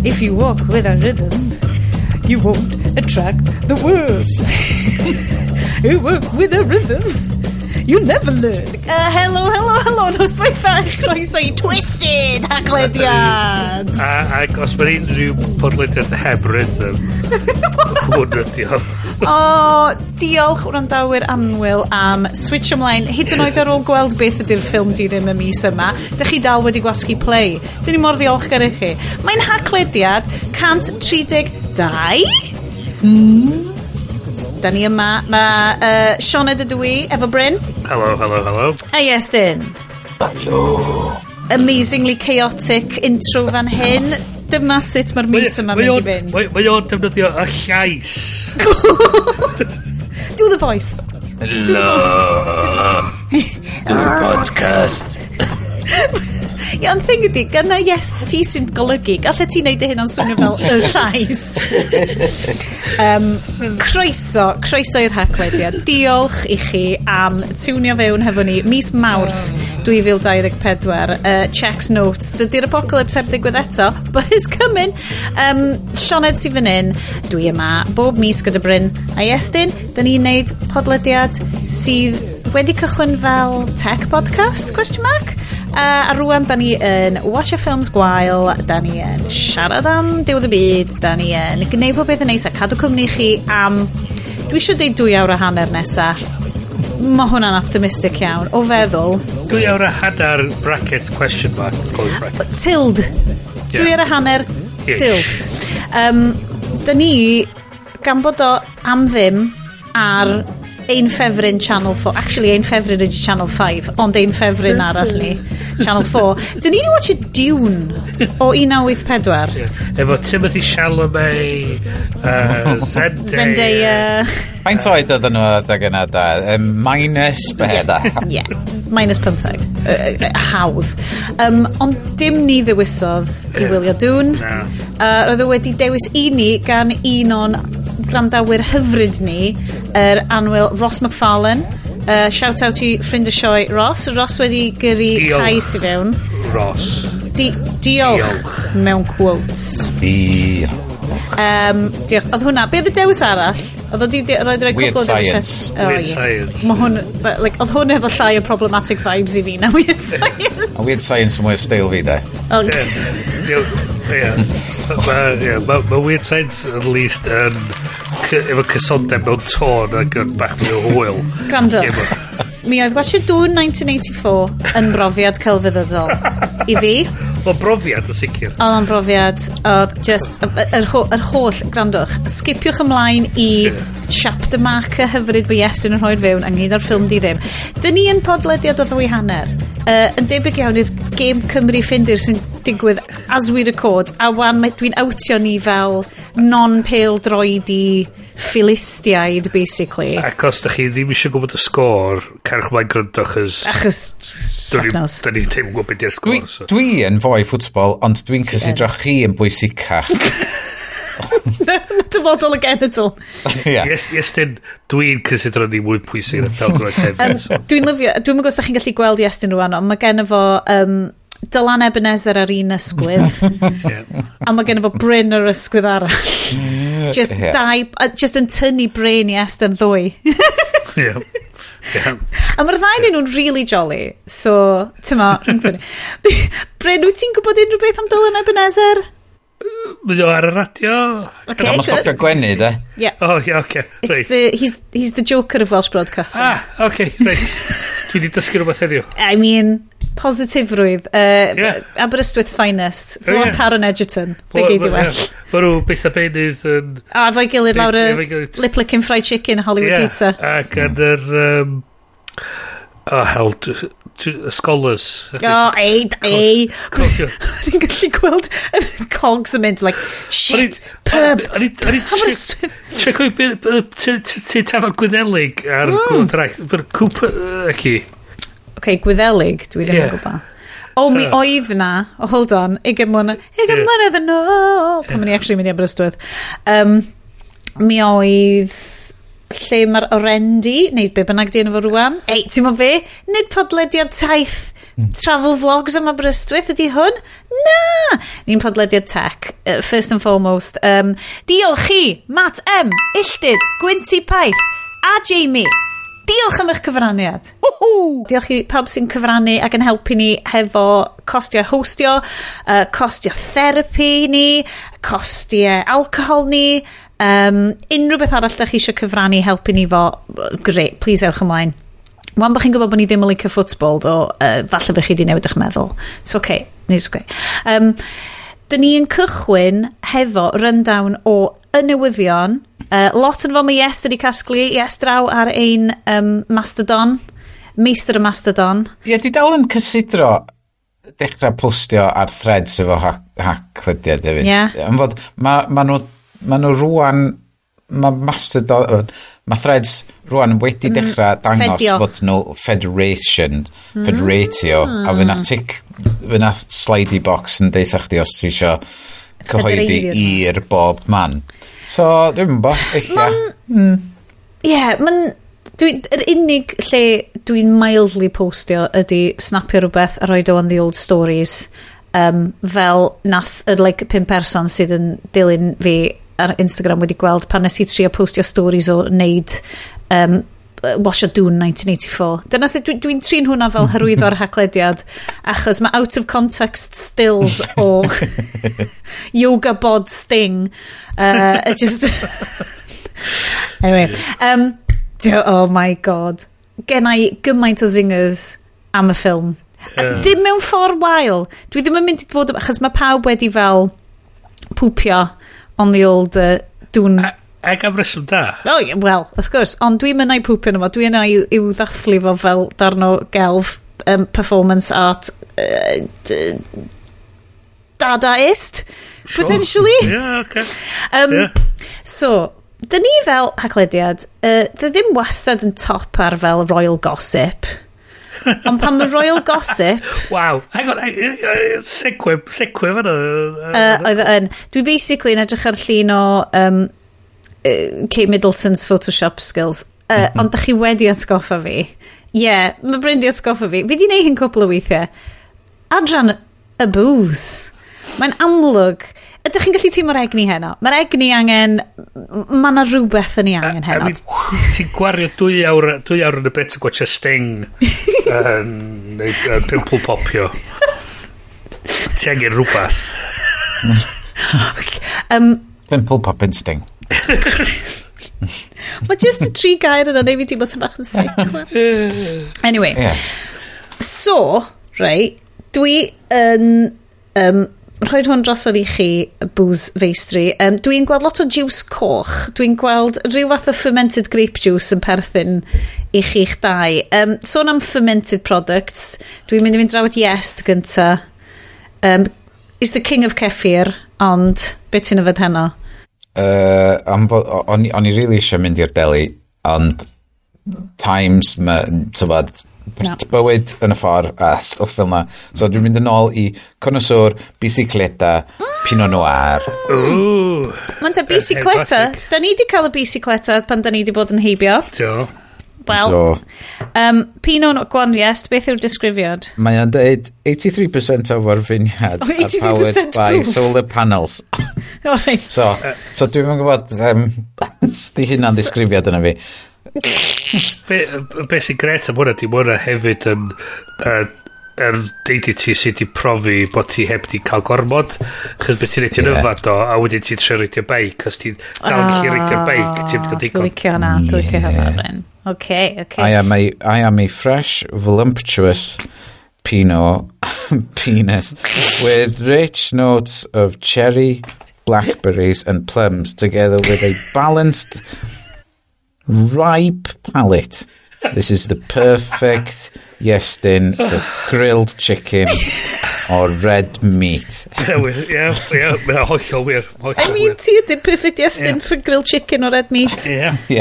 If you walk with a rhythm, you won't attract the worm. You work with a rhythm, you never learn. Hello, hello, hello, noswaith dda, croeso i Twisted Haglediad. Ac os mae unrhyw podlediad heb rhythm, hwn ydi o. O, diolch wrandawyr annwyl am switch ymlaen, hyd yn oed ar ôl gweld beth ydy'r ffilm di ddim y mis yma. Dych chi dal wedi gwasgu play. Dyn ni mor ddiolchgar i chi. Mae'n Haclediad 132? Da ni yma. Mae Sioned ydw i, efo Bryn. Hello, hello, hello. A Iestyn. Hello. Amazingly chaotic intro fan hyn. Dyma sut mae'r mis yma'n mynd i fynd. Mae o'n defnyddio y llais. Do the voice. Hello. Do the podcast. Ie, ond thing ydi, gyna yes ti sy'n golygu, gallet ti wneud dy hyn o'n swnio fel y llais. Croeso, croeso i'r Haclediad. Diolch i chi am tiwnio fewn hefo ni mis Mawrth 2024. Checks notes. Dydy'r apocalypse heb ddigwydd eto, but it's coming. Sioned sydd fan hyn, dwi yma bob mis gyda Bryn a Iestyn. Da ni'n neud podlediad sydd wedi cychwyn fel tech podcast, question mark? A rwan, da ni yn watch films gwael, da ni yn siarad am diwedd y byd, da ni yn gwneud pob beth yn neis a cadw cwmni chi am, dwi eisiau deud 2 awr a hanner nesa. Mae hwnna'n optimistic iawn, o feddwl. 2 awr a hanner brackets question mark close brackets. Tilde. 2 awr a hanner, Ish. tilde. Da ni, gan bod o am ddim ar ein ffefryn Channel 4. Actually, ein ffefryn ydy Channel 5, ond ein ffefryn arall ni, Channel 4. Dyn ni wedi watch Dune o 1984. Yeah. Efo Timothy Chalamet, Zendaya. Zendaya. Faint oed oedden nhw adeg yna da? Minus be da? Yeah, minus 15. Hawdd. Ond dim ni ddewisodd i wylio Dune. Na. Roedd o wedi dewis i ni gan un o'n gwrandawyr hyfryd ni, yr annwyl Ross McFarlane. Shout out i ffrind y sioe Ross. Ross wedi gyrru Diolch. cais i fewn. Ross. Diolch, Diolch. mewn quotes. Diolch. Diolch. Oedd hwnna, be oedd y dewis arall? Oedd o di roed rhoi Weird cwpl o dewisiau- Science. Oh, Weird ie. Science. Mae hwn, but, like, oedd hwn efo llai o problematic vibes i fi na Weird Science. A Weird Science yn mwy o steil fi da. Ie. Ma Weird Science at least yn efo cysondeb mewn tôn ac yn bach mwy o hwyl. Gwrandwch. Ie, Mi oedd watchio Dune 1984 yn brofiad celfyddydol i fi. Mae'n brofiad yn sicr. Oedd o'n brofiad, oedd just, yr holl, gwrandwch, skipiwch ymlaen i chapter marker hyfryd mae Iestyn yn rhoi'r fewn ynghyd â'r ffilm di ddim. Dyn ni yn podlediad o ddwy hanner. Yn debyg iawn i'r Game Cymru Ffindir sy'n digwydd as we record, a wan dwi'n outio ni fel non-pale droidi Philistiaid, basically. Ac os da chi ddim eisiau gwybod y sgôr, cerwch mlaen gryndo, chos Achos, fuck knows. da ni ddim yn gwybod beth yw'r Dwi, sgôr. So. dwi yn foi ffwtbol, ond dwi'n cysidro chi yn bwysicach. Dyfodol y genedl. Ie. Yes, yes, dyn, dwi'n cysidro ni mwy pwysig na pêl-droed hefyd. So. Dwi'n lyfio, dwi'n gwybod os da chi'n gallu gweld Iestyn rwan, ond mae gen fo Dylan Ebenezer ar un ysgwydd, a mae gen fo Bryn ar ysgwydd arall. Just dau, just yn tynnu brain i Estyn ddwy. Ie. A mae'r ddau nhw'n really jolly, so, ti'n ma, rhwng. Bryn, wyt ti'n gwybod unrhyw beth am Dylan Ebenezer? Mae o ar y radio. Okay, Mae'n good. stopio gwenu, de. Yeah. O, ie, oce. It's Reit. he's the Joker of Welsh broadcasting. Ah, oce, reit. Dwi wedi dysgu rhywbeth heddiw. I mean, positifrwydd. Aberystwyth's finest. Fo Taron Egerton. Be gei di well. Mae nhw beth a beunydd yn A efo'i gilydd lawr y Efo'i gilydd. Lip Licking Fried Chicken Hollywood Pizza. Ac yn yr oh, hell, Scholars. O, ei, ei. Cofio. Ni'n gallu gweld y cogs yn mynd, like, shit, pub. O'n i Aberystwyth. Ti'n cofio ti tafarn Gwyddelig ar Gwlad Arall? Cooper, ci. OK, Gwyddelig, dwi ddim yn gwybod. O, mi oedd na. Oh, hold on. 20 mlynedd. 20 mlynedd yn ôl. Pan o'n i actually mynd i Aberystwyth. Mi oedd lle mae'r Orendi, neu be bynnag di enw fo rwan. Ei, ti'n mo be? Nid podlediad taith travel vlogs am Aberystwyth ydy hwn? Na! Ni'n podlediad tech, first and foremost. Diolch chi, Matt M, Illtyd, Gwynty Paith, a Jamie. Diolch am eich cyfraniad. Diolch i pawb sy'n cyfrannu ac yn helpu ni hefo costiau hostio, costiau therapi ni, costiau alcohol ni, unrhyw beth arall da chi eisiau cyfrannu helpu ni fo, great, please ewch ymlaen. Wan bod chi'n gwybod bod ni ddim yn licio ffwtbol, ddo, falle bych chi wedi newid eich meddwl. It's okay, it's okay. Dyn ni yn cychwyn hefo rundown o y newyddion. Lot yn fo mae Yes wedi casglu. Yes draw ar ein Mastodon. Meistr y Mastodon. Ie, dwi dal yn cysidro dechrau postio ar threads efo Haclediad hefyd. Am fod, ma nhw rwan, mae Mastodon, mae threads rwan wedi dechrau dangos fedio. fod nhw federation, federatio, a fydd na tick, fydd na slidey box yn deitha chdi os ti isio cyhoeddi Federeiddio. i'r bob man. So, dwi'n bo, ella. Ie, yeah, mae'n... Yr unig lle dwi'n mildly postio ydy snapio rhywbeth a roid o on the old stories, fel nath yr like, pum person sydd yn dilyn fi ar Instagram wedi gweld pan nes i trio postio stories o wneud Wash a Dune 1984. Dyna sut dwi'n dwi trin hwnna fel hyrwyddo'r Haclediad, achos mae out of context stills o yoga bod Sting. It just... Anyway, oh my God. Gen i gymaint o zingers am y ffilm. A ddim mewn ffordd wael. Dwi ddim yn mynd i bod... Achos mae pawb wedi fel pwpio on the old Dune. Ac am reswm da. Oh, yeah, well, of course. Ond dwi'n mynd i pwpio yno fo. Dwi'n yna i'w ddathlu fo fel darn o gelf, performance art, dadaist, potentially. Yeah, okay. So, dyn ni fel Haclediad, dy ddim wastad yn top ar fel royal gossip. Ond pan mae royal gossip Wow. Hang on, segue fan'na. Oedd o yn. Dwi basically yn edrych ar llun o Kate Middleton's Photoshop skills. Ond da chi wedi atgoffa fi. Ie, yeah, mae Bryn di atgoffa fi. Fi di neud hyn cwpl o weithiau. Adran y booze. Mae'n amlwg. Ydych chi'n gallu teimlo'r egni heno? Mae'r egni angen... Mae yna rhywbeth yn ei angen I heno. mean, ti'n gwario 2 awr yn y bit yn gwatcha Sting yn neu, pimple popio. Ti angen rhywbeth. Pimple popping Sting. Mae just y tri gair yna neu fi teimlo tipyn bach yn sick. Anyway. So, right, dwi yn rhoi hwn drosodd i chi, y booze feistri. Dwi'n gweld lot o juice coch. Dwi'n gweld rhyw fath o fermented grape juice yn perthyn i chi'ch dau. Sôn am fermented products, dwi'n mynd i fynd draw at Iest gynta. Is the king of kefir, ond beth ti'n yfed heno? Am fod, o'n i really eisiau mynd i'r deli, ond times, ma, tybod, Na. bywyd yn y ffordd a stwff fel na. So dwi'n mynd yn ôl i Connoisseur, Bicicleta, Pinot Noir. Ooh. Mae'n ta bicicleta. Classic. Da ni di cael y bicicleta pan da ni di bod yn heibio. Do. Wel, So, Pinot Noir, go on, Iest, beth yw'r disgrifiad? Mae o'n deud 83% of our vineyards Oh, are powered 83% by proof. solar panels. All right. So dwi'n yn gwybod, di hynna'n ddisgrifiad yna fi. Be sy'n gret am hwnna, di ma hwnna hefyd yn er deud i ti sydd wedi profi bod ti heb di cael gormod, chos beth ti'n neud, ti'n yfad o, a wedyn ti'n trio reidio beic, os ti'n dal yn gallu reidio'r beic, ti'n cael Dwi'n digon. licio hwnna, dwi'n licio hwnna, Bryn. Okay. I am a fresh, voluptuous Pinot penis with rich notes of cherry, blackberries and plums together with a balanced, ripe palate. This is the perfect Iestyn for grilled chicken or red meat. Ie, ie, mae'n hollol wir. Hollol I mean, wir. ti ydy'r perfect Iestyn for grilled chicken or red meat. Ie. Ie.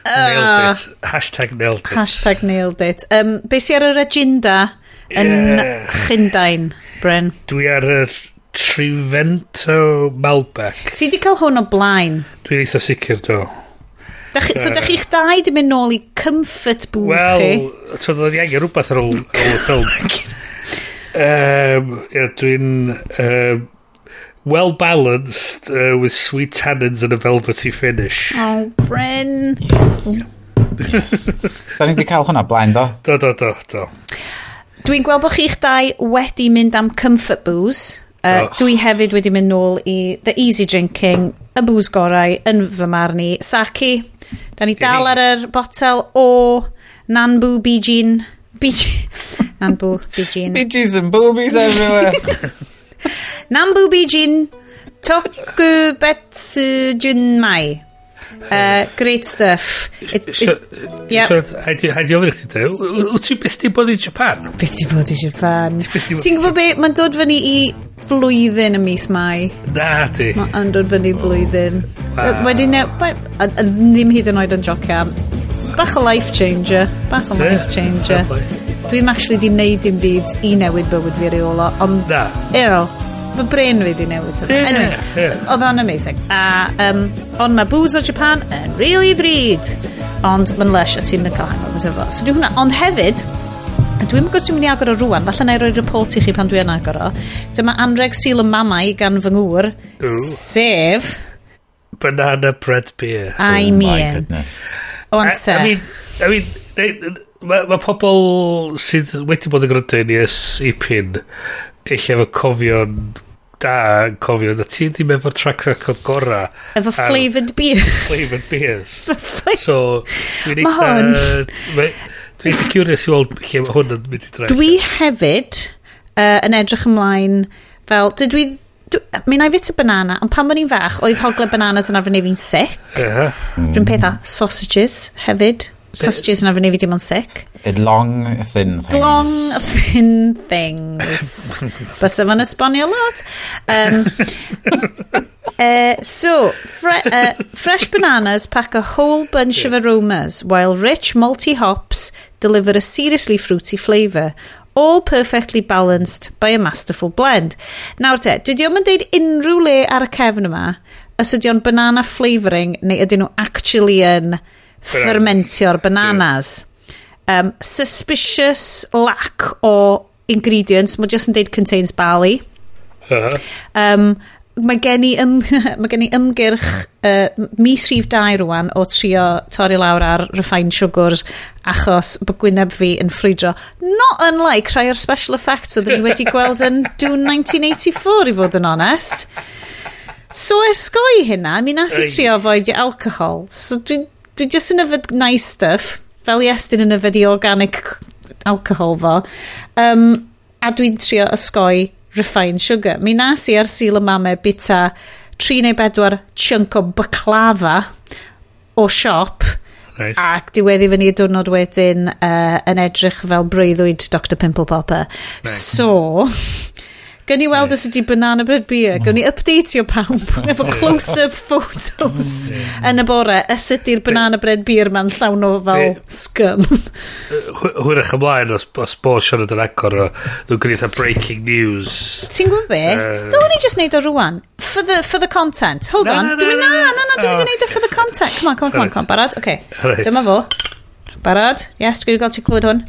Nailed it. Hashtag nailed it. Hashtag nailed it. Be sy ar yr agenda yn Llundain, Bryn? Dwi ar yr Trivento Malbec. Ti di cael hwn o blaen? Dwi'n eitha sicr, do. So da chi'ch dau di mynd nôl i comfort booze chi? Wel, so doedd ni angen rhywbeth ar ôl y ffilm. Yeah, dwi'n well balanced with sweet tannins and a velvety finish. Oh, Bryn. Yes. Yes. Da ni wedi cael hwnna blaen, do? Do. Dwi'n gweld bod chi'ch dau wedi mynd am comfort booze. Dwi hefyd wedi mynd nôl i the easy drinking, y booze gorau yn fy marn i. Sake. Da ni dal ar yr botel o Nanbu Bijin. Bijin. Nanbu Bijin. Bijis and boobies everywhere. Nanbu Bijin Tokubetsu Junmai. Great stuff. Yeah. Haid i ofyn i chdi, wyt ti byth di bod i Japan? Byth di bod i Japan. Ti'n gwybod be, mae'n dod fyny i flwyddyn y mis Mai. Na di. Mae'n dod fyny i flwyddyn. Wedi ddim hyd yn oed yn jocian. Bach o life changer. Bach o life changer. Dwi'n actually di wneud dim byd i newid bywyd fi reola, ond, you know, fy brain fi di newid. Anyway, oedd o'n amazing. A, ond mae booze o Japan yn really ddrud. Ond mae'n lush a ti'n cael hangovers efo. So dwi hwnna. Ond hefyd, dwi'n gwybod dwi'n mynd i agor o rwan, falle na i roi report i chi pan dwi yn agor o. Dyma anreg Sul y Mamau gan fy ngŵr, sef Banana bread beer. I mean. Oh my goodness. Onte. I mean, mae pobl sydd wedi bod yn gwrando i ni ers ipyn eich efo cofio'n da, cofio na ti ddim efo track record gora. Efo flavoured beers. Flavoured beers. So, dwi'n eitha... Dwi'n eitha curious i weld lle mae hwn yn mynd i droi. Dwi hefyd yn edrych ymlaen fel... Mi na i fita banana, ond pan o'n i'n fach, oedd hogle bananas yn arfer neu fi'n sick. Rwy'n peth a sausages hefyd. Sausages yn arfer neu fi dim ond sick. Long, thin things. Long, thin things. Bysa fo'n esbonio lot. So, fresh bananas pack a whole bunch of aromas, while rich malty hops deliver a seriously fruity flavour. All perfectly balanced by a masterful blend. Nawr te, dydy o'm yn deud unrhyw le ar y cefn yma, os ydy o'n banana flavouring, neu ydyn nhw actually yn fermentio'r bananas. Suspicious lack o ingredients. Mae just yn deud contains barley. Mae gen i ymgyrch mis rhif 2 rwan o trio torri lawr ar refined sugars achos bod gwyneb fi yn ffrwydro. Not unlike rhai o'r special effects oedden ni wedi gweld yn Dune 1984 i fod yn onest. So esgoi hynna, mi nas i trio avoid alcohol. So dwi just yn yfed nice stuff, fel Iestyn yn yfed i organic alcohol fo. A dwi'n trio osgoi refined sugar. Mi nas i ar Sul y Mame bita 3 neu 4 chunk o baklava o siop. Nice. Ac diweddu fyny y diwrnod wedyn yn edrych fel breuddwyd Dr Pimple Popper. Nice. So, gawn ni weld os ydi banana bread beer. Gawn ni updateio pawb efo close-up photos yn y bore. Os ydi'r banana bread beer ma'n llawn o fel scum. Hwyrach ymlaen os bo Sioned yn agor o, nhw'n gwneud breaking news. Ti'n gwybod be? Dylwn ni just neud o rwan. For the content. Hold on. Na, dwi'n mynd i neud o for the content. Come on, come on. Barod? Okay. Right. Dyma fo. Barod? Yes, dwi'n gael ti clywed hwn.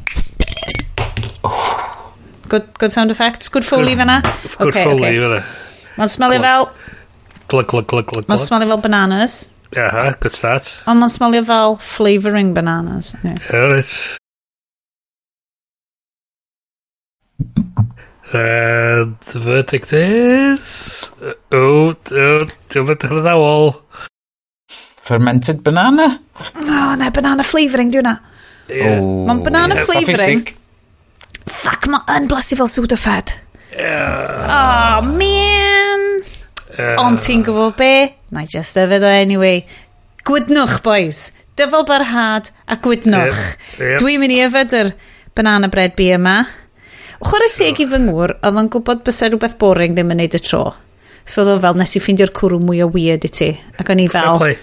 Good sound effects. Good foley fanna. Good foley fanna. Mae'n smelio fel... Glug, glug, glug, glug. Mae'n smelio fel bananas. Aha, good start. Ond mae'n smelio fel flavouring bananas. Yeah. All right. And the verdict is... Oh, dwi'n mynd yn addawol. Fermented banana? Oh, na, banana flavouring, di hwnna. Yeah. Mae'n banana flavouring. Fuck, mae yn blasu fel Sudafed. Oh, man. Ond ti'n gwybod be? Na i just yfed o anyway. Gwydnwch, boys. Dyfal barhad a gwydnwch. Yep. Dwi'n mynd i yfed yr banana bread beer yma. Chwarae teg i fy ngŵr, oedd o'n gwybod bysa rhywbeth boring ddim yn neud y tro. So oedd o fel, nes i ffeindio'r cwrw mwy o weird i ti. Ac o'n i fel... Fair play.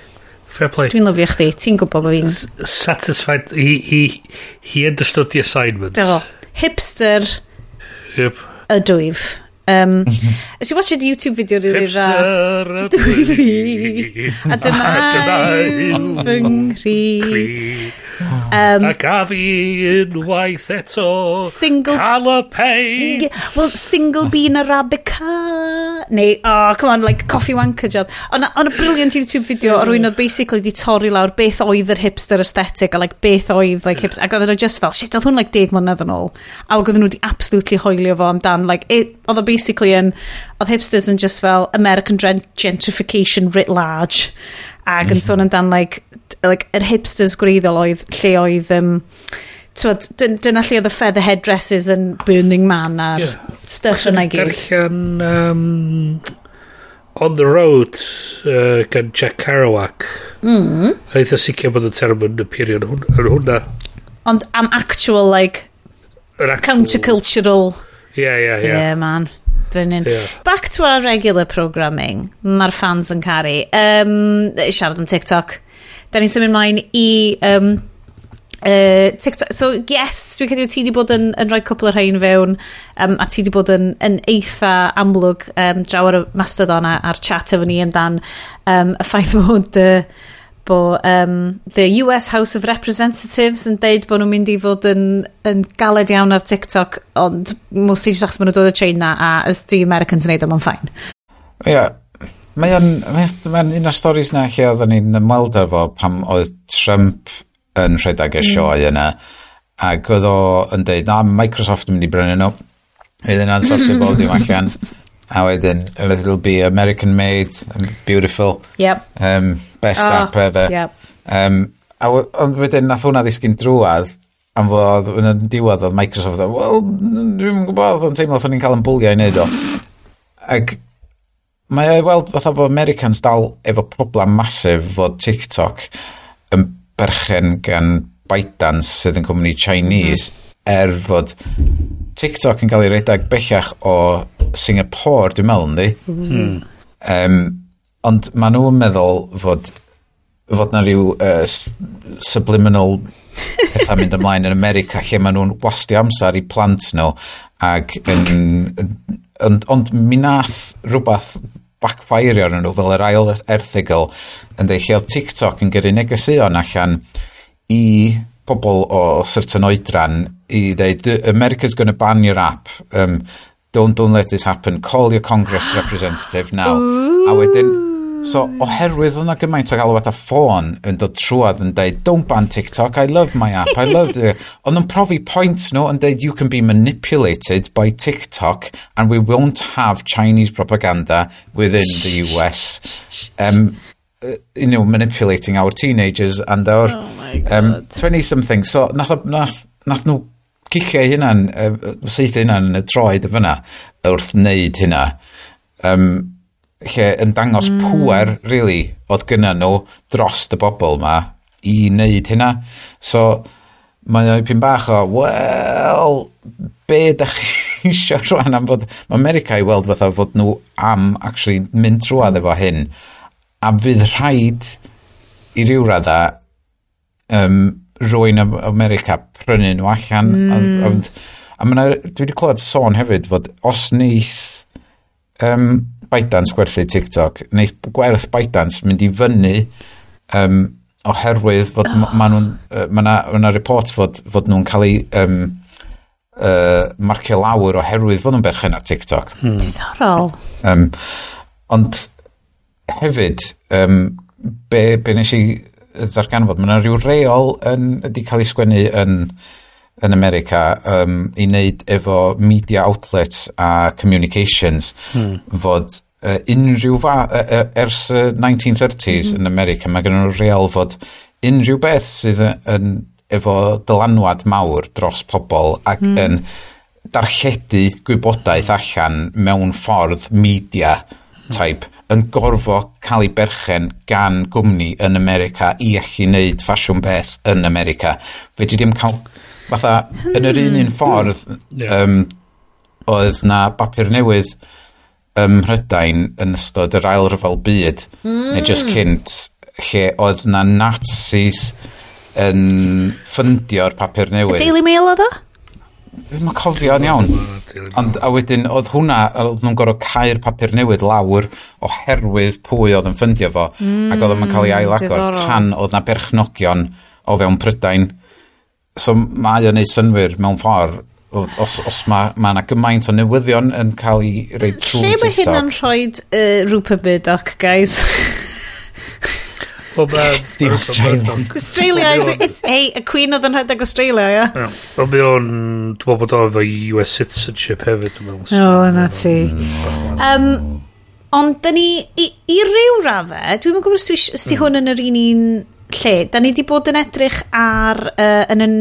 Fair play. Dwi'n lyfio chdi. Ti'n gwybod bod fi'n... Satisfied. He understood the assignment. Do. Hipster. Yep. Ydwyf. Nes i watched YouTube video rili dda. Hipster ydw i. A dyna yw fy nghri. A gaf i unwaith eto. Single... Cael y peint. Well, single bean Arabica. Neu, oh, come on, like coffee wanker job. Ond on a brilliant YouTube video o rywun oedd basically di torri lawr beth oedd yr hipster aesthetic a like beth oedd like hipster. Ac oedden nhw just fel, shit, oedd hwn like 10 mlynedd yn ôl. A oedden nhw di absolutely hoelio fo amdan. Like, oedd o basically yn, oedd hipsters yn just fel American gentrification writ large. Ac yn sôn amdan like yr hipsters gwreiddiol oedd lle oedd twod, dyna lle oedd y feather headdresses yn Burning Man a'r stuff yna i gyd. Darllen On the Road gan Jack Kerouac. A eitha sicr bod y term yn appeario yn hwnna. Ond am actual, like, Yr actual... countercultural... Yeah. Yeah, man. Yeah. Back to our regular programming. Mae'r fans yn caru. Siarad am TikTok. Da ni'n symud mlaen i TikTok. So, yes, dwi'n credu ti di bod yn rhoi cwpl o'r rhain fewn, a ti di bod yn eitha amlwg draw ar y Mastodon a'r chat efo ni amdan y ffaith bod the US House of Representatives yn deud bod nhw'n mynd i fod yn galed iawn ar TikTok, ond mostly just achos maen nhw'n dod o China a as di Americans yn neud o, mae'n fine. Ie, yeah. Mae'n un o'r stories na lle oedden ni'n ymweld efo pam oedd Trump yn rhedeg y sioe yna, ac oedd o yn deud, na, Microsoft yn mynd i brynu nhw, fydd yna'n sortio bob dim allan, a wedyn, it'll be American made, beautiful, yep. Best app ever. Yep. Ond wedyn, nath hwnna ddisgyn drwadd, am fod yn y diwedd oedd Microsoft, wel, dwi'n gwybod, oedd o'n teimlo oedd ni'n cael yn bwlio i wneud o. Ac mae o'i weld fatha fod Americans dal efo problem masif fod TikTok yn berchen gan ByteDance sydd yn cwmni Chinese, er fod TikTok yn cael ei redeg bellach o Singapore, dwi'n meddwl, yndi? Ond maen nhw'n meddwl fod na rhyw subliminal pethau mynd ymlaen yn America lle maen nhw'n wastio amser i plant nhw ac ond mi nath rhywbeth backfire arnyn nhw fel yr ail erthygl yn dweud lle oedd TikTok yn gyrru negeseuon allan i pobl o certain oedran i dweud America's gonna ban your app, don't let this happen, call your Congress representative now. A wedyn, so oherwydd o'na gymaint o galwad a ffôn yn dod trwad yn dweud don't ban TikTok, I love my app, I love it. Ond nhw'n profi point nhw yn dweud you can be manipulated by TikTok and we won't have Chinese propaganda within the US. You know, manipulating our teenagers and our 20-something. So nath nhw cicio eu hunan, saethu hunan yn y troed y fyna wrth wneud hynna. Lle yn dangos pŵer, really, oedd gynna nhw dros y bobl ma i wneud hynna. So, mae o'n pyn bach o, well, be da chi isio rwan am fod... Mae America i weld fatha fod nhw am actually mynd trwadd efo hyn, a fydd rhaid i ryw radda rywun America prynu nhw allan. A ma' dwi wedi clywed sôn hefyd fod os neith ByteDance gwerthu TikTok, neith gwerth ByteDance mynd i fyny oherwydd fod ma' nhw'n ma' 'na report fod nhw'n cael ei marcio lawr oherwydd fod nhw'n berchen ar TikTok. Diddorol. Ond hefyd, be nes i ddarganfod, mae yna rhyw reol wedi cael ei sgwennu yn America i wneud efo media outlets a communications fod unrhyw ers y 1930s yn America, mae gen nhw reol fod unrhyw beth sydd yn efo dylanwad mawr dros pobl ac yn darlledu gwybodaeth allan mewn ffordd media type yn gorfod cael ei berchen gan gwmni yn America i allu wneud ffasiwn beth yn America. Fedri ddim cael fatha yn yr un ffordd oedd na bapur newydd ym Mhrydain yn ystod yr ail ryfel byd neu just cynt lle oedd na Nazis yn ffyndio'r papur newydd. Daily Mail oedd o? Dwi'm yn cofio yn iawn. Ond a wedyn oedd hwnna, oedd nhw'n gorfod cau'r papur newydd lawr oherwydd pwy oedd yn ffyndio fo, ac oedd o'n cael ei ailagor tan oedd na berchnogion o fewn Prydain. So mae o'n neud synnwyr mewn ffordd os mae yna gymaint o newyddion yn cael ei roi trwy Lle TikTok. Lle mae hynna'n rhoi Rupert Murdoch, guys? Well, ma, The Australian. Australia is, it's, hey, y Queen oedd yn rhedeg Australia, ia? Yeah? Wel, mae o'n, dwi'n meddwl bod o efo US citizenship hefyd, dwi'n meddwl. O, na ti. Ond, da ni, i ryw raddau, dwi'n gwybod os di hwn yn yr un lle, da ni di bod yn edrych ar, yn y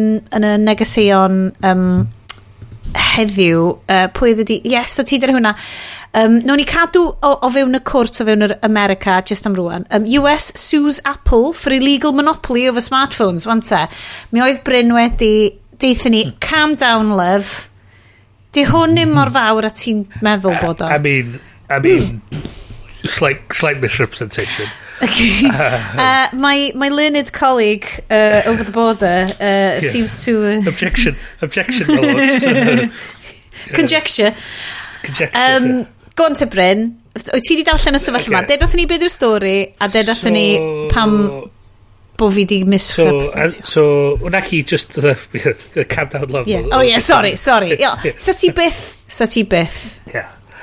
negeseuon heddiw, pwy oedd ydi, yes, o ti dyna hwnna. Nawn ni cadw o fewn y cwrt o fewn yr America, just am rwan. US sues Apple for illegal monopoly over smartphones, wan te. Mi oedd Bryn wedi deutha ni, calm down, love. Di hwn ddim mor fawr a ti'n meddwl bod o. I mean, slight misrepresentation. My learned colleague over the border seems to Objection, objection, my lord. Conjecture. Conjecture. Go on te, Bryn. Wyt ti wedi darllen y sefyllfa yma? Okay. Ded wrthyn ni beth yw'r stori, a ded wrthyn ni pam bo fi di So, misrepresentio. So, wna chi just the calm down, love. Yeah. Oh yeah, sorry, sorry. Yeah. Sa ti byth,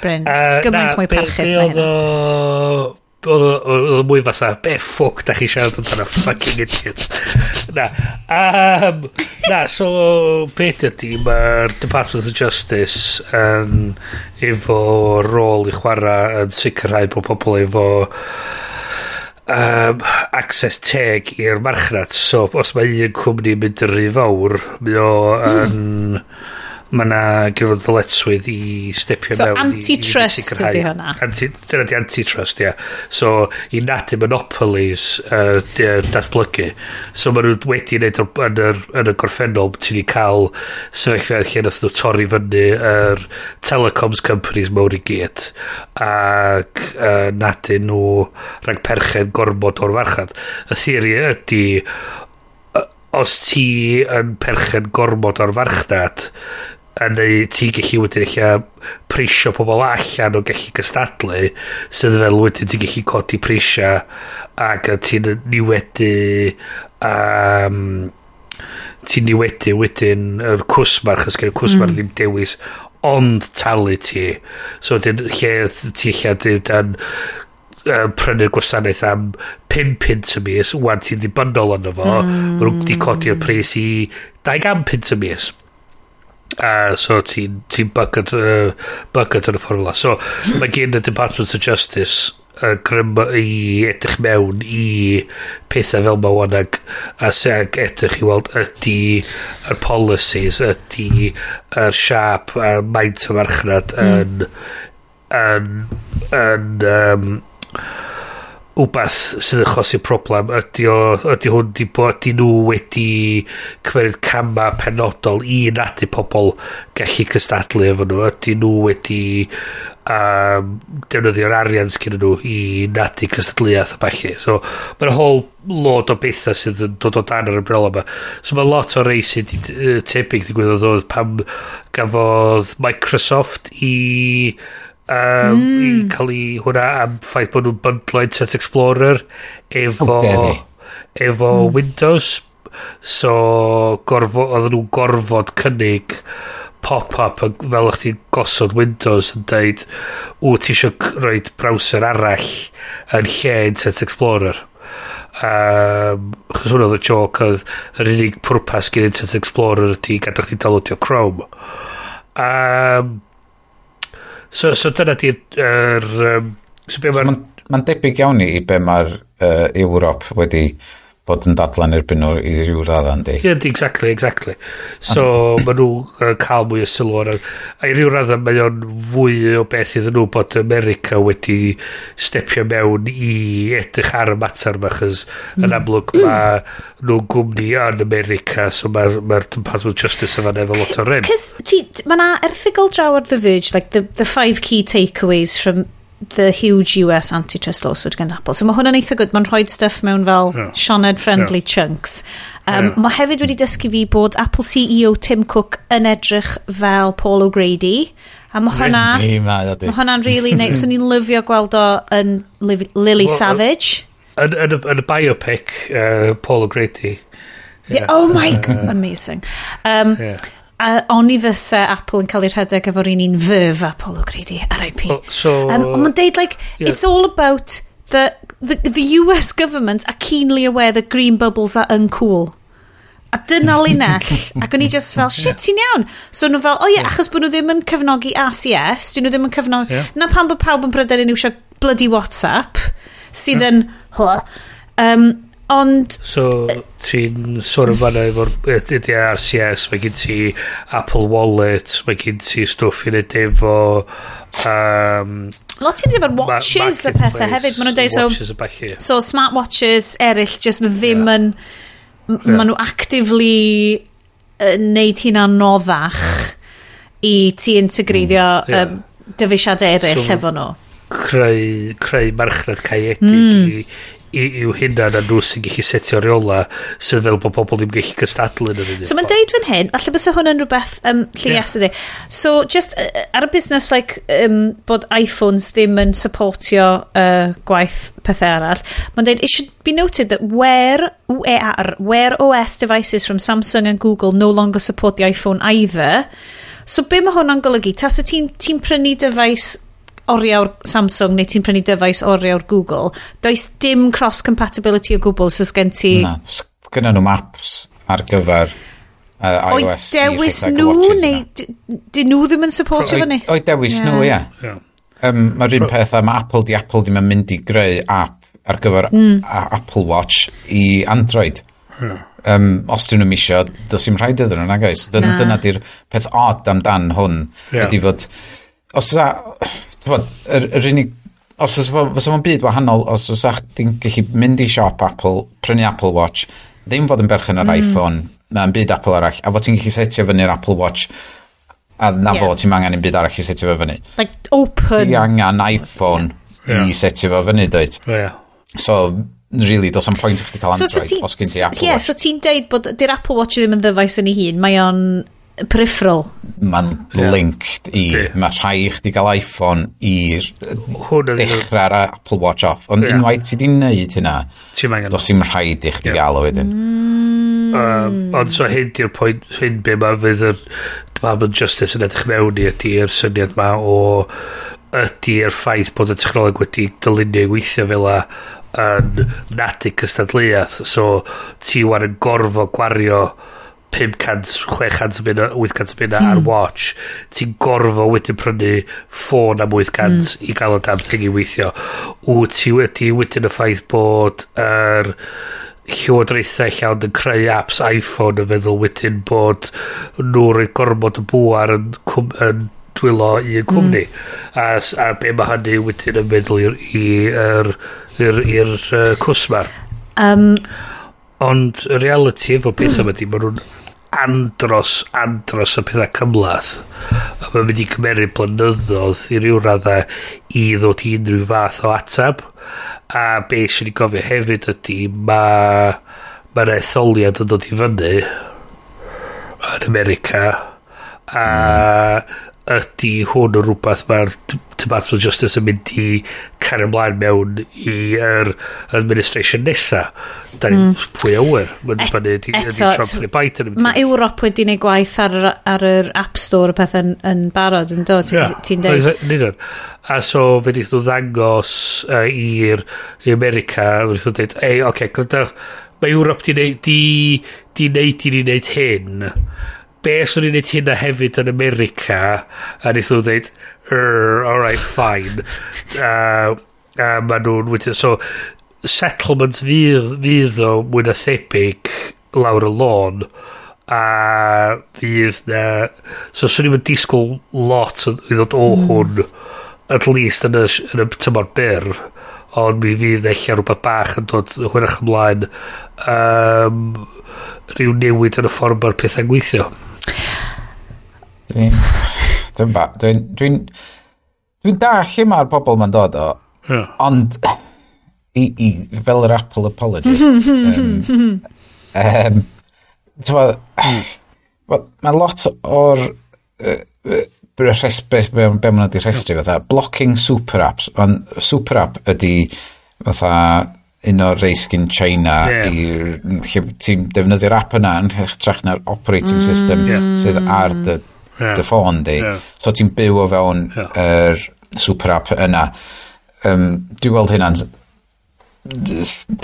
Bryn, gymaint Na, mwy parchus be na oedd hynna. Oedd o mwy fatha, be ffwc da chi siarad amdano, fucking idiot. Na, so beth ydy, mae'r Department of Justice yn efo rôl i chwarae yn sicrhau bod pobl efo access teg i'r marchnad. So, os mae un cwmni mynd yn rhy fawr, mae o yn... Mae yna gyda fo ddyletswydd i stepio So, mewn i antitrust sicrhau ydi hwnna? Dyna di antitrust, ia. So, i nadu monopolies datblygu. So, maen nhw wedi wneud yn y gorffennol, ti wedi cael sefyllfa lle nath nhw torri fyny yr telecoms companies mawr i gyd ac nadu nhw rhag perchen gormod o'r farchnad. Y theori ydy, os ti yn perchen gormod o'r farchnad, a neu ti gallu wedyn eich prisio pobl allan o gallu cystadlu, sydd fel wedyn ti'n gallu codi prisia ac ti'n niwedu wedyn yr cwsmar, chos gen y cwsmar ddim dewis ond talu ti. So wedyn lle ti lle yn prynu'r gwasanaeth am 5 punt y mis, wan ti'n ddibynnol arno fo, mm. Maen nhw wedi codi'r pris i 200 punt y mis. A so ti'n ti bucket yn y ffordd fel. So mae gen y Department of Justice grym i edrych mewn i pethau fel ma wan ag, a se ag edrych i weld ydy yr policies, ydy yr siap a maint y farchnad yn wbath sydd yn achosi problem ydy hwn di bod ydy nhw wedi cymryd cama penodol i nadu pobl gallu cystadlu efo nhw, ydy nhw wedi defnyddio'r arian sgyn nhw i nadu cystadleuaeth a ballu. So mae'n whole load o bethau sydd yn dod o dan yr umbrella yma. So mae lot o rei sydd tebyg digwyddodd oedd pam gafodd Microsoft i cael ei hwnna am ffaith bod nhw'n bundlo Internet Explorer efo How dare they. efo Windows. So oedden nhw'n gorfod cynnig pop-up fel o'ch ti'n gosod Windows yn deud, "Ww, ti eisiau rhoid browser arall yn lle Internet Explorer?" Chos hwnna oedd y joke, oedd yr unig pwrpas gen Internet Explorer ydy gadw chdi downloadio Chrome. So dyna di'r so be So ma'r Mae'n ma debyg iawn i be mae'r Ewrop wedi bod yn dadlan erbyn nhw i ryw radda, yndi? Yeah, exactly. So, maen nhw cael mwy o sylw ar. A i ryw radda, mae o'n fwy o beth iddyn nhw bod America wedi stepio mewn i edrych ar y mater yma, chos yn amlwg mae nhw'n gwmni yn America, so mae'r ma Department of Justice yma efo lot o rym. Cys, mae na erthygl draw ar The Verge, like the five key takeaways from the huge US antitrust lawsuit against Apple. So mae hwnna'n eitha good. Mae'n rhoi stuff mewn fel Sioned-friendly chunks. Mae hefyd wedi dysgu fi bod Apple CEO Tim Cook yn edrych fel Paul O'Grady. A mae hwnna... Mae hwnna'n really neis. So ni'n lyfio gweld o yn Lily Savage. Yn y biopic, Paul O'Grady. Yeah. Oh my God, amazing. Oni fysa Apple yn cael ei rhedeg efo'r un verve a Paul O'Grady, R.I.P. Well, so, ond mae'n deud, like, it's all about the US government are keenly aware that green bubbles are uncool. A dyna linell, ac o'n i just fel, shit, ti'n iawn. So nhw fel, oh yeah, achos bod nhw ddim yn cefnogi RCS, dyn nhw ddim yn cefnogi. Na pam bod pawb yn pryderu nhw eisiau bloody WhatsApp, sydd yn, ond So, ti'n sôn am fanna efo'r ydy RCS, mae gen ti Apple Wallet, mae gen ti stwff i wneud efo Lot i'n efo'r watches a pethau hefyd. Maen nhw'n deud, so, watches a ballu. So smartwatches eraill just ddim yn. Maen nhw actively neud hynna'n anoddach i ti integreiddio dyfeisiadau eraill efo nhw. Creu marchnad caeedig i'w hunan a nhw sy'n gallu setio reola sydd fel bod pobl ddim gallu cystadlu yn yr un So mae'n deud fan hyn, falle bysa hwn yn rhywbeth lle yes ydi. So just ar y busnes like, bod iPhones ddim yn supportio gwaith pethau arall, mae'n deud, "It should be noted that Wear OS devices from Samsung and Google no longer support the iPhone either." So be mae hwnna'n golygu? Tasa ti'n ti prynu dyfais oriawr Samsung neu ti'n prynu dyfais oriawr Google, does dim cross-compatibility o gwbl, so sgen ti Na, gynna nhw maps ar gyfer O'i iOS i dewis rhedeg y nhw watches neu yna. dyn nhw ddim yn supportio fyny? O'i dewis nhw, ie. Mae'r un peth am Apple, di Apple ddim yn mynd i greu app ar gyfer Apple Watch i Android. Os dyn nhw'n misio, does dim rhaid iddyn nhw, nag oes? Na. Dyna di'r peth odd amdan hwn, ydy fod, os ysa, t'bod, yr unig, os oes fysa fo'n byd wahanol, os oes chdi'n gallu mynd i siop Apple, prynu Apple Watch, ddim fod yn berchen ar iPhone, na'n byd Apple arall, a fod ti'n gallu setio fyny'r Apple Watch, a na fo, ti'n angen un byd arall i setio fo fyny. Like open. Ti angen iPhone i setio fo fyny, dweud. So, really, does am pwynt i chdi cael So Android ti, os gen ti Apple yeah, Watch. So ti'n deud bod di'r Apple Watch ddim yn ddyfais yn ei hun, mae o'n peripheral. Mae'n linked i, mae rhaid i chdi gael iPhone i'r Hwn ydi dechrau'r Apple Watch off. Ond unwaith ti di wneud hynna, Ti'm angen does dim rhaid i chdi gael o wedyn. Ond so hyn di'r pwynt, hyn be mae fydd yr Department of Justice yn edrych mewn i ydy'r syniad ma o ydy'r ffaith bod y technoleg wedi dylunio i weithio fel a yn nadu cystadleuaeth. So ti wan yn gorfod gwario 500, 600 o bunna, 800 o bunna ar watch. Ti'n gorfod wedyn prynu ffôn am 800 i gael y damn thing i weithio. Wyt ti wedi wedyn y ffaith bod yr llywodraethau llawn yn creu apps iPhone yn feddwl wedyn bod nhw'n rhoi gormod o bŵar yn dwylo un cwmni. A be mae hynny wedyn yn meddwl i'r cwsmer. Ond y reality efo pethau yma di, maen nhw'n andros o pethau cymhleth. A mae'n mynd i cymeryd blynyddoedd i ryw raddau i ddod i unrhyw fath o atab. A be sy'n ei gofio hefyd ydy mae'r etholiad yn dod i fyny yn America a ydy hwn yn rhywbeth mae'r Department of Justice yn mynd i cario ymlaen mewn i'r administration nesa. Da ni pwy a wyr. Mae'n dibynnu ydy Eto, Trump neu Biden yn mynd i Mae Ewrop wedi gwneud gwaith ar yr App Store a pethau yn barod yn dod, ti'n ti'n deud? Yn union. A so fe wnaeth nhw ddangos i'r i America, fe wnaeth nhw dweud, "Ei, oce, okay, gwrandewch, mae Ewrop di neud i ni wneud hyn. Be os o'n i'n neud hynna hefyd yn America?" A wnaeth nhw dweud, "Alright, fine." A ma nhw'n wedyn, so, settlement fydd o mwy na thebyg lawr y lôn a fydd na, so swn i'n disgwyl lot i ddod o hwn at least yn y tymor byr, ond mi fydd ella rhywbeth bach yn dod hwyrach ymlaen, rhyw newid yn y ffordd mae'r pethau'n gweithio. Dwi'n... Dwi'n ba... Dwi'n... Dwi'n... Dwi'n dallt lle mae'r bobl ma'n dod o, ond i fel yr Apple apologist, t'mod, wel, mae lot o'r be maen nhw wedi rhestru fatha blocking super apps, ond super app ydy fatha un o'r reis gyn China i lle ti'n defnyddio'r app yna yn hytrach na'r operating system sydd ar dy, dy ffôn di. So ti'n byw o fewn yr super app yna. Dwi'n gweld hynna'n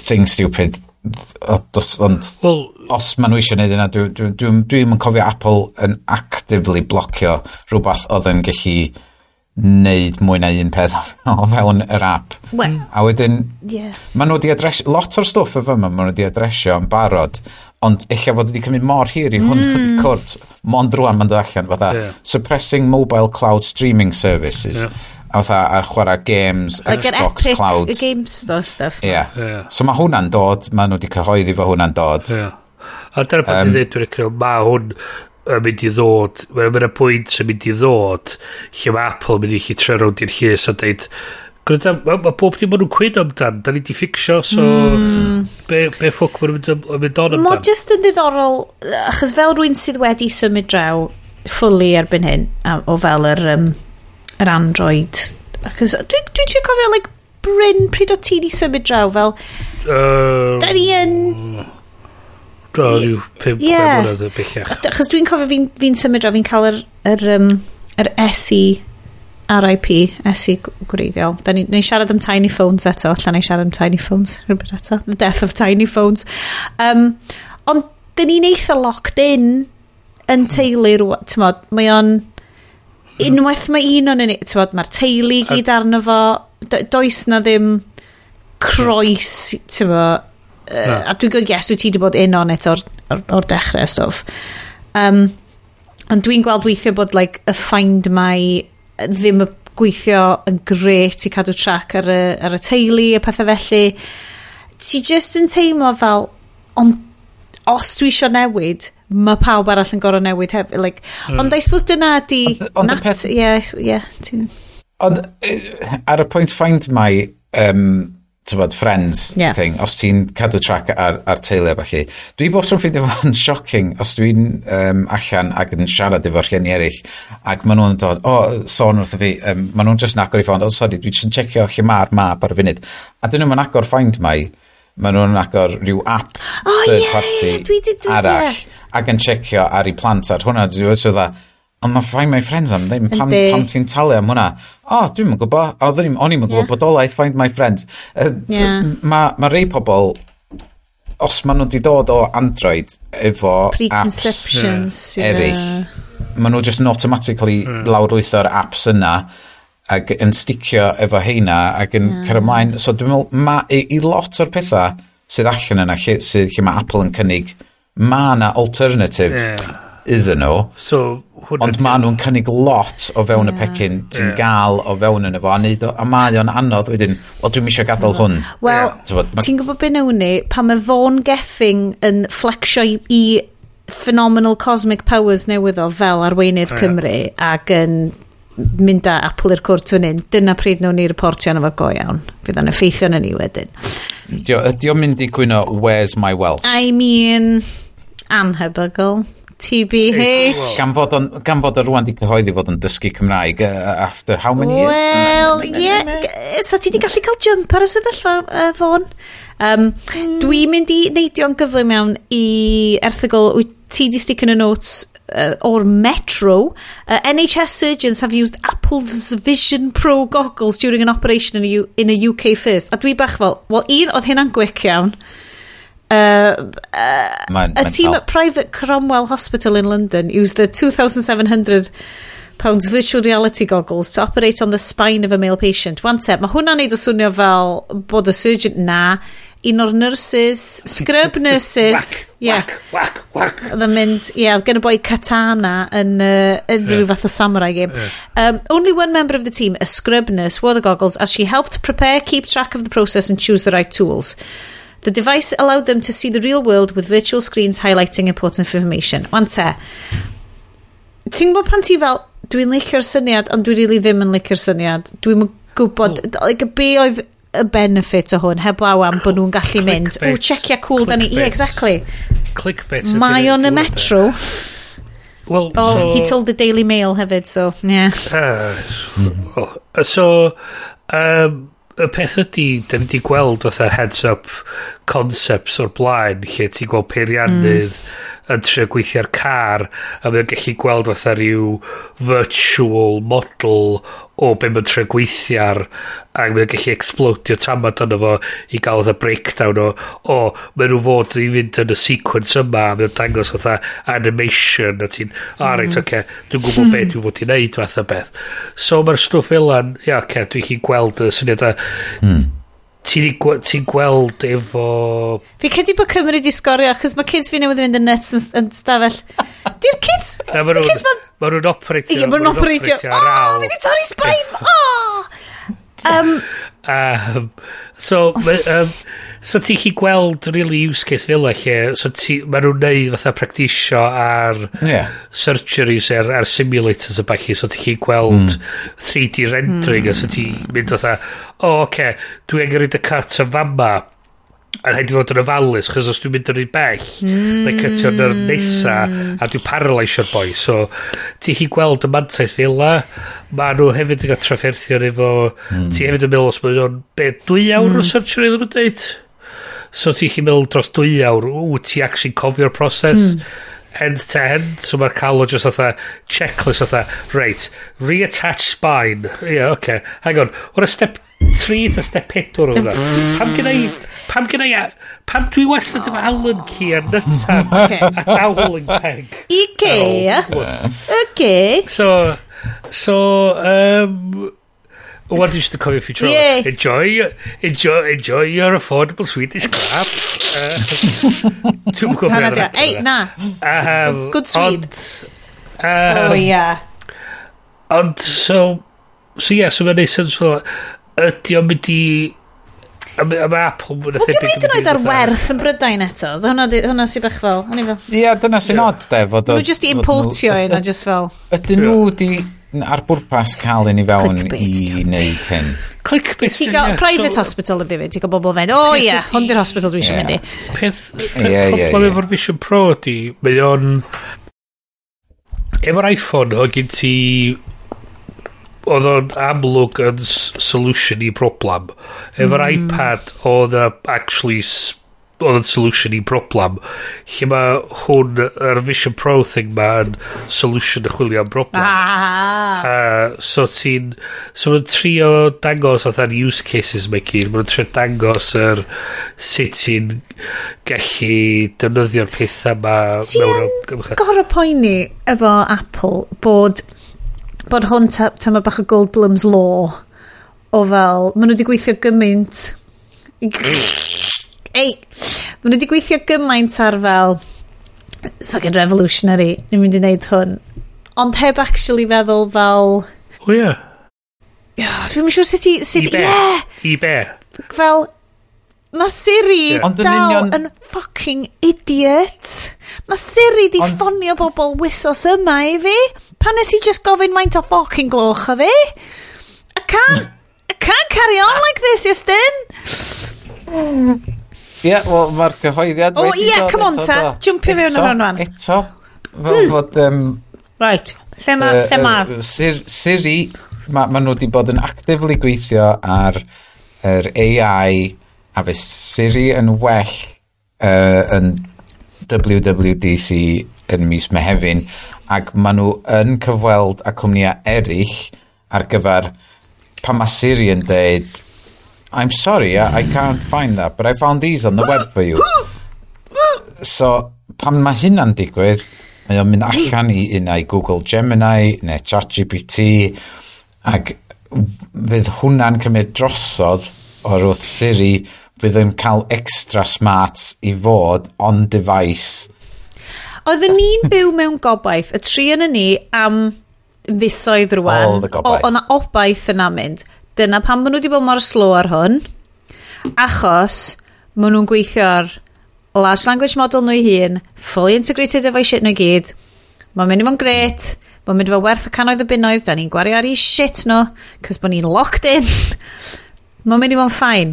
thing stupid. Ond Wel, os maen nhw eisiau gwneud yna, dwi'n yn cofio Apple yn actively blocio rhywbeth oedd yn gallu neud mwy na un peth o fewn yr app. Wel, A wedyn, maen nhw wedi adresio, lot o'r stwff efo yma, maen nhw wedi adresio yn barod, ond eich fod wedi cymryd mor hir i hwn dod i cwrt, mond rwan ma'n dod allan, fatha, suppressing mobile cloud streaming services, a fatha ar chwarae games, Like yr Xbox Epic Cloud. Game Store stuff. Ie. So mae hwnna'n dod, maen nhw wedi cyhoeddi fo hwnna'n dod. Ie. A dyna pan dwi'n dweud, dwi'n credu, mae hwn yn mynd i ddod, mae'n ma pwynt yn mynd i ddod, lle mae Apple yn mynd i chi troi rownd i'r llys a dweud, gwrando, ma bob dim maen nhw'n cwyno amdan, da ni di fixio, so be ffwc maen nhw'n mynd on Mae amdan? just yn ddiddorol, achos fel rwy'n sydd wedi symud draw fully erbyn hyn, o fel yr Android. Achos dwi trio cofio, like, Bryn, pryd o ti di symud draw, fel, da ni yn. Do, rhyw 5 mlynedd yn bellach. Achos dwi'n cofio fi symud draw, fi'n cael yr SE RIP, SE gwreiddiol. Da ni siarad am tiny phones eto, allan ni siarad am tiny phones, rhywbeth eto. The death of tiny phones. Ond dyn ni'n eitha locked in yn teulu rŵan, t'mod, mae o'n unwaith mae un o'n ni, t'mod, mae'r teulu i gyd arno fo, does na ddim croes, t'mod, Na. a dwi'n gweld, yes, dwi ti wedi bod in on it o'r dechrau a stwff. Ond dwi'n gweld weithio bod like, y Find My ddim yn gweithio yn gret i cadw track ar y teulu a pethau felly. Ti just yn teimlo fel, ond os dwi eisiau newid, mae pawb arall yn gorfod newid hefyd. Like, Ond I suppose dyna ydi Ond y peth- Ie, ti'n. Ond ar y pwynt Find My t'bod, friends thing, os ti'n cadw track ar teulu a ballu, dwi bob tro'n ffeindio fo'n shocking os dwi'n allan ac yn siarad efo rhieni eraill ac maen nhw'n dod, o, sôn wrtho fi, maen nhw'n just yn agor i ffôn, "Oh, sorry, dwi just yn checio lle mae'r map ar y funud." A dyn nhw'n agor Find My, maen nhw'n agor rhyw app third party ie, dwi 'di- arall ac yn checio ar ei plant ar hwnna. Dwi'n meddwl fatha, ond mae Find My Friends am ddim, pam ti'n talu am hwnna? O, dwi'n yn gwybod, o'n i'm yn gwybod bodolaeth Find My Friends. Mae ma rei pobl, os maen nhw wedi dod o Android efo apps Preconceptions. eraill, maen nhw just yn automatically lawrlwytho'r apps yna ac yn sticio efo heina ac yn cario ymlaen. So dwi'n meddwl, ma, i lot o'r pethau sydd allan yna, lle mae Apple yn cynnig, mae yna alternative iddyn nhw. So, hwnna Ond maen nhw'n cynnig lot o fewn y pecyn ti'n gael o fewn yno fo, a, neud o, a mae o'n anodd wedyn, wel, dwi'n eisiau gadael hwn. Wel, T'bod, ti'n gwybod beth wnawn ni? Pan mae Vaughan Gething yn flexio i phenomenal cosmic powers newydd o fel arweinydd Cymru ac yn mynd â Apple i'r cwrt fan hyn, dyna pryd wnawn ni reportio arno fo go iawn. Fydd o'n effeithio arno ni wedyn. Ydi o'n mynd i gwyno, "Where's my wealth?" I mean, anhebygol. TBH. Gan fod o rwan di cyhoeddi fod yn dysgu Cymraeg after how many years? Wel, ie. So ti di gallu cael jump ar y sefyllfa, Vaughan. Dwi'n mynd i neidio'n gyflym mewn i erthygl wyt ti di stick in y notes o'r Metro. NHS surgeons have used Apple's Vision Pro goggles during an operation in a UK first. A dwi bach fel, wel, un, oedd hynna'n gwic iawn. Mae'n A team mental. at private Cromwell Hospital in London used the £2,700 virtual reality goggles to operate on the spine of a male patient. Wan te, mae hwnna'n neud o swnio fel bod y surgeon na, un o'r nurses, scrub nurses, yeah, Whack, whack, whack. oedd yn mynd, ie, oedd gen y boi katana yn rhyw fath o samurai game. Only one member of the team, a scrub nurse, wore the goggles as she helped prepare, keep track of the process and choose the right tools. The device allowed them to see the real world with virtual screens highlighting important information. Wan te, ti'n gwybod pan ti fel, Dwi'n licio'r syniad, ond dwi really ddim yn licio'r syniad. Dwi'n gwybod, like, be oedd y benefit o hwn, heblaw am bod nhw'n gallu mynd, o, checia cool, da ni, yeah, exactly. Clickbait. Mae o'n y Metro. Well, oh, so, he told the Daily Mail hefyd, so, yeah. Well, so, y peth ydy, da ni wedi gweld fatha heads-up concepts o'r blaen, lle ti'n gweld peiriannydd yn trio gweithio ar car, a mae'n gallu gweld fatha rhyw virtual model o be mae'n trio gweithio ar, a mae'n gallu explodio tamad yno fo i gael fatha breakdown o, mae nhw fod i fynd yn y sequence yma, a mae'n dangos fatha animation, a ti'n, o, reit, oce, dwi'n gwybod be dwi'n fod i wneud fatha beth. So mae'r stwff fel 'an, ia, oce, dwi'n gallu gweld y syniad a ti'n ti gweld efo. Fi credu bod Cymru di sgorio, achos mae kids fi newydd fynd yn nuts yn stafell. Di'r kids. Na, ma' Di'r kids ma. Ma' nhw'n operatio. Ie, ma' nhw'n operatio. Ar Oh, awl. fi di torri spine! Oh! So ti'n chi gweld really use case fel 'a lle, so ti, ma' nhw'n neud fatha practisio ar surgeries ar simulators a ballu, so ti'n chi gweld 3D rendering, a so ti'n mynd fatha, o, oh, oce, okay, dwi angen rhoid y cut yn fama, a rhaid i fod yn ofalus, chos os dwi'n mynd yn rhy bell, mm. cutio yn yr nesa, a dwi'n paralysio'r boi. So, ti'n chi gweld y mantais fel 'la, ma nhw hefyd yn cael trafferthion efo, ti hefyd yn meddwl os mae nhw'n, be, 2 awr o surgery oedden nhw'n deud? So ti'n chi meddwl dros 2 awr, ww, ti actually cofio'r proses end to end, so mae'r cael o just fatha checklist fatha, reit, reattach spine, yeah, okay, hang on, what a step 3 to step 4 oedd hwnna? Pam gynna i, pam dwi wastad efo Allen key a nytan a doweling peg? Ikea. Okay. So, what did you cofio future? Yay. Enjoy, enjoy, enjoy your affordable Swedish crap. Dwi'n gwybod Hwnna beth di. ar Ei, na. Good Swede. Ond, Oh, yeah. Ond, so yeah, so mae'n neud sense fel, ydy o'n mynd i, a ma Apple mwy na Wel, thebyg diolch hyd yn oed ar werth yn Brydain eto. Hwnna sy'n bach fel, o'n i fel. Ie, dyna sy'n odd, de. Fod Nhw jyst i importio un a just fel. Ydyn nhw di ar bwrpas cael un i fewn Clickbait, i diolch. wneud hyn? Clickbait. Ti'n gael private hospital ydy fi, ti'n gael bobl fe'n, o ie, hwn di'r hospital dwi eisiau mynd i. Peth Ie, ie, problem ie. efo'r Vision Pro ydy, mae o'n... Efo'r iPhone, oedd gen ti... Oedd o'n amlwg yn solution i broblem. Efo'r iPad, oedd o actually oedd yn solution i broblem. Lle mae hwn, yr Vision Pro thing ma yn solution y chwilio am broblem. Ah. So ti'n... So ma'n trio dangos fatha'r use cases mae gyd. Ma'n trio dangos yr sut ti'n gallu defnyddio'r pethau ma Ti mewn yn amgylchedd. gorau poeni efo Apple bod hwn tama bach o Goldblum's Law o fel, maen nhw wedi gweithio gymaint ei, maen nhw wedi gweithio gymaint ar fel it's fucking revolutionary, ni'n mynd i wneud hwn, ond heb actually feddwl fel O ie. Dwi'n siŵr sut i sut I be? Yeah, I be? fel mae Siri Ie. Ond yn dal union- yn fucking idiot. Mae Siri di ffonio bobl wysos yma i fi. Pan nes i just gofyn maint o fucking gloch o fi. I can't carry on like this, Iestyn. Ie, wel, mae'r cyhoeddiad O, wedi ie, dod come on eto, ta, do. jumpio fewn ar Eto, hwn wan. Eto, fel fod... Right, lle ma, lle ma? Siri, ma nhw wedi bod yn actively gweithio ar yr AI a fe Siri yn well yn WWDC yn mis Mehefin ac ma nhw yn cyfweld â cwmnïau eraill ar gyfer pan mae Siri yn deud, "I'm sorry, I can't find that, but I found these on the web for you." So, pan mae hynna'n digwydd, mae o'n mynd allan i unai Google Gemini neu ChatGPT ac fydd hwnna'n cymryd drosodd o'r wrth Siri, fydd yn cael extra smarts i fod on device. Oedden ni'n byw mewn gobaith, y tri yn ni am fisoedd rwan. All the gobaith. O, o'na obaith yna mynd. Dyna pam maen nhw wedi bod mor slow ar hwn. Achos maen nhw'n gweithio ar large language model nhw eu hun, fully integrated efo'i shit nhw i gyd. Mae'n mynd i fod yn gret. Mae'n mynd i fod werth y cannoedd o bunnoedd, da ni'n gwario ar i shit nhw, cos bod ni'n locked in. Mae'n mynd i fod yn fine.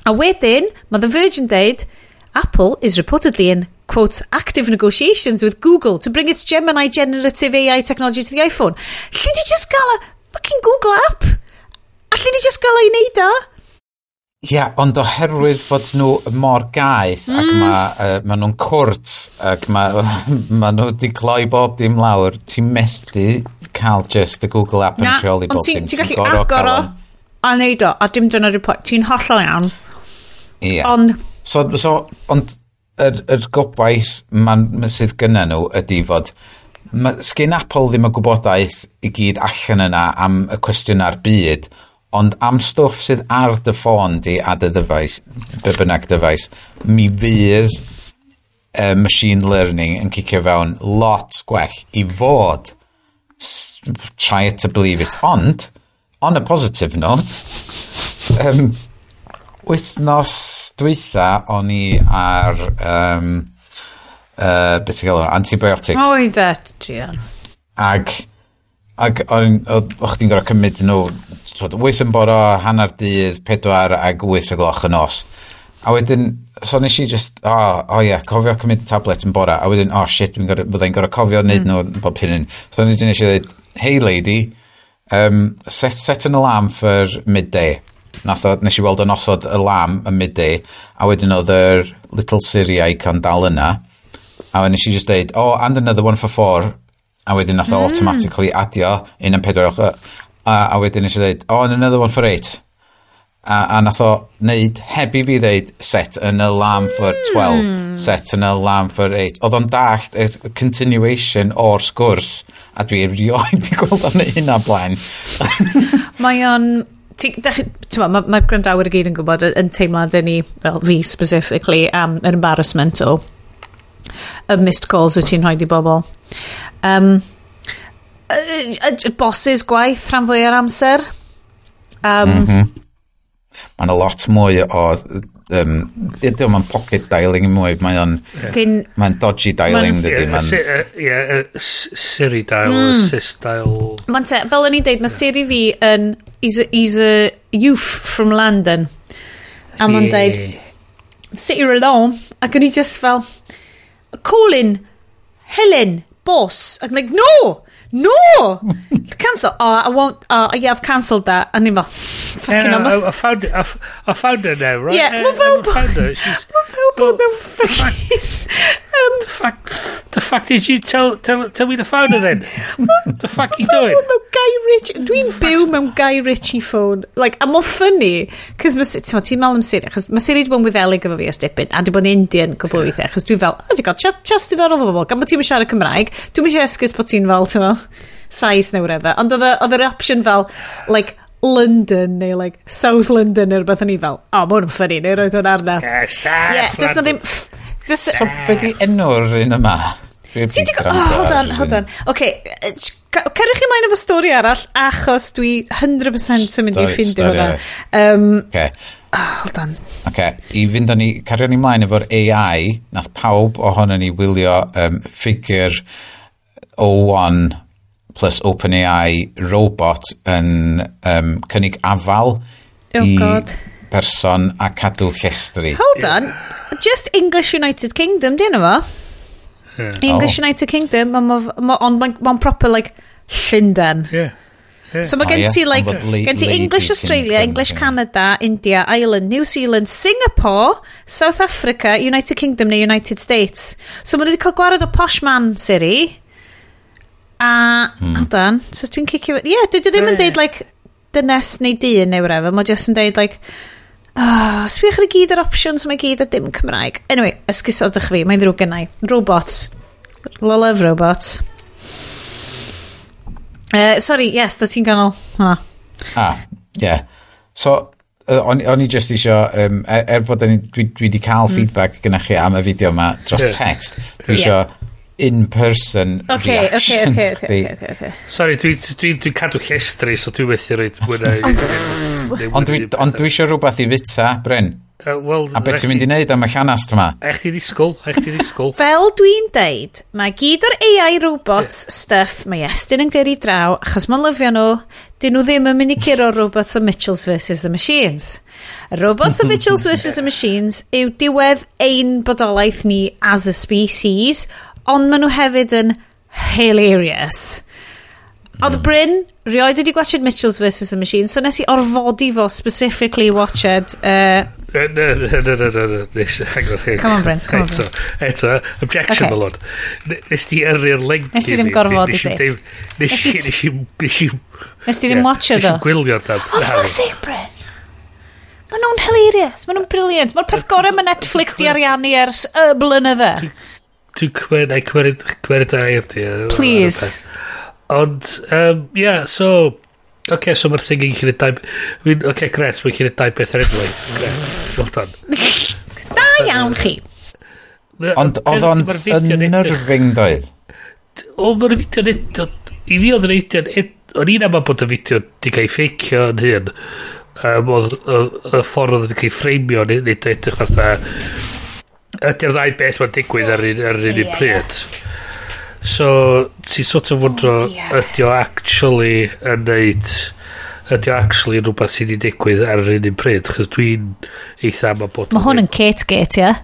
A wedyn, mae The Verge yn deud, Apple is reportedly in, quote, active negotiations with Google to bring its Gemini generative AI technology to the iPhone. Lle di just gael y fucking Google app? A lle di just gael ei wneud o? Ie, yeah, ond oherwydd fod nhw mor gaeth ac ma nhw'n cwrt ac ma nhw wedi cloi bob dim lawr, ti'n methu cael just y Google app yn rheoli bob dim. Ti'n gallu agor o a neud o, a dim dyna'r report. Ti'n hollol iawn. Ie. Yeah. Ond... So, ond yr gobaith sydd gynna nhw ydy fod sgyn Apple ddim y gwybodaeth i gyd allan yna am y cwestiynau'r byd, ond am stwff sydd ar dy ffôn di a dy ddyfais, be bynnag dyfais, mi fydd machine learning yn cicio fewn lot gwell i fod. Try it to believe it. Ond, on a positive note, wythnos dwytha o'n i ar beth ti'n gael antibiotics. Oedd e, Gian. Ac o'ch chdi'n gorfod cymryd nhw 8 yn bore, hanner dydd, 4 ac 8 o gloch y nos. A wedyn, so nes i just, oh ie, cofio cymryd y tablet yn bore, a wedyn, oh shit, byddai'n gorfod cofio wneud nhw bob hyn. So nes i dweud, "Hey lady, set an alarm for midday." Nes i weld yn osod alarm y midday, a wedyn oedd yr little Siri icon dal yna. A wedyn nes i just dweud, "Oh, and another one for 4." A wedyn nath o automatically adio un am 4. A wedyn nes i dweud, "Oh, and another one for 8." A nath o wneud, heb i fi dweud, "Set an alarm for 12, set an alarm for 8." Oedd o'n dallt y continuation o'r sgwrs, a dwi erioed di gweld o'n hynna blaen. Mae o'n... Mae ma gwrandawyr i gyd yn gwybod yn teimlad ni, well, fi specifically, am yr embarrassment o y missed calls wyt ti'n rhoi i bobl. Bosses gwaith rhan fwy o'r amser. Mae'n a lot mwy o dydy o'n pocket dialing mwy, mae o'n mae'n dodgy dialing, dydy. Ie, Siri dial, assist dial. Mae'n te, fel o'n i'n deud, mae Siri fi yn, he's a youth from London. A mae'n deud, "Sit here alone." Ac o'n i just fel, "Calling Helen, boss." Ac I'm like, "No! No! Cancel. Oh, I won't. Oh, yeah, I've cancelled that." A ni'n fel, fucking yeah, I found her now, right? Yeah, mae fel... I found her. She's, Mae fel bod mewn fucking... The fuck did you tell me to phone her then? The fuck you doing? Mewn Guy Ritchie. Dwi'n byw mewn Guy Ritchie phone. Like, a mae'n funny, cos ti'n meddwl am Siri, achos mae Siri wedi bod yn Wyddelig efo fi ers dipyn, a wedi bod yn Indian cwbl o weithiau, achos dwi'n fel, oh, ti'n cael chat diddorol efo bobl, gan bod ti'n siarad Cymraeg, dwi'n eisiau esgus bod ti'n fel, ti'n fel, Sais neu whatever. Ond oedd yr option fel, like, London neu like South London neu rhywbeth, o'n i fel, oh, mae hwn yn funny, neu roed hwn arna. Yeah, yeah, does na ddim... Does, so, be di enw'r un yma? Ti di... Oh, hold on, hold on. OK, cerwch chi mlaen efo stori arall, achos dwi 100% yn mynd i ffindio hwnna. Okay. Oh, hold on. OK, i fynd â ni, cario ni mlaen efo'r AI, nath pawb ohono ni wylio Figure 01 plus OpenAI robot yn cynnig afal oh, i God. Person a cadw llestri. Hold on. Just English United Kingdom, di enw fo? Yeah. English Oh. United Kingdom, ond mae'n ma proper, like, Llundain. Yeah. So mae Oh, gen ie. ti, like, Ond bod gen ti Lady English Australia, Kingdom, English ie. Canada, India, Ireland, New Zealand, Singapore, South Africa, United Kingdom neu United States. So maen nhw wedi cael gwared o posh man Siri. A, hold on, so dwi'n cicio... Ie, yeah, dwi ddim yn deud, like, dynes neu dyn neu whatever. Mae just yn deud, like, oh, sbiwch ar i gyd yr options mae gyd a dim Cymraeg. Anyway, esgusodwch fi, mae'n ddrwg gennau. Robots. Love robots. Sorry, yes, da ti'n ganol hwnna. Ah, ie. Yeah. So, o'n i just isio, er fod o'n i, dwi di cael feedback gyda chi am y fideo yma dros text, dwi isio in-person reaction chdi. Okay. Sorry, dwi'n dwi cadw llestri, so dwi'n methu roed mwy na... Ond dwi eisiau rhywbeth i fita, Bryn. Well, A beth ti'n mynd i wneud am y llanast yma? Eich ti ddisgwyl, eich ti ddisgwyl. Fel dwi'n deud, mae gyd o'r AI robots stuff mae Estyn yn gyrru draw, achos mae'n lyfio nhw, dyn nhw ddim yn mynd i curo robots o Mitchells vs The Machines. Y robots o Mitchells vs The Machines yw diwedd ein bodolaeth ni as a species, ond maen nhw hefyd yn hilarious. Oedd Bryn rioed wedi gwachod Mitchells vs The Machines, so nes i orfodi fo specifically watched Na, na, na, na, na, na, nes, hang on, hang Come on, Bryn, come on. Eto, eto, objection, Okay. my lord. Nes ti yrru'r link Nes i ddim gorfodi ti. Nes i, nes i, nes i... Nes ti ddim watcho Nes do? i gwylio dan. Oh, fuck's sake, Bryn. Maen nhw'n hilarious. Maen nhw'n brilliant. Mae'r peth gorau mae Netflix di ariannu ers y blynydde. Dwi'n cymryd, cymryd, cymryd air di. Please. Ond, yeah, so... Okay, so mae'r thing yn gallu dau... I mean, okay, gret, mae'n gallu dau beth ar unwaith. Gret, well done. Da iawn chi. Ond oedd o'n Ma'r fideo'n edrych- unnerving doedd? O, mae'r fideo'n edrych... I fi oedd yr fideo'n... O'n i'n amau bod y fideo di cael ei ffeicio yn hyn. Oedd y ffordd oedd wedi cael ei ffreimio nid nid edrych fatha... Ydy'r ddau beth mae'n digwydd ar un pryd. So, ti sort of wondro, Oh, dear. ydy o actually yn neud... Ydy o actually yn rhywbeth sydd wedi digwydd ar yr un pryd, chos dwi'n eitha am bod... Mae hwn yn Kate Gate, ie?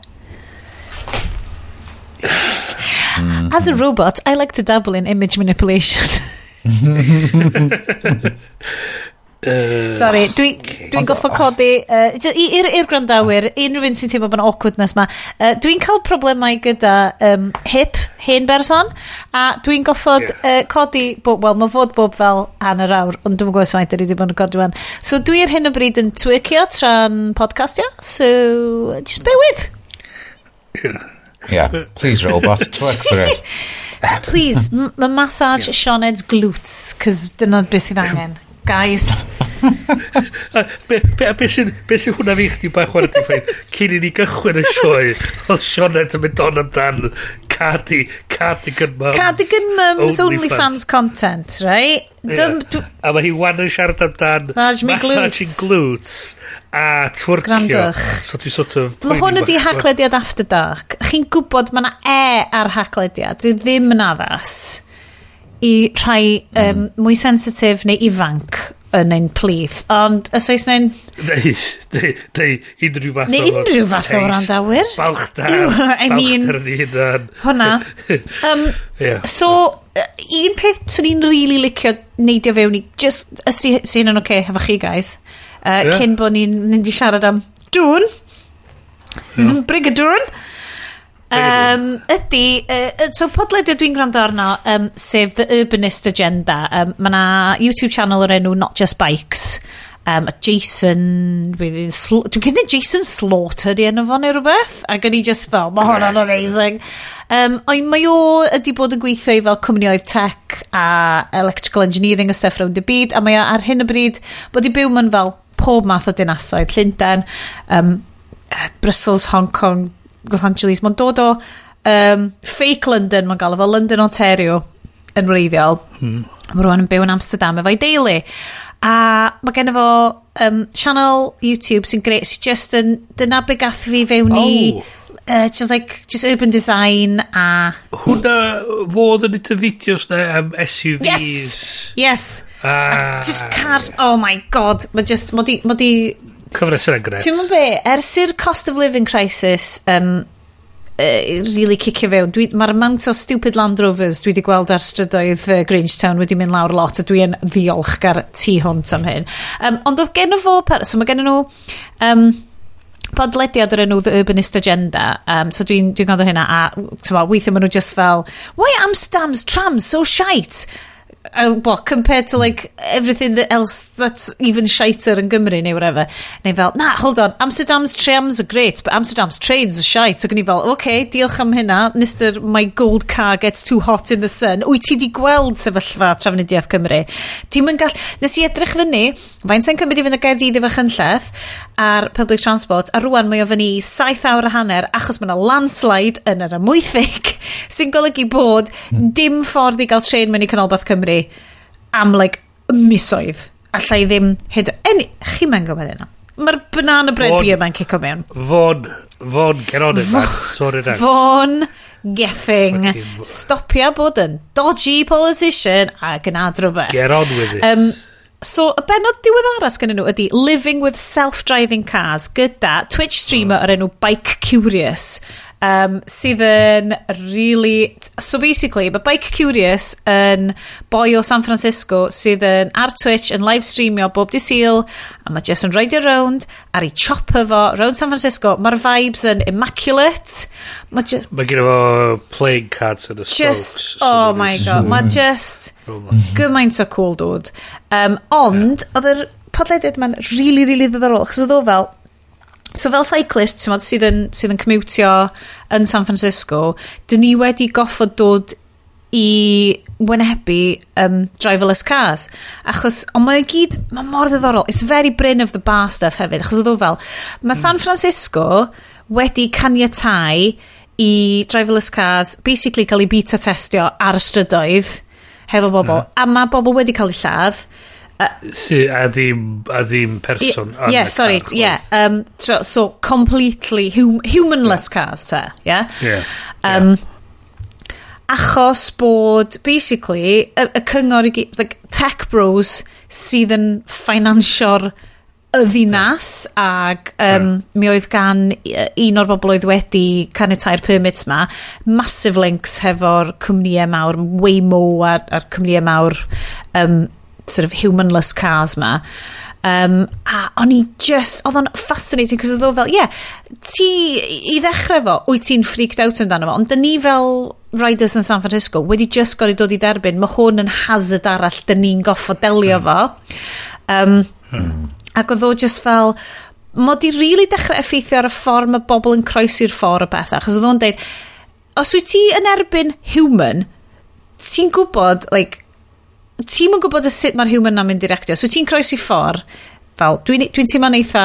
As a robot, I like to dabble in image manipulation. Sorry, dwi'n dwi goffo codi i'r gwrandawyr, unrhyw un sy'n teimlo bod yn awkwardness ma, dwi'n cael problemau gyda hip, hen berson, a dwi'n goffod codi, wel, mae fod bob fel hanner awr, ond dwi'n gwybod faint dwi wedi bod yn recordio wan. So dwi ar hyn o bryd yn twerkio tra'n podcastio, so just bear with. Yeah, please robot, twerk for us. Please, massage Sioned's glutes, cos dyna beth sydd angen. Guys. Be sy'n hwnna fi chdi bach chwarae di ffaith, cyn i ni gychwyn y sioe, oedd Sioned yn mynd on amdan Cardigan Mums. Cardigan Mums OnlyFans content, right? Yeah. A mae hi wan yn siarad amdan Massage me massaging glutes a twerkio. Grandwch. So dwi sort of... Mae hwn ydi Haclediad After Dark. Chi'n gwybod mae yna e ar Haclediad. Dwi ddim yn addas i rhai mwy sensitif neu ifanc yn ein plith. Ond os oes neu'n... Neu unrhyw fath Neu unrhyw fath o wrandawyr. Balchder. I mean... Balchder yn ei hunan. Hwna. Yeah. So, un peth swn i'n really licio neidio fewn i, just, os di sy'n yn oce hefo chi guys, cyn bod ni'n mynd i siarad am Dune, yeah. Brigadoon, ydy, so podlediad dwi'n gwrando arno, sef The Urbanist Agenda. Mae na YouTube channel o'r enw Not Just Bikes. Jason, dwi'n cynnig Jason Slaughter di enw fo neu rhywbeth, ac o'n i just fel, mae hwnna'n amazing. Ond mae o ydi bod yn gweithio i fel cwmnioedd tech a electrical engineering a stuff rownd y byd, a mae o ar hyn o bryd bod i byw mewn fel pob math o dinasoedd, Llundain, Brussels, Hong Kong, Los Angeles. Mae'n dod o fake London, mae'n gael efo London, Ontario yn wreiddiol. Mae rwan yn byw yn Amsterdam efo'i deulu. A mae gen fo channel YouTube sy'n greu, sy'n just yn, dyna be gath fi fewn i, just like, just urban design a... Hwna fodd yn neud y fideos na am SUVs. Yes! Yes! Ah. Just cars, oh my god, mae just, mod i Cyfres yna'n gret. Ti'n mwyn be, ers i'r cost of living crisis really cicio fewn, mae'r amount o stupid Land Rovers dwi wedi gweld ar strydoedd Grangetown wedi mynd lawr lot, a dwi yn ddiolchgar tu hwnt am hyn. Ond oedd gen fo, so mae gen nhw podlediad o'r enw The Urbanist Agenda, so dwi'n gwrando hynna, a t'mo, weithiau maen nhw just fel, why are Amsterdam's trams so shite? What, compared to like everything that else that's even shiter yn Gymru neu whatever. Neu fel, na, hold on, Amsterdam's trams are great, but Amsterdam's trains are shite. Ac o'n i fel, okay, diolch am hynna, Mr My Gold Car Gets Too Hot in the Sun. Wyt ti di gweld sefyllfa Trafnidiaeth Cymru? Ti'n mynd gall... Nes i edrych fyny, faint sy'n cymryd i fynd o Gaerdydd i Fachynlleth ar public transport, a rwan mae o fyny 7 awr a hanner achos mae yna landslide yn yr Amwythig sy'n golygu bod dim ffordd i gael trên mewn i Canolbarth Cymru am like misoedd. Alla i ddim hyd... Chi'n mynd gwybod hynna. ma banana bread Vaughan. Beer ma'n cico mewn. Vaughan, Vaughan, get on it, man. Sort it out. Vaughan Gething. Stopia bod yn dodgy politician a gwna rhywbeth. Get on with it. So, y benod diweddara sgennyn nhw ydy Living with Self-Driving Cars gyda Twitch streamer o'r enw Bike Curious, sydd yn really. So basically, mae Bike Curious yn boi o San Francisco sydd yn ar Twitch yn live streamio bob dydd Sul, a mae just yn reidio round ar ei chopper fo round San Francisco. Mae'r vibes yn immaculate. Mae just, Mae gen fo playing cards yn y just, strokes. Oh my God, mae just gymaint o cool dude. Ond, oedd yr podlediad ma'n really, really ddiddorol, achos oedd o fel, so fel cyclist, ti'n modd, sydd yn commutio yn San Francisco, dyn ni wedi goffod dod i wynebu driverless cars. Achos, ond mae o gyd, mae mor ddiddorol. It's very Bryn of the Bar stuff hefyd, achos oedd o fel, mae San Francisco wedi caniatau i driverless cars basically cael ei beta testio ar y strydoedd hefo bobl, a mae bobl wedi cael eu lladd. Si, a ddim person yn Yeah, y sorry, car. Yeah. So completely humanless cars, te, yeah? Yeah. Achos bod, basically, y cyngor i gyd, like, tech bros sydd yn finansio'r y ddinas ag mi oedd gan un o'r bobl oedd wedi caniatau'r permits ma massive links hefo'r cwmnïau mawr Waymo a'r cwmnïau mawr sort of humanless cars ma. A o'n i just, oedd o'n fascinating, cos oedd o fel, yeah, ti, i ddechrau fo, wyt ti'n freaked out amdano fo, ond dyn ni fel riders yn San Francisco wedi just gorau dod i dderbyn, mae hwn yn hazard arall dyn ni'n goffo delio fo. Ac oedd o just fel, mod i really dechrau effeithio ar y ffordd mae bobl yn croesi'r ffordd o bethau, achos oedd o'n deud, os wyt ti yn erbyn human, ti'n gwybod, like, ti'n yn gwybod y sut mae'r human na'n mynd i reactio. So ti'n croesi ffordd, fel, dwi'n dwi teimlo'n eitha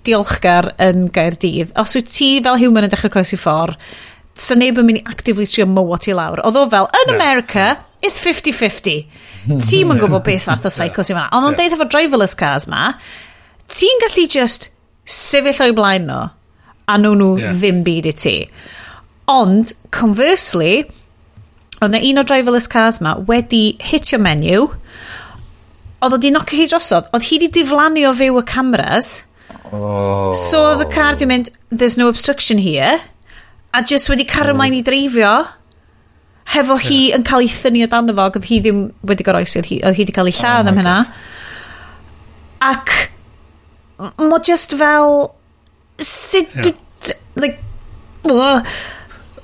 diolchgar yn Gaerdydd. Os wyt ti fel human yn dechrau croesi ffordd, sa neb yn mynd i actively trio mowo ti lawr. Oedd o fel, yn Na. America, it's 50-50. Ti'n yn gwybod beth fath o psycho sy'n fan'na. Ond o'n deud efo driverless cars ma, ti'n gallu just sefyll o'i blaen nhw, a nhw ddim byd i ti. Ond, conversely, oedd na un o driverless cars ma wedi hitio menyw, oedd o di nocio hi drosodd, oedd hi di diflannu o fyw y cameras, Oh. so oedd y car di mynd, "There's no obstruction here," a just wedi cario ymlaen i dreifio, hefo hi yn cael ei thynnu o dan fo, ac oedd hi ddim wedi goroesi, oedd hi wedi cael ei lladd Oh am my hynna. Ac mo just fel sut like, ugh.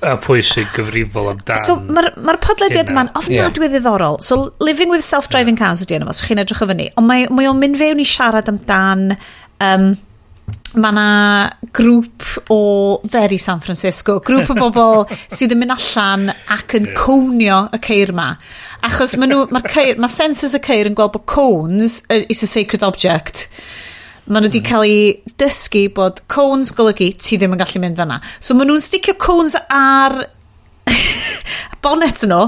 A pwy sy'n gyfrifol amdan So mae'r ma podlediad hynna. yma'n ofnadwy ddiddorol. So Living with Self-Driving Cars ydy enw fo, so chi'n edrych o fyny. Ond mae o'n mynd fewn i siarad amdan. Mae na grŵp o very San Francisco, grŵp o bobl sydd yn mynd allan ac yn conio y ceir ma. Achos ma nhw, mae'r ceir, mae sensors y ceir yn gweld bod cones is a sacred object. Maen nhw wedi cael eu dysgu bod cones golygu ti ddim yn gallu mynd fanna. So maen nhw'n sticio cones ar bonnet nhw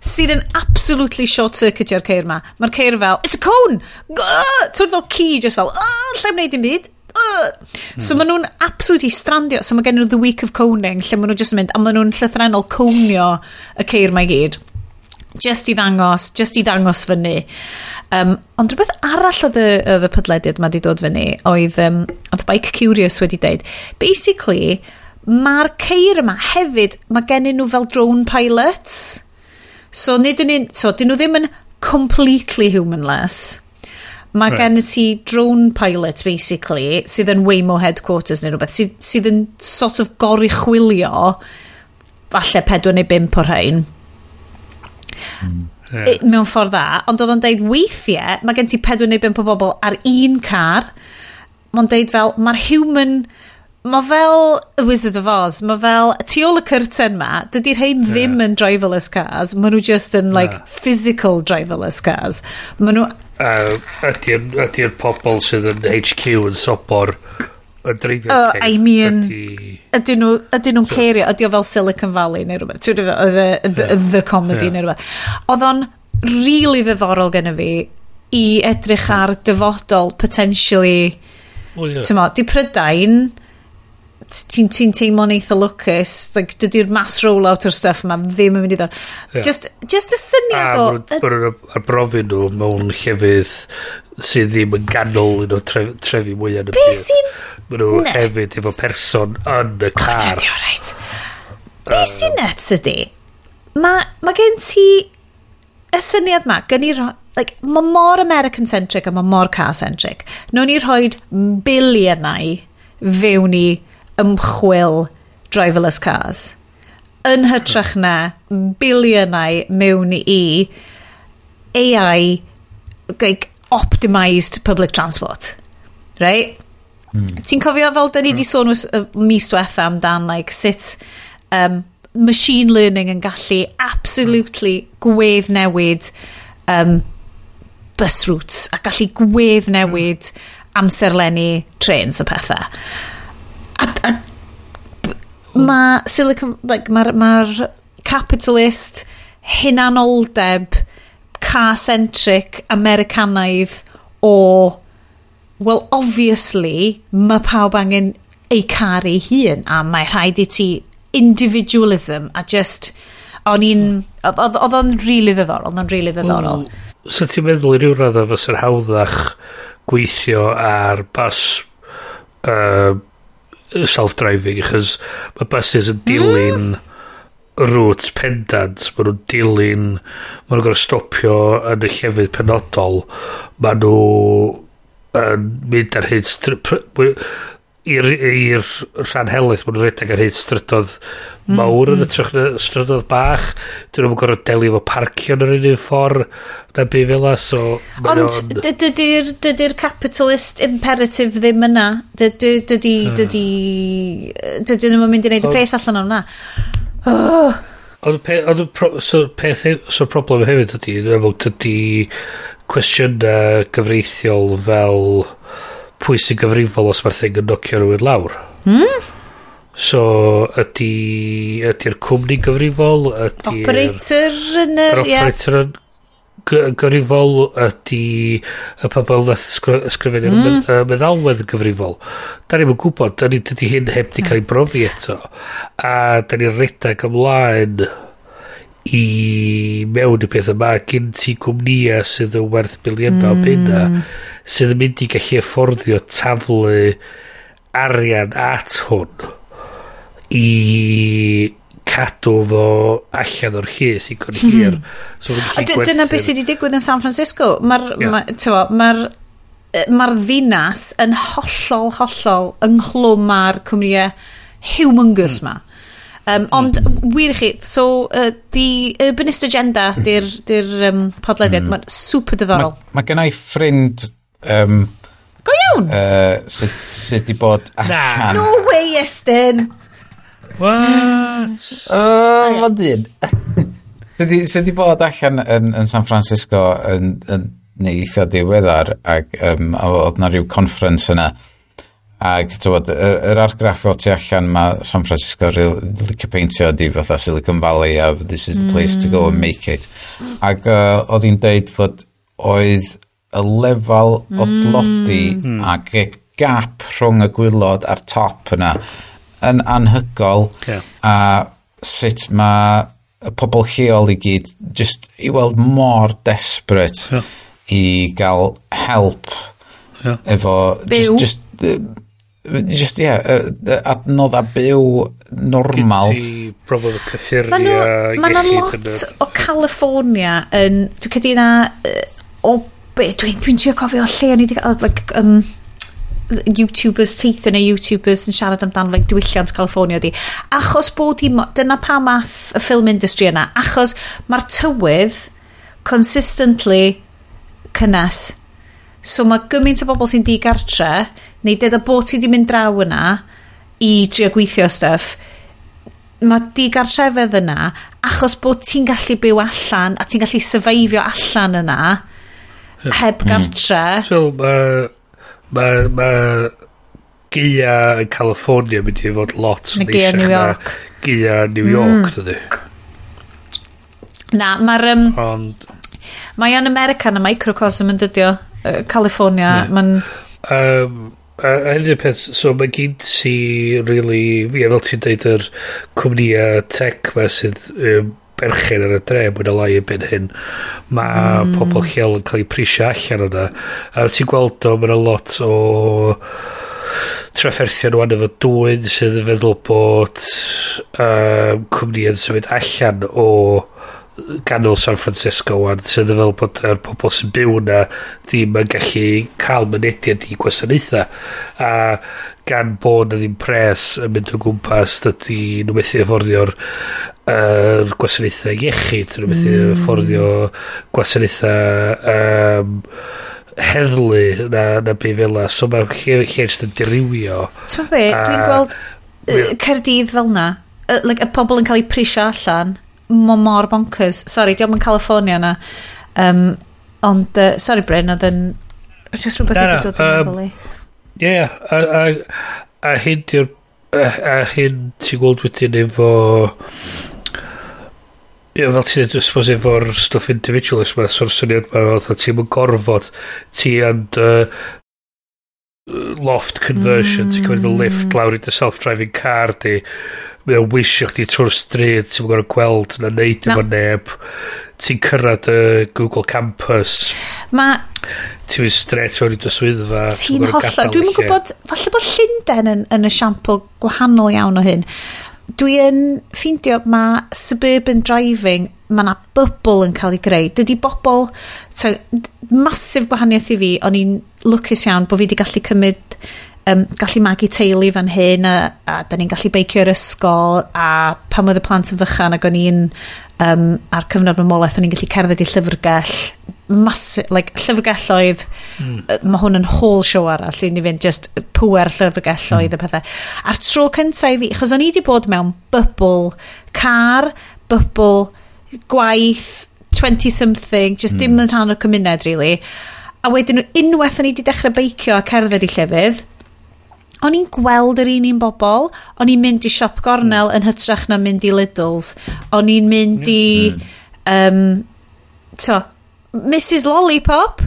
sydd yn absolutely short-circuitio'r ceir ma. Mae'r ceir fel, "It's a cone! Ti'n fel ci, just fel, "Lle wneud dim byd. Ugh." So maen nhw'n absolutely strandio. So mae gen nhw the week of coning, lle maen nhw just yn mynd, a maen nhw'n llythrenol conio y ceir ma i gyd. Just i ddangos fyny. Ond rhywbeth arall oedd y podlediad ma di dod fyny oedd, oedd Bike Curious wedi deud, basically, mae'r ceir yma hefyd, mae gennyn nhw fel drone pilots. So, nid yn un, so, dyn nhw ddim yn completely humanless. Mae gen ti drone pilot, basically, sydd yn Waymo headquarters neu rhywbeth, sydd yn sort of goruchwylio falle pedwar neu bump o'r rhain mewn ffordd dda, ond oedd o'n deud weithiau, mae gen ti pedwar neu bump o bobl ar un car, mae'n deud fel, mae'r human, mae fel y Wizard of Oz, mae fel, tu ôl y curtain ma, dydy'r rhain ddim yn driverless cars, maen nhw just yn, like, Na. physical driverless cars. Maen nhw, Ydy'r pobl sydd yn HQ yn sobor yn dreifio ceir? I mean, ydyn nhw'n cerio, ydy o fel Silicon Valley neu rhywbeth, ti'n gwbod, the comedy neu rhywbeth. Oedd o'n really ddiddorol gen i fi i edrych ar dyfodol potentially Well, yeah. T'mo, di Prydain, ti'n teimlo'n eitha lwcus, like, dydy'r mass rollout o'r stuff yma ddim yn mynd i ddod. Ie. Just y syniad A o maen nhw'n arbrofi nhw mewn llefydd sydd ddim yn ganol un o'r trefi mwyaf yn y Be byd. sy'n Maen nhw nuts? hefyd efo person yn y O, na, car. di o reit. Be sy'n nuts ydy, ma gen ti y syniad ma, gen i like, mae mor American-centric a mae mor car-centric. Nw'n ni rhoi biliynau fewn i ymchwil driverless cars. Yn hytrach na biliynau mewn i AI, like, optimised public transport. Right? Ti'n cofio fel da ni di sôn mis diwetha amdan, like, sut machine learning yn gallu absolutely gwedd newid bus routes a gallu gwedd newid amserlenni trains a pethau. A mae Silicon, like, mae'r ma capitalist hunanoldeb car-centric Americanaidd o, well, obviously mae pawb angen eu car ei hun a mae rhaid i ti individualism a just o'n i'n oedd o'n really ddiddorol, oedd o'n really ddiddorol. So ti'n meddwl i ryw raddau fysa'n hawddach gweithio ar bus self-driving, achos mae buses yn dilyn routes pendant, maen nhw'n dilyn, maen nhw'n gorfod stopio yn y llefydd penodol, maen nhw yn mynd ar hyd i'r rhan helaeth, maen nhw'n rhedeg ar hyd strydodd mawr yn hytrach na strydodd bach. Dyn nhw'n gorfod delio efo parcio yn yr un un ffordd na be fel 'a, so mae Ond dydy'r capitalist imperative ddim yna. Dydy nhw'n mynd i wneud y pres allan o'n na. Oh. Ond so, so problem hefyd ydy, dwi'n meddwl, dydy cwestiynau gyfreithiol fel pwy sy'n gyfrifol os mae'r thing yn nocio rhywun lawr. So, ydy'r cwmni gyfrifol? Ydy'r Operator yn yr yr... Ie. operator yn gyfrifol? Ydy y pobl nath ysgrifennu'r meddalwedd yn gyfrifol? Da ni'm yn gwybod, da ni, dydy hyn heb di cael ei brofi eto. A da ni'n redag ymlaen i mewn i peth yma, gen ti gwmnïau sydd yn werth biliynau o bunna sydd yn mynd i gallu afforddio taflu arian at hwn i cadw fo allan o'r llys i cyn hir. So, A dyna beth sydd wedi digwydd yn San Francisco. Mae'r ma, ma ddinas yn hollol, hollol ynghlwm â'r cwmnïau humongous ma. Ond wir i chi, so The Urbanist Agenda di'r podlediad, mae'n super diddorol. Mae gen i ffrind Go iawn! sydd wedi bod allan. No way, Estyn! What? O, ma dyn. Sydd wedi bod allan yn San Francisco yn neu eitha diweddar ac a oedd na rhyw conference yna ac tywod, yr argraff o tu allan mae San Francisco licio peintio ydi fatha Silicon Valley a this is the place to go and make it, ac oedd hi'n deud fod oedd y lefel o dlodi ac y gap rhwng y gwaelod a'r top yna yn anhygoel a sut mae y pobl lleol i gyd just i weld mor desperate i gael help efo Byw. just yeah, adnodda byw normal. Gen ti broblem o cyffuriau, Ma' 'na iechyd lot yn y o California yn... Dwi'n credu na o be, dwi'n trio cofio lle o'n i wedi cael, like, YouTubers, teithio neu YouTubers yn siarad amdano, like, diwylliant California di. Achos bod hi, dyna pam ath y film industry yna, achos mae'r tywydd consistently cynnes. So mae gymaint o bobl sy'n digartre, neu deda bod ti wedi mynd draw yna i trio gweithio stuff, mae digartrefedd yna achos bod ti'n gallu byw allan a ti'n gallu survivio allan yna heb gartre. So, mae ma gaea yn California mynd i fod lot Na gaea neisiach New na York. Gaea New York, dydy. Na, mae'r... Ond, Mae o'n America yn y microcosm yn dydio. California, mae'n... A hyn yw'r peth, so mae gen ti really, ie, fel ti'n deud, yr cwmnïau tech ma sydd berchen ar y dre mwy na lai erbyn hyn. Mae pobl lleol yn cael eu prisio allan o'na. A ti'n gweld o, mae 'na lot o trafferthion wan efo dwyn sydd yn feddwl bod cwmnïau'n symud allan o ganol San Francisco wan, sydd yn fel bod yr pobl sy'n byw yna ddim yn gallu cael mynediad i gwasanaethau, a gan bod na ddim pres yn mynd o gwmpas, dydy nhw methu afforddio'r yr gwasanaethau iechyd, nhw methu afforddio gwasanaethau heddlu na be fel 'na, so mae'r lle jyst yn dirywio. Ti'n be, dwi'n gweld Caerdydd fel na, like, y pobl yn cael eu prisio allan, mae mor bonkers. Sorry, diolch yn California na. Ond, sorry Bryn, oedd yn just rhywbeth Na, wedi na, dod yn meddwl i. Ie, yeah, a hyn di'r a hyn ti'n gweld wedyn efo, ie, fel ti'n dweud, suppose efo'r stwff individualist ma, so'r syniad ma, fatha ti'n yn gorfod, ti and loft conversion, ti'n cymryd y lift lawr i dy self-driving car di, mae o'n wisio chdi trwy'r stryd, ti'n gorfod gweld na neud Na. efo neb, ti'n cyrraedd y Google Campus, Mae ti'n mynd straight fewn i dy swyddfa, ti'n gorfod hollol. gadael Dwi'm y yn lle. gwybod, falle bod Llundain yn esiampl gwahanol iawn o hyn. Dwi yn ffeindio mae suburban driving, mae na bubble yn cael ei greu. Dydy bobl, so, massive gwahaniaeth i fi, o'n i'n lwcus iawn bod fi wedi gallu cymryd, gallu magu teulu fan hyn a da ni'n gallu beicio i'r ysgol, a pan oedd y plant yn fychan ac o'n i'n ar cyfnod mamolaeth, o'n i'n gallu cerdded i llyfrgell massive, like, llyfrgelloedd, mae hwn yn whole show arall i ni fynd, just pwer llyfrgelloedd a pethau. A'r tro cyntaf i fi, achos o'n i wedi bod mewn bubble car, bubble gwaith, 20 something, just dim yn rhan o'r cymuned really. A wedyn unwaith o'n i wedi dechrau beicio a cerdded i llefydd, o'n i'n gweld yr un bobl, o'n i'n mynd i siop gornel yn hytrach na mynd i Lidl's, o'n i'n mynd i to, Mrs Lollipop,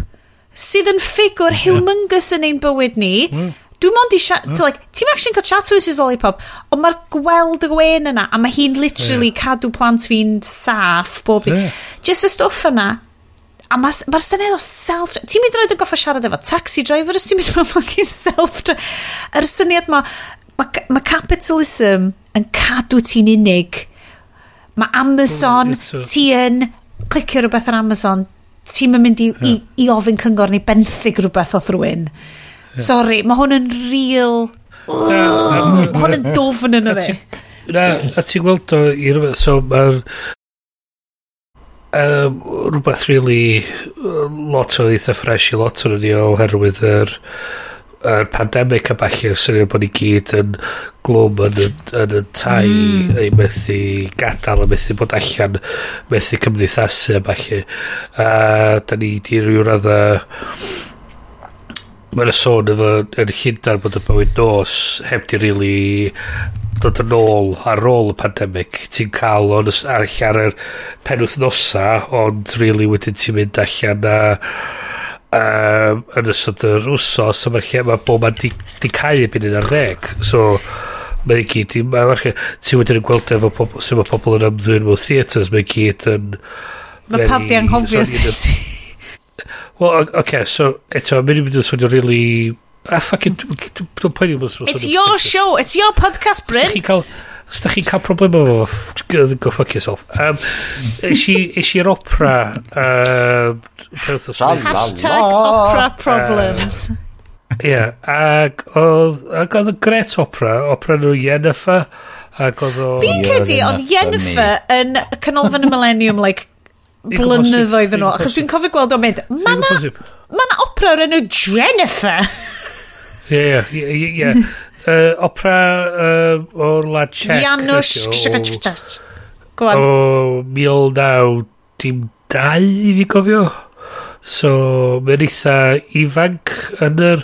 sydd yn ffigwr humongous yn ein bywyd ni. Dwi'n mond i like, ti'n actually cael chat to Mrs Lollipop, ond mae'r gweld y gwen yna, a mae hi'n literally cadw plant fi'n saff bob dydd. Just y stwff yna, a mae'r ma syniad o self... Ti'n mynd roed yn goffa siarad efo taxi driver os ti'n mynd mewn fucking self... Yr syniad ma, ma capitalism yn cadw ti'n unig. Mae Amazon, ti yn clicio rhywbeth ar Amazon, ti'n mynd i ofyn cyngor neu benthyg rhywbeth off rhywun. Sorry, mae hwn yn real... Mae hwn yn dofn yn y fe. Na, a ti'n gweld o i rywbeth, so mae'r rhywbeth really lot o eitha fresh i lot o'n ni oherwydd yr pandemic a ballu, syniad bod ni gyd yn glwm yn y tai, ei methu gadael a methu bod allan, methu cymdeithasu a ballu, a da ni di ryw radda, mae'n y sôn efo yn Llundain bod y bywyd nos heb di really dod yn ôl ar ôl y pandemic. Ti'n cael o'n ar ar yr penwythnosa, ond really wedyn ti'n mynd allan a yn ystod yr wsos a mae'r lle mae bob man di cau erbyn 11, so mae i gyd ti wedyn yn gweld efo pobl sut mae pobl yn ymddwyn mewn theatres, mae i gyd yn Mae pawb di anghofio sut. Wel, oce, okay, so, eto, mae'n mynd yn swnio really... Ah, fucking, dwi'n poeni bod It's your show, it's your podcast, Bryn. Os da chi'n cael problem efo fo, go fuck yourself. Es i'r opera penwythnos Tra dwytha. la Hashtag la. opera problems. Ie, ac oedd y gret opera, opera nhw Yennefer, ac oedd o... Fi'n credu You're oedd enough for Yennefer yn Canolfan y Millennium, like, Fi'n gwbod blynyddoedd yn ôl. fi'n Achos dwi'n cofio gweld o'n mynd, ma na, Posib. ma na opera o'r enw Jennifer. Ie. Opera o'r wlad Czech. Janusz. ydi o, Go on. O 1902 i fi gofio. So, mae'n eitha ifanc yn yr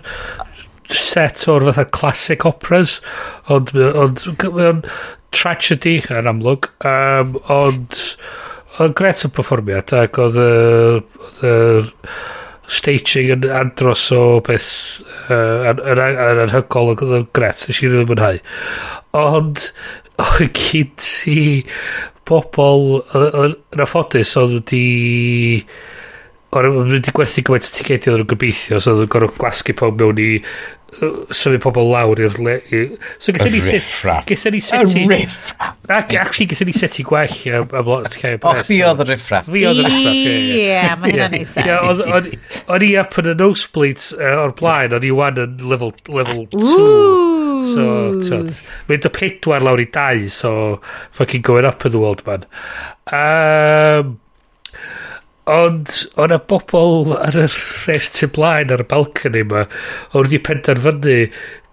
set o'r fatha classic operas, ond mae'n tragedy yn amlwg, ond oedd gret y perfformiad ac oedd yr Staging yn andros o beth yn anhygoel, oedd yn gret, nes i rili mwynhau. Ond oedd gyd ti bobl yn anffodus oedd wedi oedd wedi gwerthu gymaint o ticedi oedd nhw'n gobeithio, so oedd nhw'n gorfod gwasgu pawb mewn i symud pobl lawr i'r so gaethon ni set gaethon ni seti y riff-raff. Actually, gaethon ni seti gwell am lot llai o bres. O, chdi oedd y riff-raff. Fi oedd y riff-raff, ie. Ie, mae hynna'n neud sense. O'n i up yn y nosebleeds o'r blaen, o'n i wan yn level 2. So, tyd, mynd o 4 lawr i 2, so fucking going up in the world, man. Ond o'na bobl ar y rhes tu blaen ar y balcony yma oedd wedi penderfynu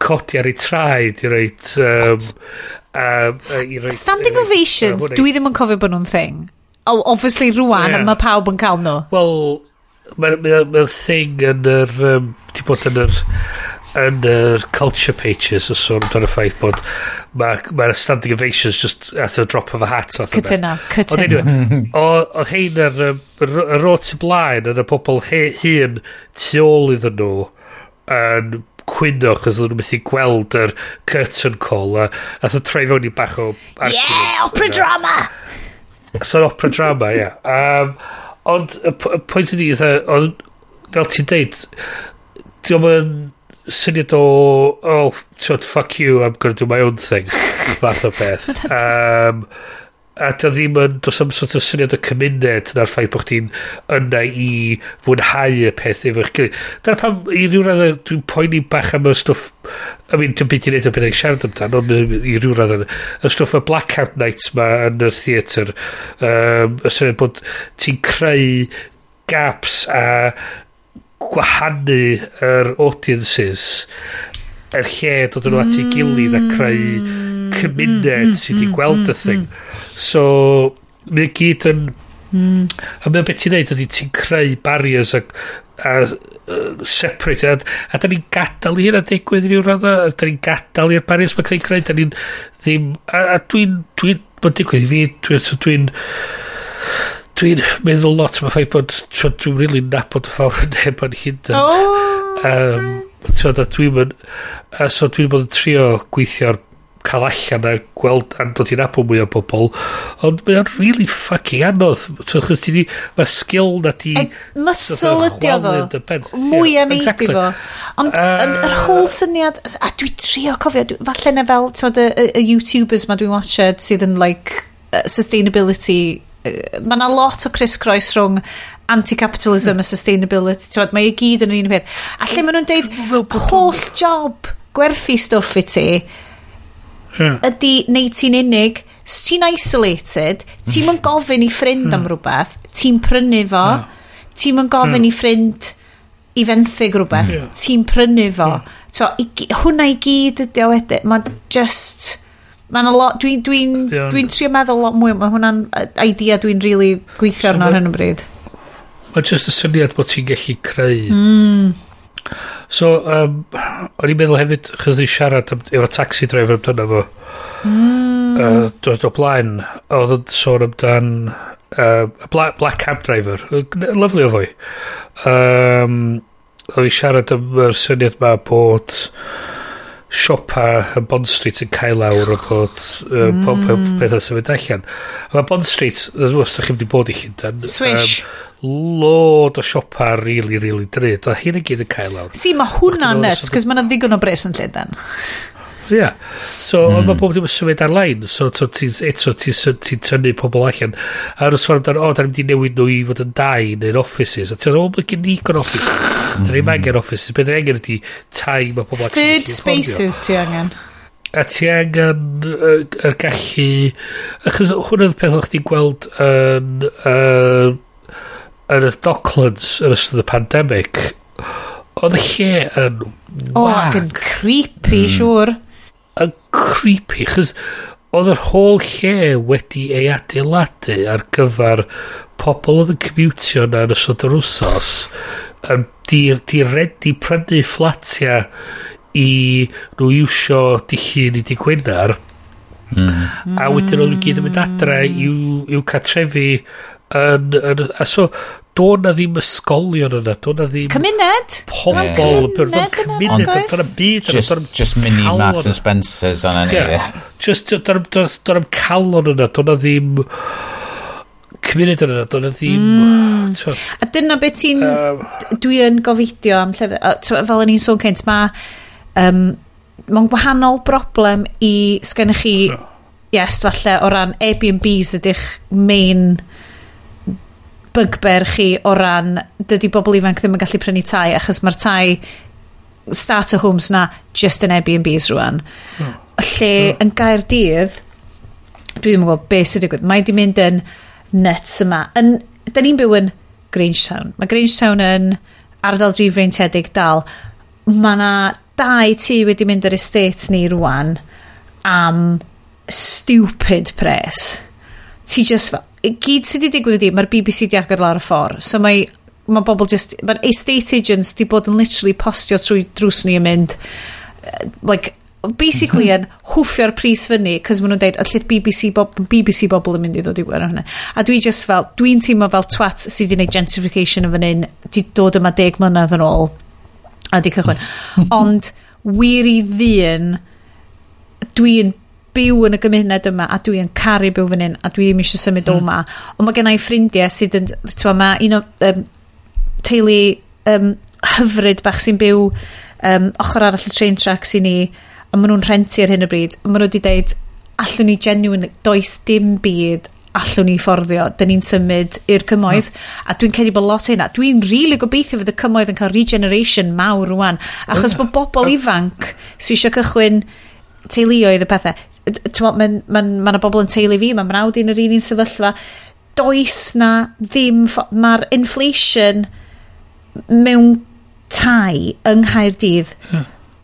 codi ar eu traed i roid i roid Standing ovations, dwi ddim yn cofio bod nhw'n thing. Oh, obviously rwan, yeah. Mae pawb yn cael nhw. Wel, mae'n ma thing yn yr di bod yn yr culture pages o sôn amdano y ffaith bod mae'r ma standing ovations just at the drop of a hat fath o beth. Cytuno, cytuno. Ond anyway, oedd hein ar y ro tu blaen yn y pobl hun tu ôl iddyn nhw yn cwyno chos oedden nhw methu gweld yr curtain call a nath o troi fewn i bach o arguments. Yeah, opera drama! So opera drama, ie. Yeah. Ond y pwynt ydi, oedd, fel ti'n deud, diolch yn syniad o, "Oh, tyd, fuck you, I'm gonna do my own thing," fath o beth. A dio ddim yn, does am sort of syniad o cymuned na'r ffaith bod chdi'n yna i fwynhau y peth efo'ch gilydd. Dyna pam, i ryw raddau, dwi'n poeni bach am y stwff, I mean, dim byd i wneud o beth i'n siarad amdano, ond i ryw raddau, y stwff y blackout nights ma yn y theatr, y syniad bod ti'n creu gaps a gwahanu yr audiences yr lle dod yn nhw at ei gilydd a creu cymuned sydd wedi gweld y thing. So, mae gyd yn... A mae'n beth ti'n neud ydy ti'n creu barriers a separate a da ni'n gadael i hynna digwydd i ryw radda, a da ni'n gadael i'r barriers mae'n creu creu, da ni'n ddim a dwi'n mae'n digwydd i fi, so dwi'n meddwl lot am y ffaith bod dwi'n really nabod y fawr neb yn Llundain. Oh, Twyd, a dwi'n mynd, a so dwi'n bod yn trio gweithio ar cael allan a gweld a dod i nabod mwy o bobl, ond mae o'n really fucking anodd. So, chos ti di, mae'r sgil na di E, muscle ydi o ddo. Mwy am exactly. Fo. Ond yr whole syniad, a dwi trio cofio, falle na fel, t'mod, y YouTubers ma dwi'n watched sydd yn like sustainability, mae yna lot o criss-cross rhwng anti-capitalism a sustainability, t'mod, mae i gyd yn yr un peth. A lle maen nhw'n deud, holl job gwerthu stwff i ti, ydy neud ti'n unig, s ti'n isolated, ti'n mynd gofyn i ffrind am rhywbeth, ti'n prynu fo, ti'n mynd gofyn i ffrind i fenthyg rhywbeth, ti'n prynu fo. So, hwnna i gyd ydi o wedyn. Mae just... Mae'n a lot... Dwi trio meddwl lot mwy. Mae hwnna'n idea dwi'n really gweithio arno ar hyn o bryd. Mae just y syniad bod ti'n gallu creu. So, o'n i'n meddwl hefyd, chos ni siarad efo taxi driver amdano fo. Dod o blaen, oedd yn sôn amdan black cab driver. Lovely o foi. Oedd i'n siarad am yr syniad ma bod siopa yn Bond Street yn cael lawr o bod pob pethau symud allan. A mae Bond Street, os ydych chi'n wedi bod i Llundain, Swish. Load o siopa really, really drud. Oedd hyn i gyd yn cael lawr. Si, mae hwnna'n nuts, cos mae yna ddigon o bres yn Llundain. Ie. Yeah. So, mm. Ond mae bob dim yn symud ar-lein. So, to, ti, eto, ti'n ti tynnu pobl allan. A nhw'n sôn amdano, o, da ni'n mynd i newid nhw i fod yn dai neu'n offices. A ti'n meddwl, o, mae gen ni digon offices. Da ni'n angen offices. Be da ni angen ydi tai mae pobl actually Third spaces ti angen. A ti angen yr gallu. Achos hwnna'n peth o'ch chdi'n gweld yn y Docklands yn ystod y pandemic. Oedd y lle yn O, ac yn creepy, siŵr. Yn creepy, chos oedd yr whole lle wedi ei adeiladu ar gyfer pobl oedd yn commutio na yn ystod yr wsos yn di ready prynu fflatia i nhw iwsio dy Llun i dy Gwener a wedyn oedd nhw gyd yn mynd adre i'w cartrefi yn, a so Do na ddim ysgolion yna, do na ddim cymuned? Pobl, cymuned, do na byd yna. Just mini Marks and Spencers yna ni. Just, do na'm calon yna, do na ddim cymuned yna, do na ddim. A dyna beth ti'n dwi yn gofidio am llefydd, fel o'n i'n sôn cynt, mae mae'n gwahanol broblem i sgennych chi, yes, falle o ran Airbnbs ydych main bugbear chi o ran dydy bobl ifanc ddim yn gallu prynu tai achos mae'r tai starter homes na just yn Airbnbs rwan. Lle yn Gaerdydd, dwi ddim yn gwybod beth sy'n digwydd, mae di mynd yn nuts yma. Da ni'n byw yn Grangetown. Mae Grangetown yn ardal drifreintiedig dal. Mae na 2 tŷ wedi mynd ar estate ni rwan am stupid pres. Ti just fel, gyd sydd wedi digwydd ydi, mae'r BBC di agor lawr y ffordd. So mae bobl just, mae'r estate agents di bod yn literally postio trwy drws ni yn mynd, like, basically yn hwffio'r pris fyny, cos maen nhw'n deud, allith BBC bobl yn mynd i ddod i gwerth hwnna. A dwi just fel, dwi'n teimlo fel twat sydd wedi gwneud gentrification yn fan hyn, di dod yma 10 mlynedd yn ôl, a di cychwyn. Ond, wir i ddyn, dwi'n byw yn y gymuned yma a dwi yn caru byw fan hyn a dwi ddim eisiau symud o yma. Ond mae gen i ffrindiau sydd yn, ti'n mae un o teulu hyfryd bach sy'n byw ochr arall y train tracks i ni, a maen nhw'n rhentu ar hyn o bryd. Maen nhw wedi deud, allwn ni genuinely, does dim byd allwn ni fforddio, dyn ni'n symud i'r cymoedd. A dwi'n credu bod lot o hynna. Dwi'n rili gobeithio fydd y cymoedd yn cael regeneration mawr rwan, achos bod bobl ifanc sydd eisiau cychwyn teuluoedd y pethau. Mae yna bobl yn teulu fi, mae mrawd i'n yr un sefyllfa. Does na ddim, mae'r inflation mewn tai yng Nghaerdydd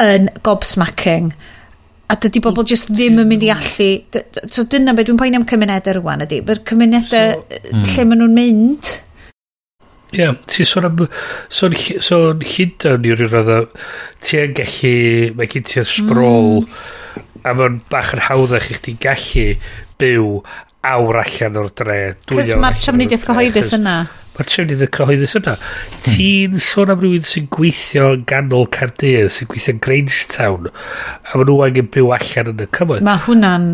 yn gobsmacking. A dydy bobl just ddim yn mynd i allu. So dyna beth dwi'n poeni am cymunedau rwan ydy. Mae'r cymunedau lle maen nhw'n mynd. Ie, yeah, ti'n sôn am sôn Llundain i ryw raddau, ti yn gallu, mae gen ti'r sprawl, a mae'n bach yn hawddach i chdi gallu byw awr allan o'r dre. Cos mae'r trafnidiaeth cyhoeddus yna. Mae'r trafnidiaeth cyhoeddus yna. Ti'n sôn am rhywun sy'n gweithio yn ganol Caerdydd, sy'n gweithio yn Grangetown, a maen nhw angen byw allan yn y cymoedd. Mae hwnna'n...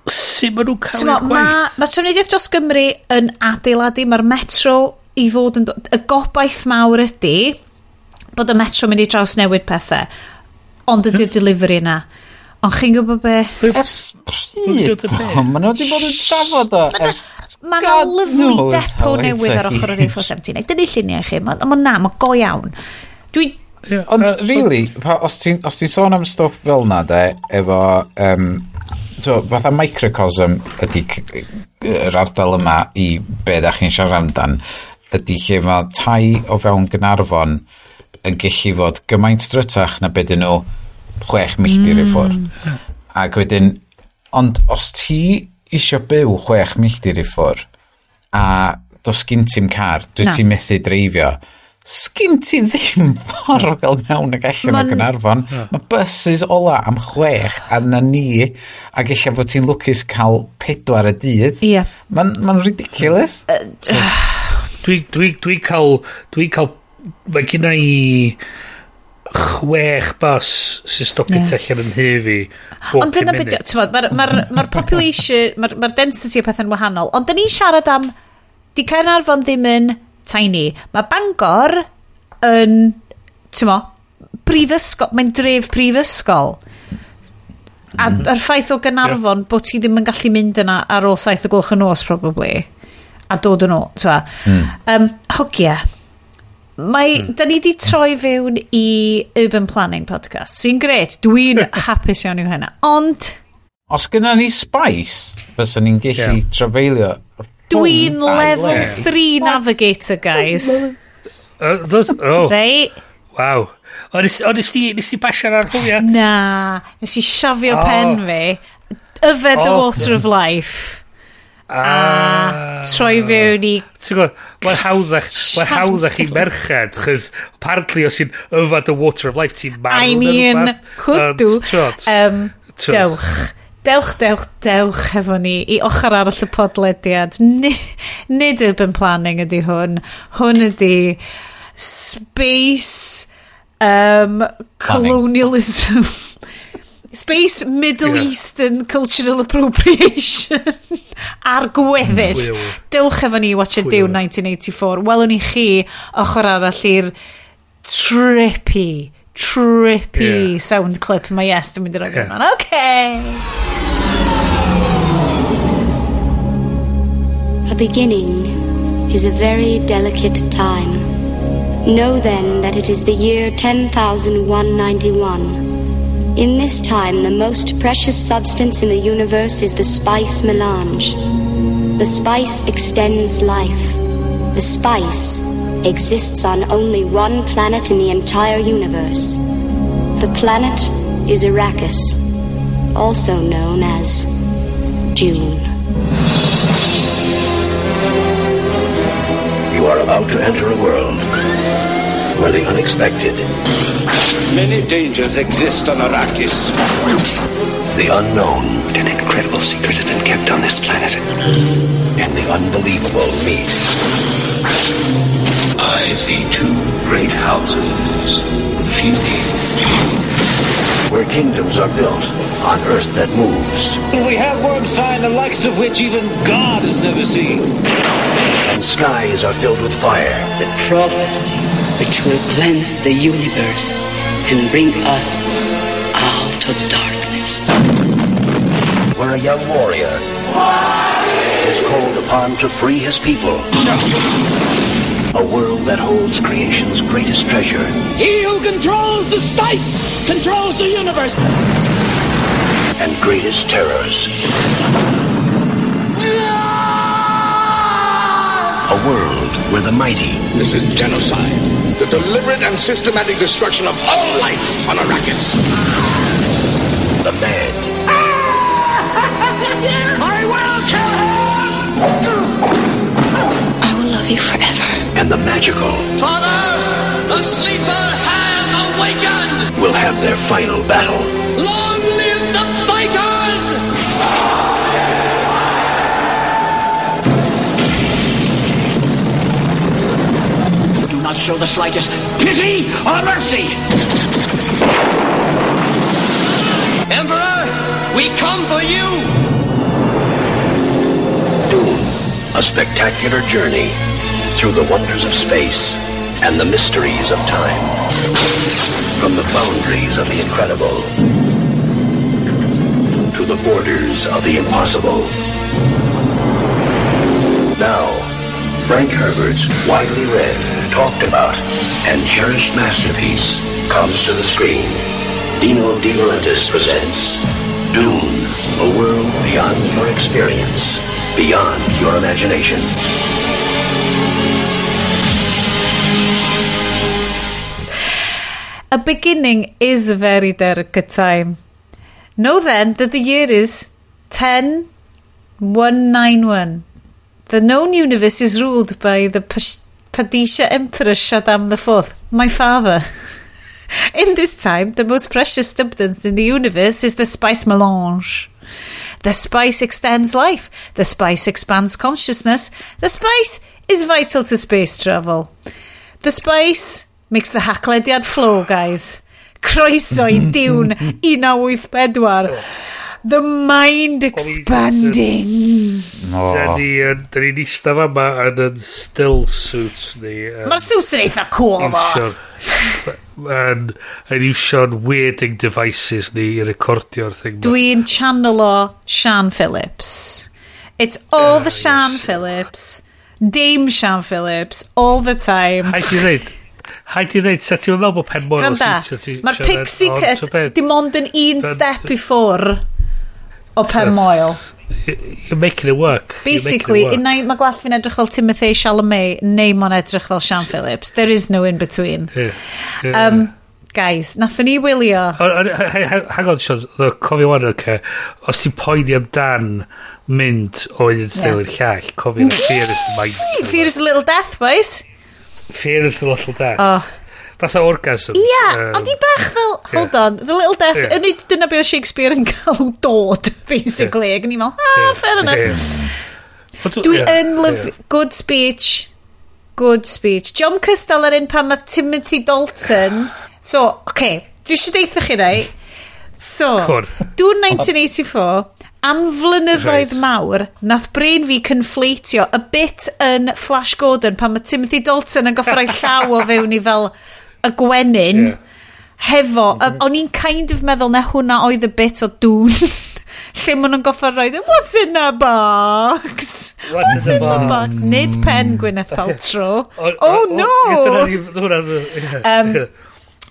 Sut maen nhw'n cael i'r gwaith? Mae trafnidiaeth dros Gymru yn adeiladu, mae'r metro i fod yn... Y gobaith mawr ydy bod y metro mynd i drawsnewid pethau, ond ydy'r delivery yna. Ond chi'n gwybod be? Ers pryd? Maen nhw wedi bod yn trafod o ers... Mae yna lovely depot newydd ar ochr yr A479. Dyna lluniau chi. Mae na, mae go iawn. Dwi... Ond really, os ti'n sôn am stwff fel na de, efo... So, fatha microcosm ydy yr ardal yma i be da chi'n siarad amdan, ydy lle mae tai o fewn Gaernarfon yn gallu fod gymaint drytach na be dyn nhw 6 milltir i ffwrdd. Ac wedyn, ond os ti isio byw 6 milltir i ffwrdd a does gyn ti'm car, dwi ti'n methu dreifio, sgyn ti ddim ffordd o gael mewn ag allan o Gaernarfon. Mae buses ola am 6 a na ni, ac ella fod ti'n lwcus cael 4 y dydd. Yeah. Mae'n ridiculous. Dwi'n cael, mae gynna i 6 bus sy'n stopio yeah. allan yn nhŷ fi. Ond dyna beth, mae'r ma population, mae'r density o pethau'n wahanol. Ond dyn ni'n siarad am, di Caernarfon ddim yn tiny. Mae Bangor yn, ti'n mo, prifysgol, mae'n dref prifysgol. A yr ffaith o Gaernarfon bod ti ddim yn gallu mynd yna ar ôl 7 o gloch y nos, probably, a dod yn ôl, ti'n mo. Hogia. Mae, da ni di troi fewn i Urban Planning Podcast, sy'n gret, dwi'n hapus iawn i'w hynna, ond... Os gynna ni spice, fyswn ni'n gallu trafeilio... Dwi'n level 3 navigator, guys. Oh. Right? Waw. O, nes ti basio'r arholiad? Na, nes i siafio pen fi. Yfed the water of life. A troi fewn i... Ti'n gwybod, mae'n hawddach i merched, chos apparently os ti'n yfed the water of life, ti'n marw. I mean, could do. Dewch. Dewch, dewch, dewch hefo ni i ochr arall y podlediad. Nid urban planning ydy hwn. Hwn ydy space colonialism. Space Middle Eastern cultural appropriation ar gweddill. Dewch efo ni i watch a Dune 1984. Welwn ni chi ochr arall i'r trippy sound clip mae Yes yn mynd i roi yeah. Okay. A beginning is a very delicate time. Know then that it is the year 10,191. In this time, the most precious substance in the universe is the spice melange. The spice extends life. The spice exists on only one planet in the entire universe. The planet is Arrakis, also known as Dune. You are about to enter a world where the unexpected... Many dangers exist on Arrakis. The unknown, an incredible secret has been kept on this planet, and the unbelievable meet. I see two great houses feuding. Where kingdoms are built on earth that moves. We have worm sign the likes of which even God has never seen. And skies are filled with fire. The prophecy which will cleanse the universe and bring us out of darkness. Where a young warrior is called upon to free his people. A world that holds creation's greatest treasure. He who controls the spice controls the universe. And greatest terrors. A world where the mighty... This is genocide. The deliberate and systematic destruction of all life on Arrakis. The mad. I will kill him! I will love you forever. And the magical. Father, the sleeper has awakened! Will have their final battle. Long live the fighters! Do not show the slightest pity or mercy! Emperor, we come for you! Dune, a spectacular journey through the wonders of space and the mysteries of time. From the boundaries of the incredible to the borders of the impossible. Now, Frank Herbert's widely read, talked about, and cherished masterpiece comes to the screen. Dino De Laurentiis presents Dune, a world beyond your experience, beyond your imagination. A beginning is a very delicate time. Know then that the year is 10191. The known universe is ruled by the Padisha Emperor Shaddam IV, my father. In this time, the most precious substance in the universe is the spice melange. The spice extends life. The spice expands consciousness. The spice is vital to space travel. The spice makes the Haclediad flow, guys. Croeso i Dune 1984. The mind expanding. Da ni'n eistedd fama yn yn still suits ni. Mae'r suits yn eitha cool, fo. Yn iwsio'n weirding devices ni i recordio'r thing. Dwi'n channelo Sian Phillips. It's all the Sian Phillips. Dame Sian Phillips. All the time. Haid i ddeud, Haid i ddeud, sa ti'n meddwl bod pen moel o siwtio ti? Mae'r pixie cut dim ond yn un step i ffwr o pen moel. You're making it work. Basically, unai mae gwallt fi'n edrych fel Timothée Chalamet neu mae'n edrych fel Sian Phillips. There is no in between. Yeah. Yeah. Guys, nathon ni wylio. Hang on, Sean, cofio wan, okay. Os ti'n poeni amdan mynd o un steil i'r llall, cofio fear is the mind. Fear is the little death, boys. Fear is the little death. Oh. Fatha orgasms. Ia, yeah, ond i bach fel, hold on, The Little Death, yeah. Dyna beth Shakespeare yn cael dod, basically. Ac o'n i'n meddwl, ah, fair enough. Yeah. Dwi yn love, good speech, good speech. John Cystal ar un pan mae Timothy Dalton. So, okay, dwi eisiau deitha chi rai. So, Dune 1984, am flynyddoedd mawr, nath brain fi conflatio y bit yn Flash Gordon pan mae Timothy Dalton yn goffo rhoi llaw o fewn i fel y gwenyn hefo, o'n i'n kind of meddwl na hwnna oedd y bit o Dune lle maen nhw'n goffo rhoi what's in the box? What's in the box? Nid pen Gwyneth Paltrow. Oh no!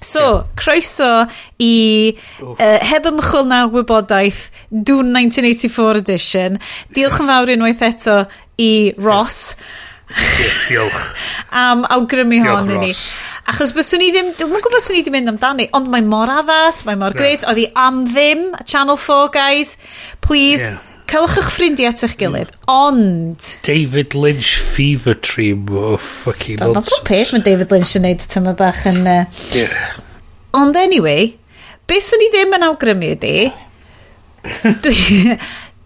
So, croeso i Heb Ymchwil na Wybodaeth Dune 1984 edition. Diolch yn fawr unwaith eto i Ross. Yes, diolch. Am awgrymu hon i ni. Achos byswn i ddim, dwi'm yn gwybod swn i wedi mynd amdani, ond mae mor addas, mae mor great. Oedd hi am ddim, Channel 4, guys. Please, caelwch eich ffrindiau at eich gilydd. Ond David Lynch fever dream o fucking nonsense. Mae peth mae David Lynch yn neud tyma bach yn... Ond anyway, beth swn i ddim yn awgrymu ydi,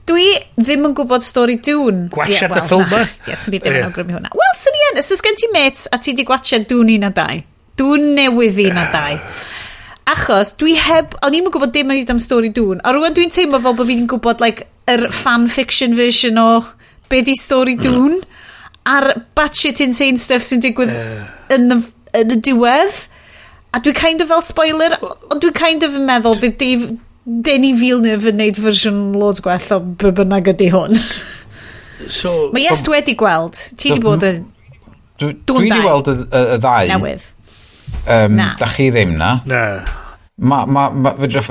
dwi ddim yn gwybod stori Dune. Gwachad y ffilm ma? Ie, swn i ddim yn awgrymu hwnna. Wel, swn i yn. Os oes gen ti mates a ti di gwachad Dune 1 a 2. Dune newydd 1 a 2. Achos dwi heb... O'n i'm yn gwybod dim am stori Dune. A rwan dwi'n teimlo fel bod fi'n gwybod like, yr fan fiction version o be di stori Dune. A'r batshit insane stuff sy'n digwydd yn y diwedd. A dwi kind of fel spoiler, ond dwi'n kind of yn meddwl fydd Denis Villeneuve yn neud fersiwn loads gwell o be bynnag ydy hwn. So, mae Iest wedi gweld. Ti wedi bod yn... Dwi wedi gweld y ddau. Newydd. Da chi ddim na? Na. Fedrwch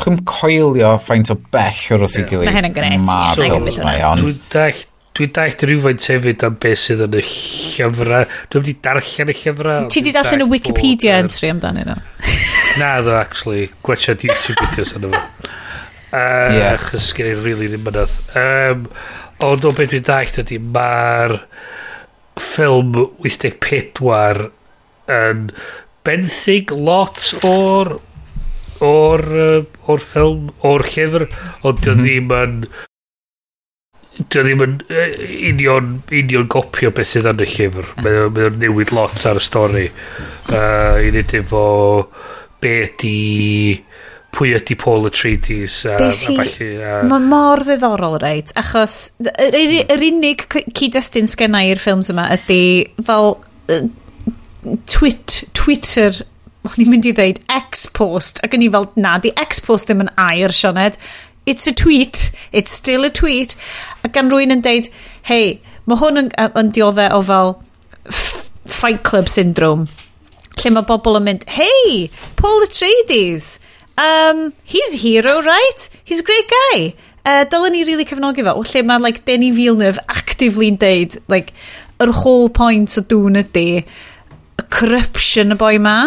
chi'm coelio faint o bell o'r wrth i gilydd. Mae hyn yn grêt. Mae'r ffilms mae on. Dwi'n dallt rhywfaint hefyd am beth sydd yn y llyfrau. Dwi'n wedi darllen y llyfrau. Ti wedi darllen y Wikipedia entry amdanyn nhw? Na, ddo, actually. Gwachad YouTube videos yna fo. Achos gen i really ddim mynydd. Ond o beth dwi'n dallt ydy, mae'r ffilm 84 yn benthyg lot o'r ffilm, o'r llyfr, ond dio ddim yn union gopio beth sydd yn y llyfr. Mae o'n newid lot ar y stori. I wneud efo be ydi, pwy ydi Paul Atreides a ballu. Mae mor ddiddorol, reit, achos yr unig cyd-destun sgenna i'r ffilms yma ydy fel Twitter, o'n i'n mynd i ddeud X-post, ac o'n i fel, na, di X-post ddim yn air, Sioned. It's a tweet. It's still a tweet. A gan rwy'n yn deud, hei, mae hwn yn dioddau o fel Fight Club syndrome. Lle mae bobl yn mynd, hey, Paul Atreides, he's a hero, right? He's a great guy. Dylen ni really cefnogi fo. Lle mae like, Denis Villeneuve actively'n deud, like, yr whole point o Dune ydy, corruption y boi ma.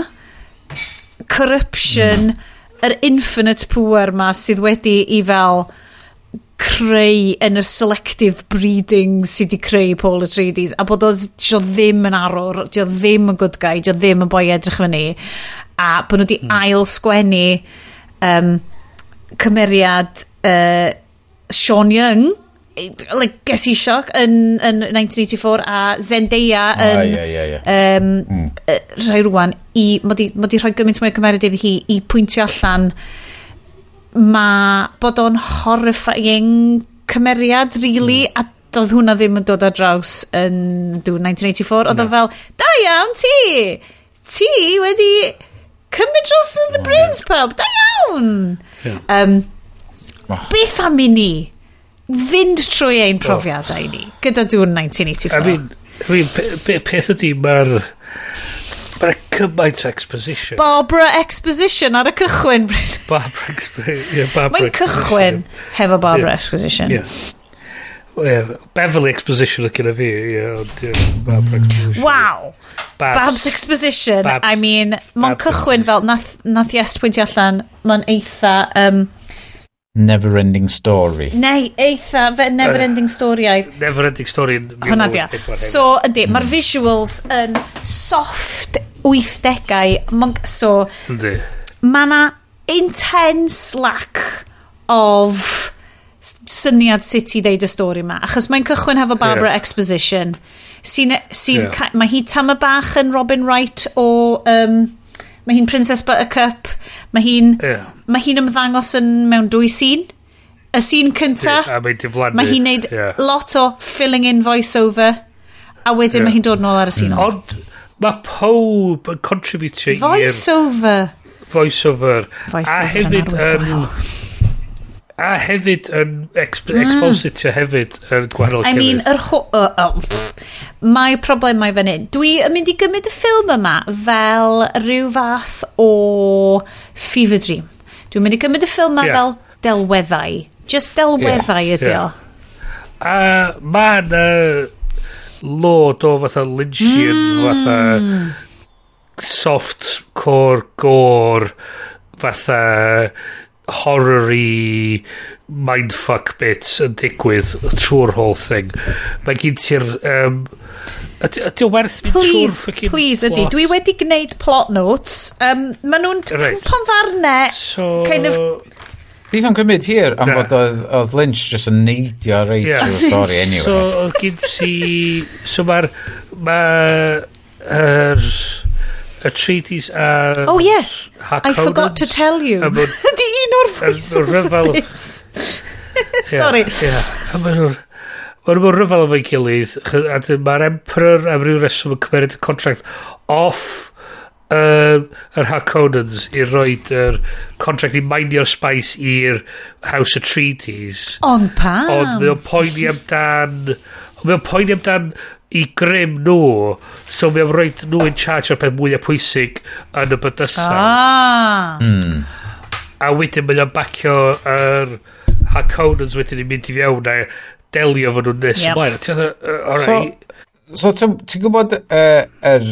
Corruption, yr infinite power ma sydd wedi i fel creu yn y selective breeding sydd wedi creu Paul Atreides, a bod o ddim yn arwr, dio ddim yn good guy, dio ddim yn boi edrych fyny, a bod nhw wedi ail sgwennu cymeriad Sean Young, like, ges i sioc yn 1984, a Zendaya yn rhai rwan i, mod i rhoi gymaint mwy o cymeriad iddi hi i pwyntio allan ma bod o'n horrifying cymeriad really, a doedd hwnna ddim yn dod ar draws yn 1984. Oedd o fel, da iawn ti wedi cymryd dros the brains pub, da iawn. Beth am i ni fynd trwy ein profiadau ni gyda Dune 1984? I mean, peth ydy, mae'r cymaint exposition. Barbara Exposition ar y cychwyn. Barbara Exposition. Mae'n cychwyn hefo Barbara Exposition. Yeah. Beverly Exposition oedd gyda fi. Barbara Exposition. Wow. Babs Exposition. Babs. I mean, mae'n cychwyn fel, nath Iest pwyntio allan, mae'n eitha... Never-ending story. Neu, eitha, never-ending story-aidd. Never-ending story. Hwna dia. So, ydy, mae'r visuals yn soft 80au. So, mae na intense lack of syniad sut i ddeud y stori ma. Achos mae'n cychwyn hefo Barbara Exposition. Sy'n, sy yeah. Mae hi tama bach yn Robin Wright o... mae hi'n Princess Buttercup. Mae hi'n mae hi'n ymddangos yn mewn dwy scene. Y scene cynta, yeah, mae hi'n neud lot o filling in voice-over, a wedyn mae hi'n dod nôl ar y scene. Ond mae pob yn contributio i'r... Voice-over. Voice-over. Voice-over a hefyd yn... A hefyd yn expositio hefyd yn gwahanol. I mean, yr mae problemau fan hyn. Dwi yn mynd i gymryd y ffilm yma fel rhyw fath o fever dream. Dwi'n mynd i gymryd y ffilm yma fel delweddau. Just delweddau ydi o. A mae yna load o fatha Lynchian, fatha soft core gore, fatha horror-y mindfuck bits yn digwydd trwy'r whole thing. Mae gen ti'r... Ydy o werth mynd trwy'r fucking Please, ydy. Dwi wedi gwneud plot notes. Maen nhw'n cwmpo'n ddarnau. So... Kind of... Bydd o'n cymryd hir am fod oedd Lynch just yn neidio reit trwy'r stori anyway. So, oedd gen ti... So mae'r... Mae'r... Atreides a... Oh yes, I forgot to tell you. Ydy un o'r voice-over bits. Sorry. Yeah. A maen nhw'n rhyfel efo'i gilydd. A mae'r Emperor am ryw reswm yn cymeryd y contract off yr Harkonnens i roed yr contract i minio'r spice i'r House Atreides. Ond pam? Ond mae o'n poeni amdan... Mae o'n poeni amdan i grym nhw, so mae o'n rhoi nhw in charge o'r peth mwyaf pwysig yn y bydysawd. Ah. Mm. A wedyn mae o'n bacio yr Harkonnens wedyn i mynd i fewn a delio fo nhw'n nes ymlaen. A ti'n meddwl, alright. So ti'n gwybod yr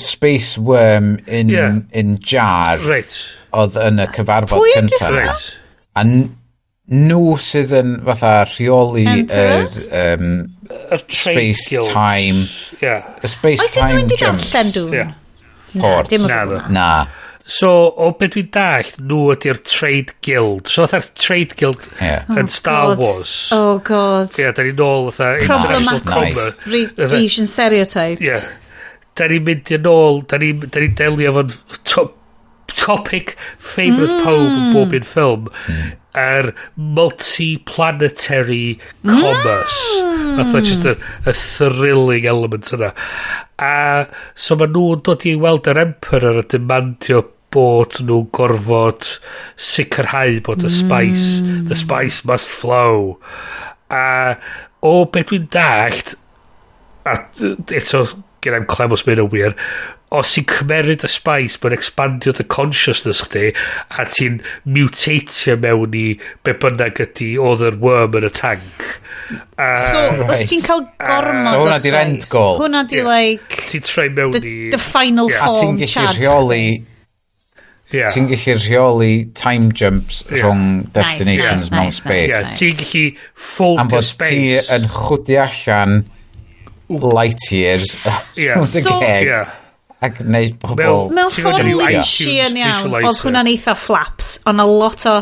space worm in, in jar oedd yn y cyfarfod cyntaf. Right. A nhw sydd yn fatha rheoli yr space time y space time jumps. Oes unrhyw'n di darllen Dune? Port. Na. So, o beth dwi'n dallt, nhw ydy'r Trade Guild. So, fatha'r Trade Guild yn Star Wars. Oh, God. Ie, da ni'n ôl fatha International Commerce. Asian stereotypes. Ie. Da ni'n mynd yn ôl, da ni'n delio efo'n topic favourite pob yn bob un ffilm. Yr multi-planetary commerce. Fatha just y thrilling element yna. A so ma nhw'n dod i weld yr Emperor a demandio bod nhw'n gorfod sicrhau bod y spice, the spice must flow. A o beth dwi'n dallt, a eto gen i'm clem os mae'n yn wir, os ti'n cymeryd y spice, mae'n expandio the consciousness chdi, a ti'n mutatio mewn i be bynnag ydi oedd yr worm yn y tank. So, os ti'n cael gormod so, hwnna di'r end goal. Hwnna di, like... Ti'n troi mewn i... The final form, A ti'n gallu rheoli... Ti'n gallu rheoli time jumps rhwng destinations mewn space. Yeah, ti'n gallu fold your space. Am fod ti yn chwdi allan light years rhwng dy geg. Ac wneud pobl... Mewn ffordd Lynchian iawn, oedd hwnna'n eitha flaps, ond a lot o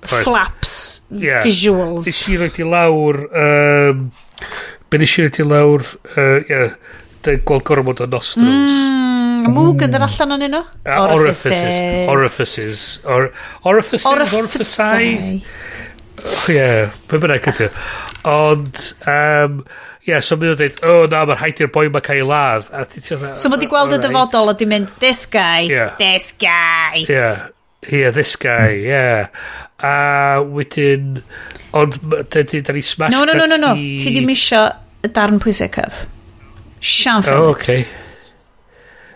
flaps visuals. Nes i roed i lawr... Be nes i roed i lawr... Gweld gormod o nostrils. Mwg yn yr allan o'n nhw? Orifices. Orifices. Orifices? Orificau? Ie, be bynnag ydy. Ond... Ie, so mae'n dweud, oh na, mae'n rhaid i'r boi ma cael ei ladd. So mae di gweld y dyfodol a di mynd, this guy, this guy. Yeah, this guy, yeah. A wedyn, ond da ni smash cut i... No, ti di misio y darn pwysicaf. Sian Phillips. Oh, okay.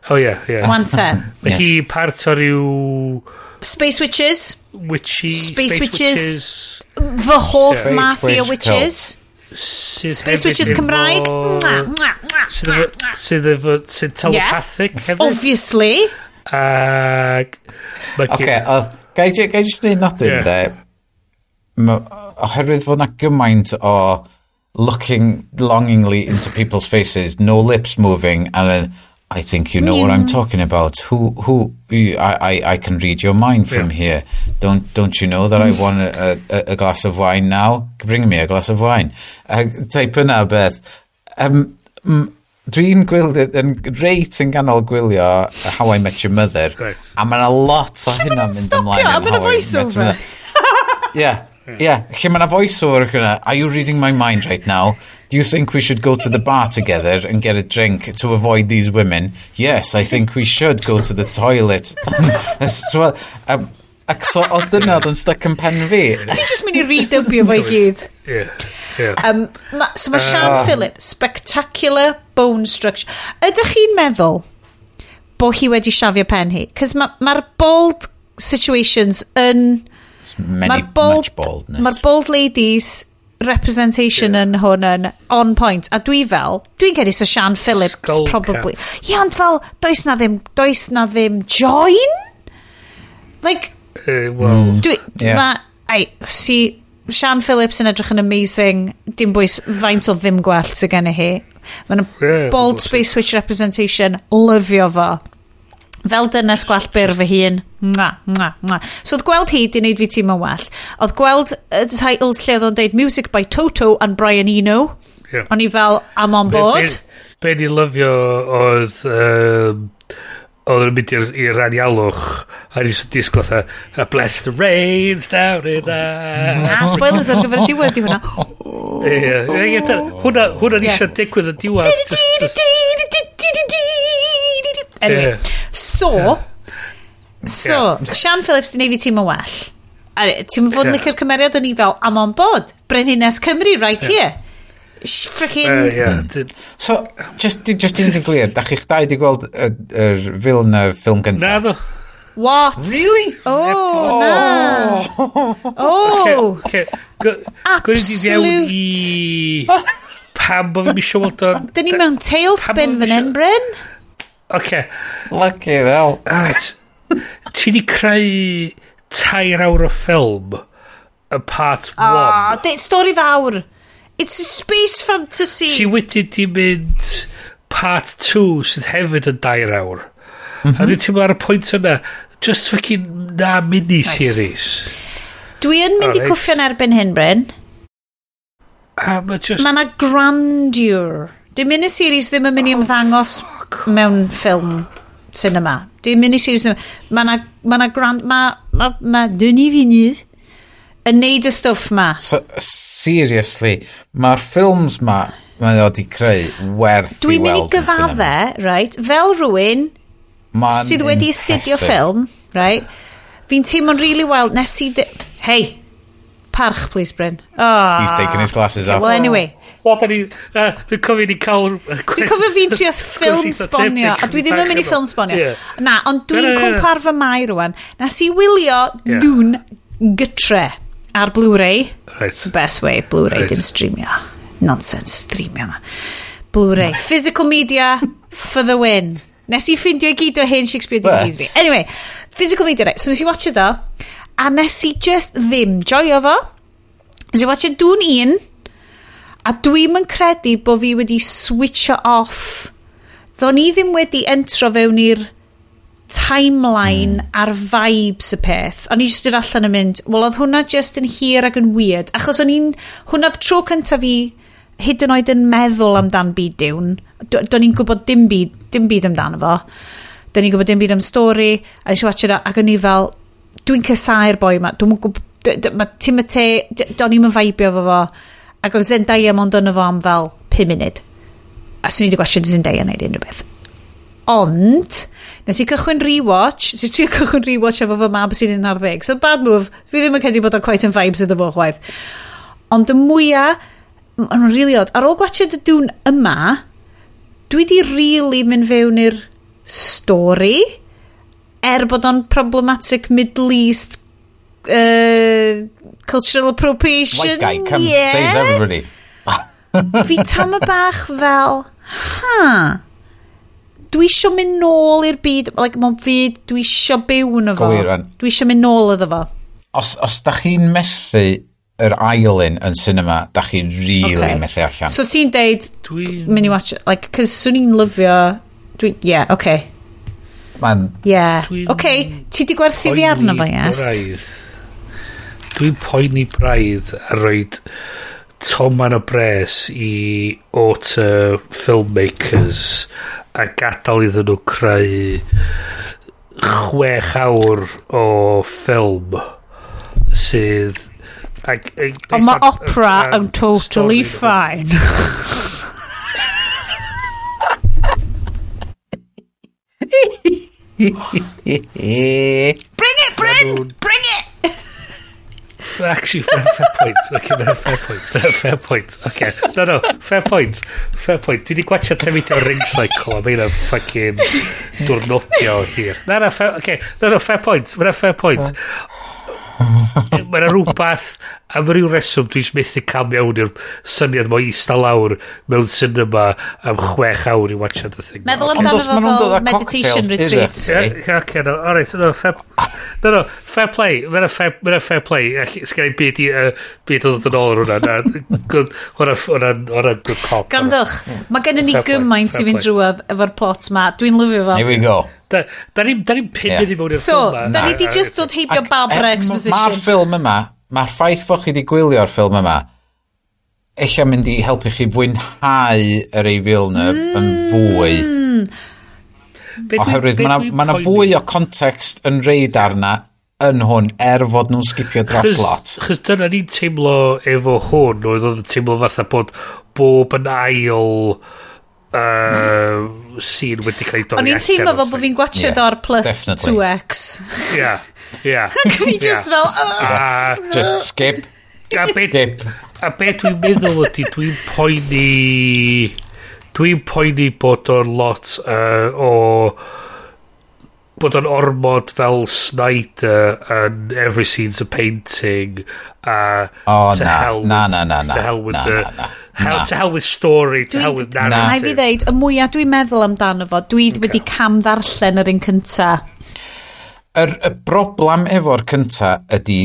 Oh, yeah, yeah. 110. Mae hi part o ryw... Space Witches. Witchy... Space Witches. The hoff Mafia Witches. Space Witches Cymraeg. Sydd efo sydd telepathic hefyd. Obviously. Oce, gai jyst neud nodyn de. Oherwydd fod na gymaint o looking longingly into people's faces, no lips moving, and then, I think you know what I'm talking about. Who, I can read your mind from here. Don't you know that I want a glass of wine now? Bring me a glass of wine. Type yna beth. Dwi'n gwylio, yn reit yn ganol gwylio How I Met Your Mother. Right. A mae yna lot o hynna'n mynd ymlaen A yn ma' 'na How I Met Your voice-over. Mother. Yeah, yeah. Lle mae yna voice-over yna. Are you reading my mind right now? Do you think we should go to the bar together and get a drink to avoid these women? Yes, I think we should go to the toilet. Ac so, o dyna oedd yn stuck yn pen fi. Ti'n just mynd i redubio fo i gyd. Yeah, yeah. So mae Sian Phillips, spectacular bone structure. Ydych chi'n meddwl bod hi wedi siafio pen hi? Cos mae'r ma bald situations yn... Many, Mae'r bald, much baldness. Mae'r bald ladies representation yn hwn yn on point. A dwi fel, dwi'n credu sa Sian Phillips Skull probably. cap. Ie, ond fel, does na ddim join? Like, Well, dwi, Yeah. ma, ai, si, Sian Phillips yn edrych yn amazing, dim bwys faint o ddim gwallt sydd gen i hi. Mae'n Yeah, bald we'll see. space witch representation, lyfio fo. Fel dynes gwallt byr fy hun. Mwa, mwa, mwa. So oedd gweld hi di wneud fi teimlo'n well. Oedd gweld y titles lle oedd o'n deud Music by Toto and Brian Eno. Yeah. O'n i fel, I'm on board. Be ni lyfio oedd... Oedd yn mynd i'r anialwch a ni sy'n disgwyl fatha bless the rains down in the... Ah, spoilers ar gyfer y diwedd di hwnna. Ie, hwnna ni Ie. eisiau digwydd yn diwedd. Anyway, Ie. so, Sian Phillips di neud fi teimlo'n well. A ti'n fod yn Ie. licio'r cymeriad o'n i fel, I'm on board. Brenhines Cymru right here. Freaking... Ie. So, just i fod yn glir, da chi'ch dau di gweld yr Villeneuve ffilm Na, gyntaf? ddo. What? Really? Oh, na. Oh. Gwyd i fewn i... Pam bod fi'n misio weld o'n... Dyn ni mewn tailspin Pam fan hyn, Bryn? Oce, Lucky hell. alright. Ti di creu 3 awr o ffilm y part 1. Ah, stori fawr. It's a space fantasy. Ti wedi di mynd part 2 sydd hefyd yn 2 awr. A dwi'n teimlo ar y pwynt yna, just fucking na mini-series. Dwi yn mynd i Alright. cwffio'n erbyn hyn, Bryn. A ma just... Mae yna grandeur. Di miniseries ddim yn mynd i ymddangos mewn ffilm cinema. Di miniseries ddim... Mae yna ma na grand... Mae ma Denis Villeneuve yn neud y stwff ma. So, seriously, mae'r ffilms ma mae o di creu werth Dwi'n i mynd i weld yn cinema. gyfadde, right, fel rhywun Ma'n sydd wedi astudio impressive. ffilm, right, fi'n teimlo'n really wild, nes i... Hey, parch, please, Bryn. Oh. He's taking his glasses off. Well, anyway, Wel, da ni... Dwi'n cofio ni cael... Dwi'n cofio fi'n trio ffilm sbonio, a dwi ddim yn mynd i ffilm sbonio. Ie. Na, ond dwi'n Na, na, na. cwmpa'r fy mai rwan. Nes i wylio Ie. Dune gytre ar Blu-ray. Right. It's the best way, Blu-ray, Right. dim streamio. Nonsense, streamio ma. Blu-ray. Physical media for the win. Nes i ffindio i gyd o hen Shakespeare DVDs fi. Anyway, physical media, right. So nes i watch do, a nes i just ddim joio fo. Nes i watch Dune 1, a dwi'm yn credu bod fi wedi switcho off. Ddo'n i ddim wedi entro fewn i'r timeline a'r vibes y peth. O'n i jyst dod allan yn mynd, wel oedd hwnna just yn hir ac yn weird. Achos o'n i'n, hwnna oedd tro cyntaf fi hyd yn oed yn meddwl amdan byd Dune. Do'n i'n gwybod dim byd amdano fo. Do'n i'n gwybod dim byd am stori. A nes i watch it ac o'n i fel, dwi'n casau'r boi ma. Dwi'n gwybod, mae Timothée, do'n i'm yn feibio fo fo. Ac oedd Zendaya mond yno fo am fel 5 munud. A swn i wedi gwachio Zendaya wneud unrhyw beth. Ond, nes i cychwyn rewatch, nes i trio cychwyn rewatch efo fy mab sy'n 11. So bad move, fi ddim yn credu bod o'n quite yn vibes iddo fo chwaith. Ond y mwyaf, ma'n really odd, ar ôl gwachio y Dune yma, dwi di really mynd fewn i'r stori, er bod o'n problematic Middle East cultural appropriation. White guy comes, yeah. saves everybody. Fi tam y bach fel, ha, dwi isio mynd nôl i'r byd, like, mae'n fyd, dwi isio byw yn fo. Go rwan. Dwi isio mynd nôl iddo fo. Os da chi'n methu yr ail un yn cinema, da chi'n really Ocê. methu allan. So ti'n deud, mynd i watch, like, cos swn i'n lyfio Dwi, yeah, okay. Man. Yeah. Okay, ti di gwerthu fi arno fo, yes? Dwi'n poeni braidd a roed toman o bres i auteur filmmakers a gadael iddyn nhw creu 6 awr o ffilm sydd Ag, Ond mae opera yn totally fine. Bring it, Bryn! Bring it! Actually, fair point. Okay, no, fair point. Fair point. Okay. No, fair point. Fair point. Dwi wedi gwachio tameidia o Ring Cycle a mae hynna'n fucking diwrnodio hir. Na, fair, okay. No, fair point. Mae'n fair point. Mae yna rhywbeth am ryw reswm dwi'n methu cael mewn i'r syniad mo eista lawr mewn cinema am 6 awr i watchad y thing. Meddwl amdano fo fel meditation retreat. Yeah, okay, no, all right, no, fair, no, fair play. Mae'n fair, mae'n fair play. Sgen i byd i byd o ddod yn ôl ar hwnna. Na, good, hwnna good cop. Grandwch, mae gennym ni gymaint i fynd drwodd efo'r plot ma. Dwi'n lyfio fo. Here we go. Da ni'n pyn i mewn i'r ffilm ma. So, da ni di just dod heibio Barbara Exposition. Mae'r ffilm yma, mae'r ffaith fod chi wedi gwylio'r ffilm yma, eich mynd i helpu chi fwynhau yr ei Villeneuve yn fwy. Oherwydd mae yna fwy o context yn reid arna yn hwn, er fod nhw'n skipio dros lot. Chos dyna ni'n teimlo efo hwn, oedd yn teimlo fatha bod bob yn ail scene wedi cael ei dorri. O'n i'n teimlo fel bod fi'n gwachio o'r plus 2x. Ie. Ac o'n i just fel... Just skip. A be, a be dwi'n meddwl ydy, dwi'n poeni bod o'n lot o bod o'n ormod fel Snyder and every scene's a painting a oh, to na, hell na, na, na, na, to hell with na, the na, na, hell, to hell with story, to hell with narrative. Na. I fi ddeud, y mwyaf dwi'n meddwl amdano fo, dwi wedi cam ddarllen yr un cynta. Y broblem efo'r cynta ydy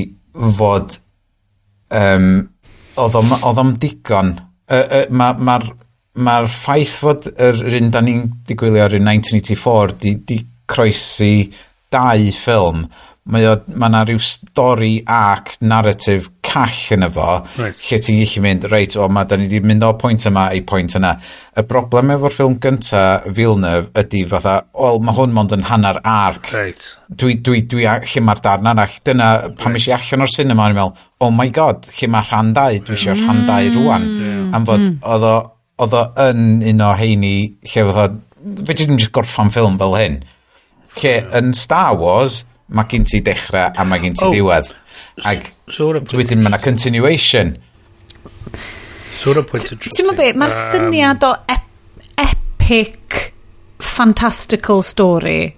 fod oedd o'm digon. Mae'r ma, ma ffaith fod yr un da ni'n digwylio ar 1984 di croesi dau ffilm, mae yna rhyw stori ac narrative call yn efo, lle ti'n gallu mynd, reit, o, ma, da ni wedi mynd o pwynt yma i pwynt yna. Y broblem efo'r ffilm gynta, Villeneuve, ydy fatha, wel, mae hwn mond yn hanner arc. Dwi, lle mae'r darn arall? Dyna, pan right. i allan o'r cinema, o'n i'n meddwl, oh my god, lle mae rhan dau? Dwi eisiau rhan dau rwan. Am fod, oedd o yn un o heini, lle fatha, fedri ddim just gorffan ffilm fel hyn. Lle yn Star Wars, mae gen ti dechrau a mae gen ti diwedd. Ac so wedyn mae yna continuation. So hwnna'n pwynt interesting. Ti'n be, mae'r syniad o epic fantastical story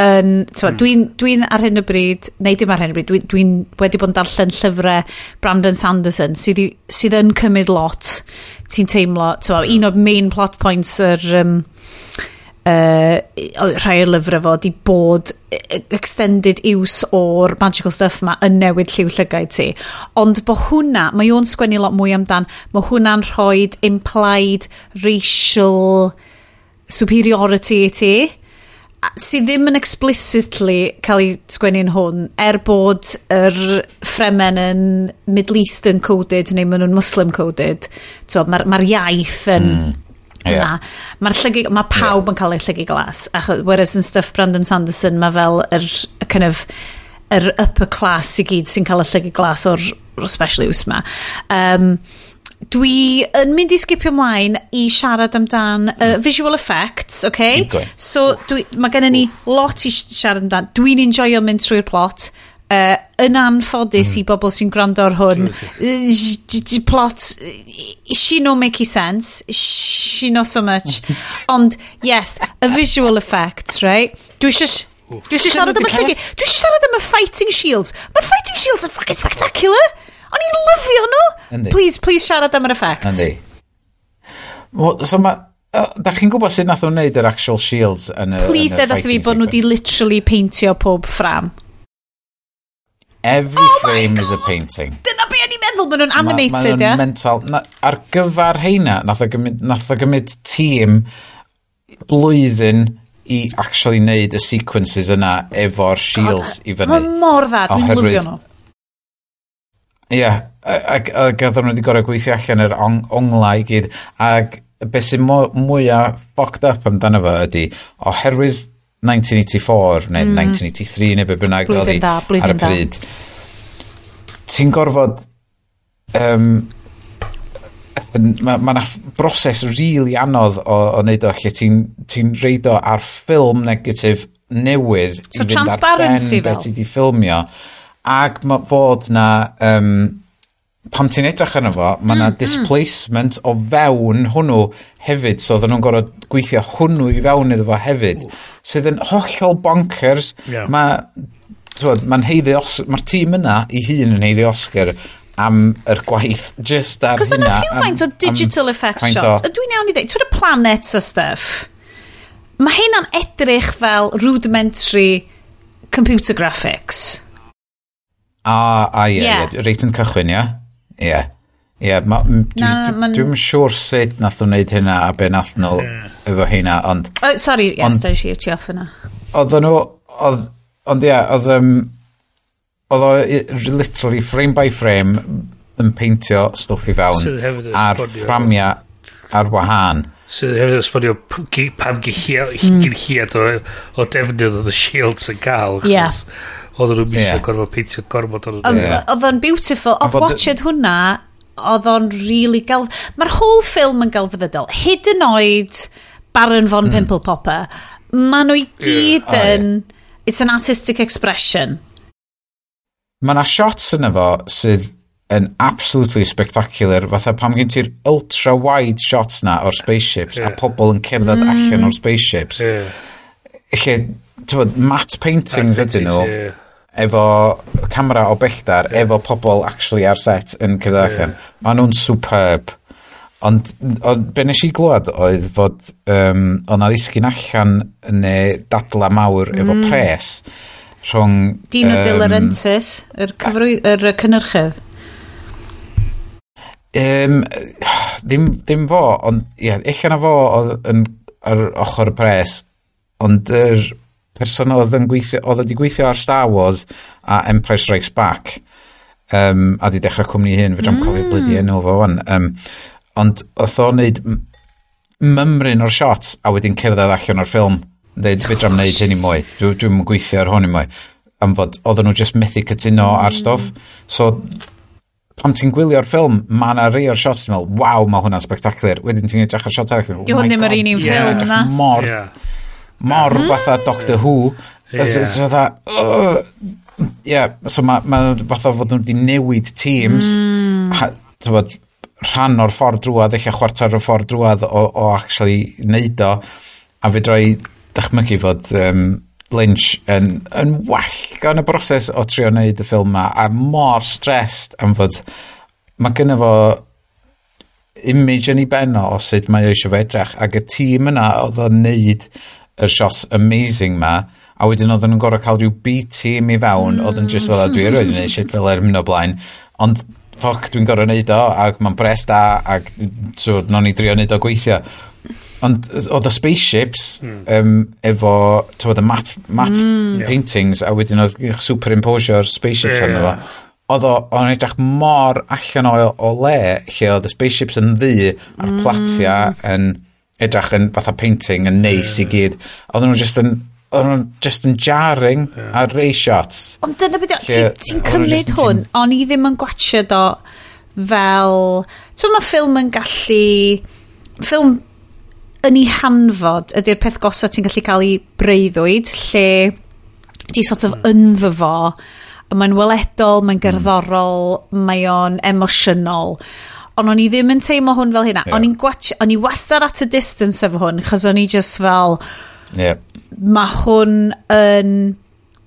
yn, mm. Dwi'n dwi ar hyn o bryd, neu dim ar hyn o bryd, dwi'n dwi wedi bod yn darllen llyfrau Brandon Sanderson sydd, sydd yn cymryd lot, ti'n teimlo, ti'n un o'r main plot points yr rhai o'r lyfrau fo di bod extended use o'r magical stuff ma yn newid lliw llygaid ti. Ond bo hwnna, mae o'n sgwennu lot mwy amdan, mae hwnna'n rhoi implied racial superiority i ti sydd ddim yn explicitly cael ei sgwennu'n hwn, er bod yr Fremen yn Middle Eastern coded neu maen nhw'n Muslim coded. Mae'r ma iaith yn... Yeah. Mae'r llygu, mae pawb yn cael ei llygu glas. Ach, whereas yn stuff Brandon Sanderson, mae fel yr kind of, yr upper class i gyd sy'n cael y llygu glas o'r special use ma. Dwi yn mynd i skipio ymlaen i siarad amdan visual effects, okay? So, dwi, mae gennym ni lot i siarad amdan. Dwi'n enjoyo mynd trwy'r plot. Yn anffodus i bobl sy'n gwrando ar hwn, plot, she no make sense, she no so much. Ond, yes, y visual effects, right? Dwi eisiau siarad am y llygu. Dwi eisiau siarad am y fighting shields. Mae'r fighting shields yn fucking spectacular. O'n i'n lyfio nhw. Please, please siarad am yr effects. Yndi. Well, so ma, da chi'n gwybod sut nath nhw'n wneud yr actual shields yn y Please yn y ddeud fi bod nhw wedi literally peintio pob ffram. Every Oh my frame is a God! painting. Dyna be o'n i'n meddwl, maen nhw'n animated, ma ie? Mental. Na, ar gyfer heina, nath o gymryd tîm blwyddyn i actually neud y sequences yna efo'r shields i fyny. Mae'n mor dda, dwi'n lyfio nhw. Ie, yeah, ac oedden nhw wedi gorau gweithio allan yr onglau i gyd, ac beth sy'n mwyaf fucked up amdano fo ydy, oherwydd 1984 neu 1983 neu be bynnag oedd hi ar y pryd, ti'n gorfod mae 'na broses really anodd o wneud o lle ti'n reid o ar ffilm negatif newydd so i fynd ar ben be ti di ffilmio, ac mae fod na pam ti'n edrych arno fo, mae 'na displacement o fewn hwnnw hefyd, so oedden nhw'n gorfod gweithio hwnnw i fewn iddo fo hefyd, sydd yn hollol bonkers. Yeah. Mae'n haeddu mae'r tîm yna i hun yn haeddu Oscar am yr gwaith just ar hynna. Cos yna rhywfaint o digital effects shots. Ydw i'n iawn i ddweud, ti'n y planets a stuff, mae hynna'n edrych fel rudimentary computer graphics. A ie, yeah. Reit yn cychwyn, ie? Ie. Ie, dwi'n siŵr sut nath nhw wneud hynna a be nath nhw efo hynna, ond... Oh, sorry, yes, da i ti off yna. Oedden nhw, ond ie, oedd o literally frame by frame yn peintio stwff i fewn a'r fframia ar wahân. Sydd hefyd yn esbonio pam gyn hiad o defnydd oedd y shields yn gael. Ie. Oedden nhw'n misio gorfod peintio gormod o'n nhw. Oedd o'n beautiful. Oedd watched hwnna, oedd o'n really Mae'r whole film yn gelfyddydol. Hyd yn oed Baron von Pimple Popper. Maen nhw i gyd yn... It's an artistic expression. Mae yna shots yna fo sydd yn absolutely spectacular, fatha pam gen ti'r ultra wide shots na o'r spaceships a pobl yn cerdded allan o'r spaceships. Lle, ti'n matte paintings ydyn nhw, efo camera o belltar, efo pobl actually ar set yn cerdded allan. Maen nhw'n superb. Ond be nes i glwad oedd fod oedd na ddisgyn allan neu dadla mawr efo pres rhwng... Dino De Laurentiis, yr cynhyrchydd. Ddim fo, ond ie, ella na fo oedd yn, ar ochr y pres, ond yr person oedd yn gweithio, oedd wedi gweithio ar Star Wars a Empire Strikes Back, a di dechrau cwmni hyn, fedrai'm cofio blydi enw fo wan, ond oedd o'n neud mymryn o'r shots a wedyn cerdded allan o'r ffilm. Dweud, fedrai'm neud hyn i mwy. Dwi'n gweithio ar hwn i mwy. Am fod, oedden nhw just methu cytuno ar stwff. So, pam ti'n gwylio'r ffilm, mae yna rei o'r shots ti'n meddwl, waw, mae hwnna'n spectacular. Wedyn ti'n edrych ar shot arall. Di hwn ddim yr un ffilm, na. Mor fatha Doctor Who. So, so mae fatha fod nhw wedi newid teams. Rhan o'r ffordd drwad, eich chwarter o'r ffordd drwad o actually neud o. A fedra i dychmygu fod Lynch yn well gan y broses o trio neud y ffilm ma, a mor stressed am fod mae gynno fo image yn ei ben o sut mae o eisiau fe edrych, ac y tîm yna oedd o'n neud yr shots amazing ma, a wedyn oedden nhw'n gorfod cael rhyw B-team i fewn, oedd yn just fel dwi erioed yn neud shit fel er mynd o blaen, ond ffoc, dwi'n gorfod neud o, ac mae'n bres da, ac so, nawn ni drio neud o gweithio. Ond oedd y spaceships efo tywed, y matte paintings, a wedyn oedd superimposio'r spaceships arno fo. Oedd o'n edrych mor allan o le, lle oedd y spaceships yn ddu a'r platia yn edrych yn fatha painting yn neis i gyd. Oedden nhw just yn jarring ar ray shots. Ond dyna beth, ti'n cymryd hwn, o'n i ddim yn gwatchio o fel... Ti'n mae ffilm yn gallu... Ffilm yn ei hanfod ydy'r peth gosa ti'n gallu cael ei breuddwyd, lle ti sort of ynddo fo, a mae'n weledol, mae'n gerddorol, mae o'n emosiynol. Ond o'n i ddim yn teimlo hwn fel hynna. O'n i'n o'n i wastad at a distance efo hwn, chos o'n i just fel, mae hwn yn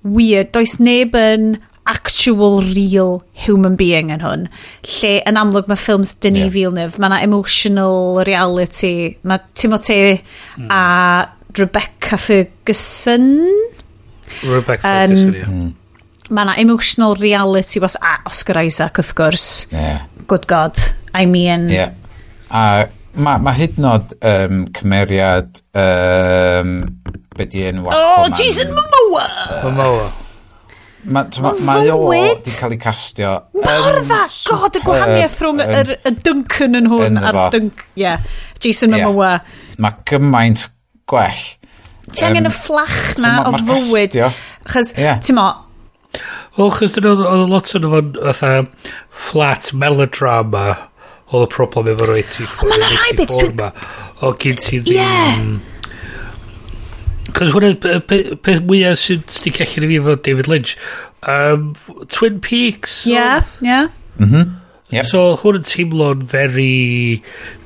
weird. Does neb yn actual real human being yn hwn. Lle yn amlwg mae ffilms Denis Villeneuve, mae yna emotional reality, mae Timothée a Rebecca Ferguson. Rebecca Ferguson, ie. Mae yna emotional reality, a Oscar Isaac, wrth gwrs. Yeah. Good God. I mean... Yeah. A Mae hyd yn oed cymeriad, be di enw Aquaman? Oh, Jason Momoa! Momoa. Mae o di cael ei castio. Mor dda! God, y gwahaniaeth rhwng y Duncan yn hwn a'r Dunk... Yeah, Jason Momoa. Mae gymaint gwell. Ti angen y fflach na o fywyd. Chos, ti'n mo... Wel, chos dyn oedd lot o'n fo'n fatha flat melodrama oedd y problem efo'r 84 ma' 'na rai bits ma. O gyn ti ddim... Cos hwnna, peth mwyaf sy'n sticio allan i fi efo David Lynch. Twin Peaks. Yeah, yeah. Mm -hmm. Yep. So hwn yn teimlo'n very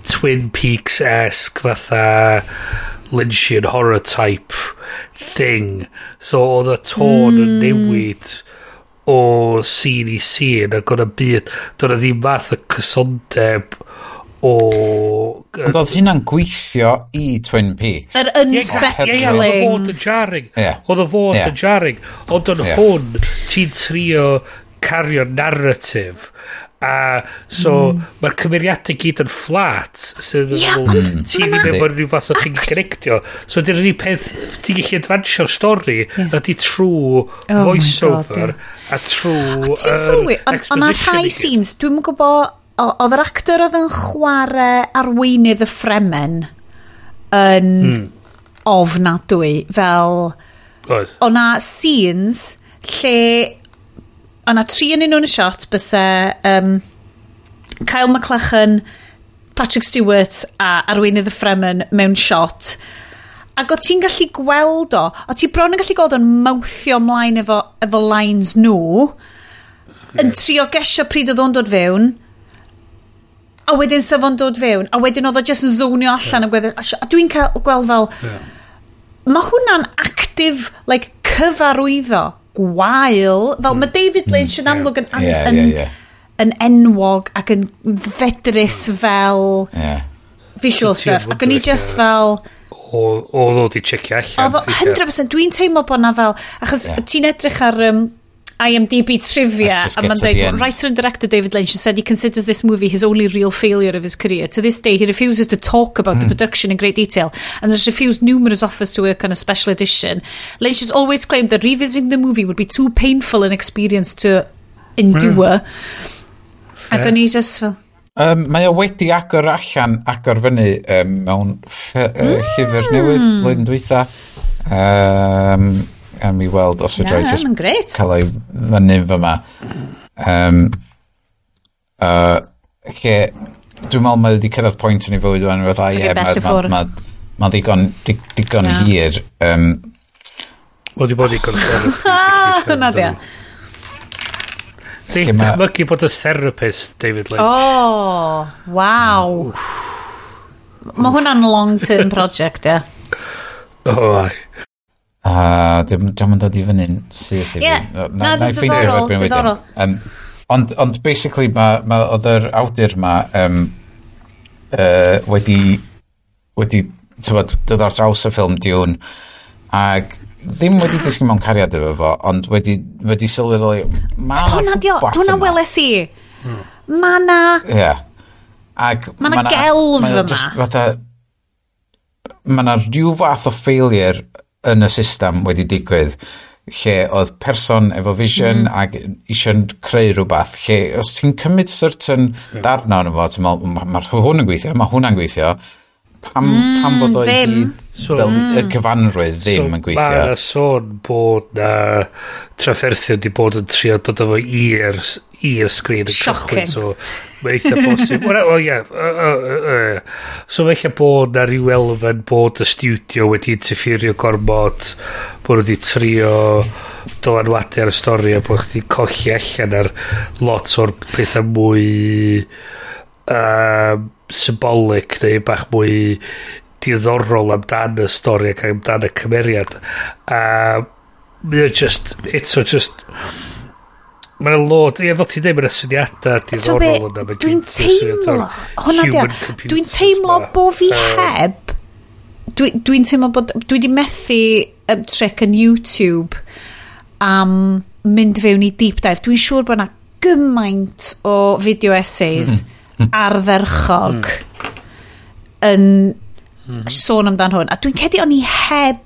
Twin Peaks-esque fatha Lynchian horror type thing. So oedd y tôn yn newid o scene i scene ac oedd y byd, doedd 'na ddim fath o cysondeb o... Ond oedd hynna'n gweithio i Twin Peaks. Yr unsettling. Ie, oedd o fod yn jarring. Oedd o fod yn jarring. Ond yn hwn, ti'n trio cario narrative. A so, mae'r cymeriadau gyd yn flat. Sydd yn ti ddim efo rhyw fath o thing connectio. So, dyna'r unig peth ti'n gallu advansio'r stori ydy trwy voice-over a trwy Ti'n sylwi, ond na rhai scenes, dwi'm yn gwybod, oedd yr actor oedd yn chwarae arweinydd y Fremen yn ofnadwy, fel o na scenes lle o na tri yn un o'n y shot byse Kyle MacLachlan, Patrick Stewart a arweinydd y Fremen mewn shot, ac o ti'n gallu gweld o, o ti bron yn gallu gweld o'n mawthio ymlaen efo lines nhw, yn trio gesio pryd oedd o'n dod fewn, a wedyn sef o'n dod fewn, a wedyn oedd o just yn zonio allan a gweddill. A dwi'n cael gweld fel, mae hwnna'n active, like, cyfarwyddo gwael, fel mae David Lynch yn amlwg yn enwog ac yn fedrus fel visual stuff, ac o'n i just fel... Oedd o di checio allan. 100%, dwi'n teimlo bod na fel, achos ti'n edrych ar IMDb trivia, a mae'n dweud, writer and director David Lynch has said he considers this movie his only real failure of his career. To this day, he refuses to talk about the production in great detail and has refused numerous offers to work on a special edition. Lynch has always claimed that revisiting the movie would be too painful an experience to endure. Ac o'n i just fel... Mae o wedi agor allan, agor fyny mewn llyfr newydd blwyddyn dwytha. A mi weld os fedra i just cael ei fyny fyma. Lle, dwi'n meddwl mae wedi cyrraedd pwynt yn ei fywyd wan, fatha, ie, mae digon hir. Wedi bod digon therapist. Hwna di. Ti'n dychmygu bod y therapist, David Lynch. Oh, waw. Mae hwnna'n long-term project, ie. Oh, ai. A dim yn dod i fyny'n syth i fi. Na, diddorol. Ond basically, ma oedd yr awdur ma wedi tywod, dod ar draws y ffilm Dune, ac ddim wedi disgyn mewn cariad efo fo, ond wedi sylweddoli, ma' 'na rhywbeth yma. Hwnna weles i. Ma' 'na... Ie. Ac ma' 'na gelf yma. Fatha, ma' 'na rhyw fath o failure yn y system wedi digwydd, lle oedd person efo vision ac eisiau creu rhywbeth, lle os ti'n cymryd certain darna ono fo, ti'n meddwl, mae hwn yn gweithio, mae hwnna'n gweithio, pam fod o i gyd fel y cyfanrwydd ddim yn gweithio. Mae yna sôn bod na trafferthion di bod yn trio dod efo i'r sgrin yn cychwyn, so mae'n eitha bosib. Wel, ie. So mae eitha bod na ryw elfen bod y studio wedi interferio gormod, bod wedi trio dylanwadu ar y stori a bod chdi colli allan ar lot o'r pethau mwy symbolic neu bach mwy diddorol amdan y stori ac amdan y cymeriad. A mae o just, eto just, mae'n lot, ie, fel ti'n dweud, mae'n syniadau diddorol yna. Dwi'n teimlo, hwnna di, dwi'n teimlo bo fi heb, dwi'n teimlo bod, dwi di methu trick yn YouTube am mynd fewn i deep dive. Dwi'n siŵr bod yna gymaint o video essays ardderchog. yn sôn amdan hwn. A dwi'n cedi o'n i heb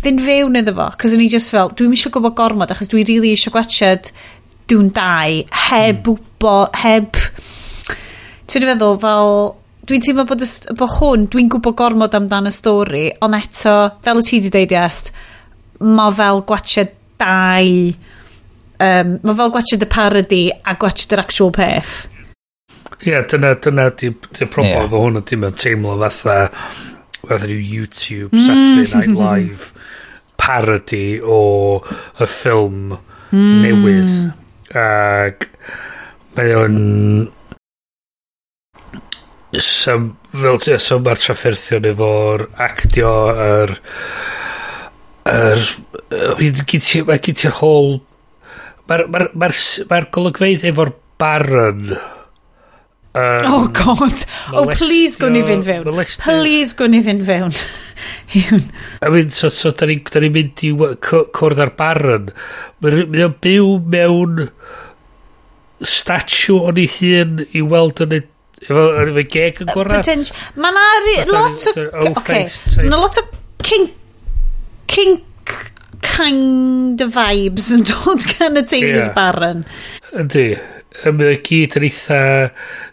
fynd fewn iddo fo, cos o'n i just fel, dwi'n eisiau gwybod gormod, achos dwi really eisiau gwachod Dune 2, heb wybod, heb... Ti'n feddwl, fel... Dwi'n teimlo bod, bod hwn, dwi'n gwybod gormod amdan y stori, ond eto, fel wyt ti wedi deud, Iest, mae fel gwachod dau... mae fel gwachod y parody a gwachod yr actual peth. Ie, yeah, dyna di problem efo hwn ydy, mae'n teimlo fatha rhyw YouTube Saturday Night Live parody o y ffilm newydd. Ac mae o'n... So, fel so mae'r trafferthion efo'r actio, yr mae gen ti'r whole... Mae'r golygfeydd efo'r Baron... Oh God. Oh, please gwn i fynd fewn. Please gwn i fynd fewn. I mean, so da ni'n mynd i cwrdd ar Baron. Mae o'n byw mewn statue o'n ei hun i weld yn efo geg yn gorau. Mae na lot o... Okay. Mae na lot o kink kind of vibes yn dod gan y teulu'r Baron. Yndi. Mae o gyd yn eitha...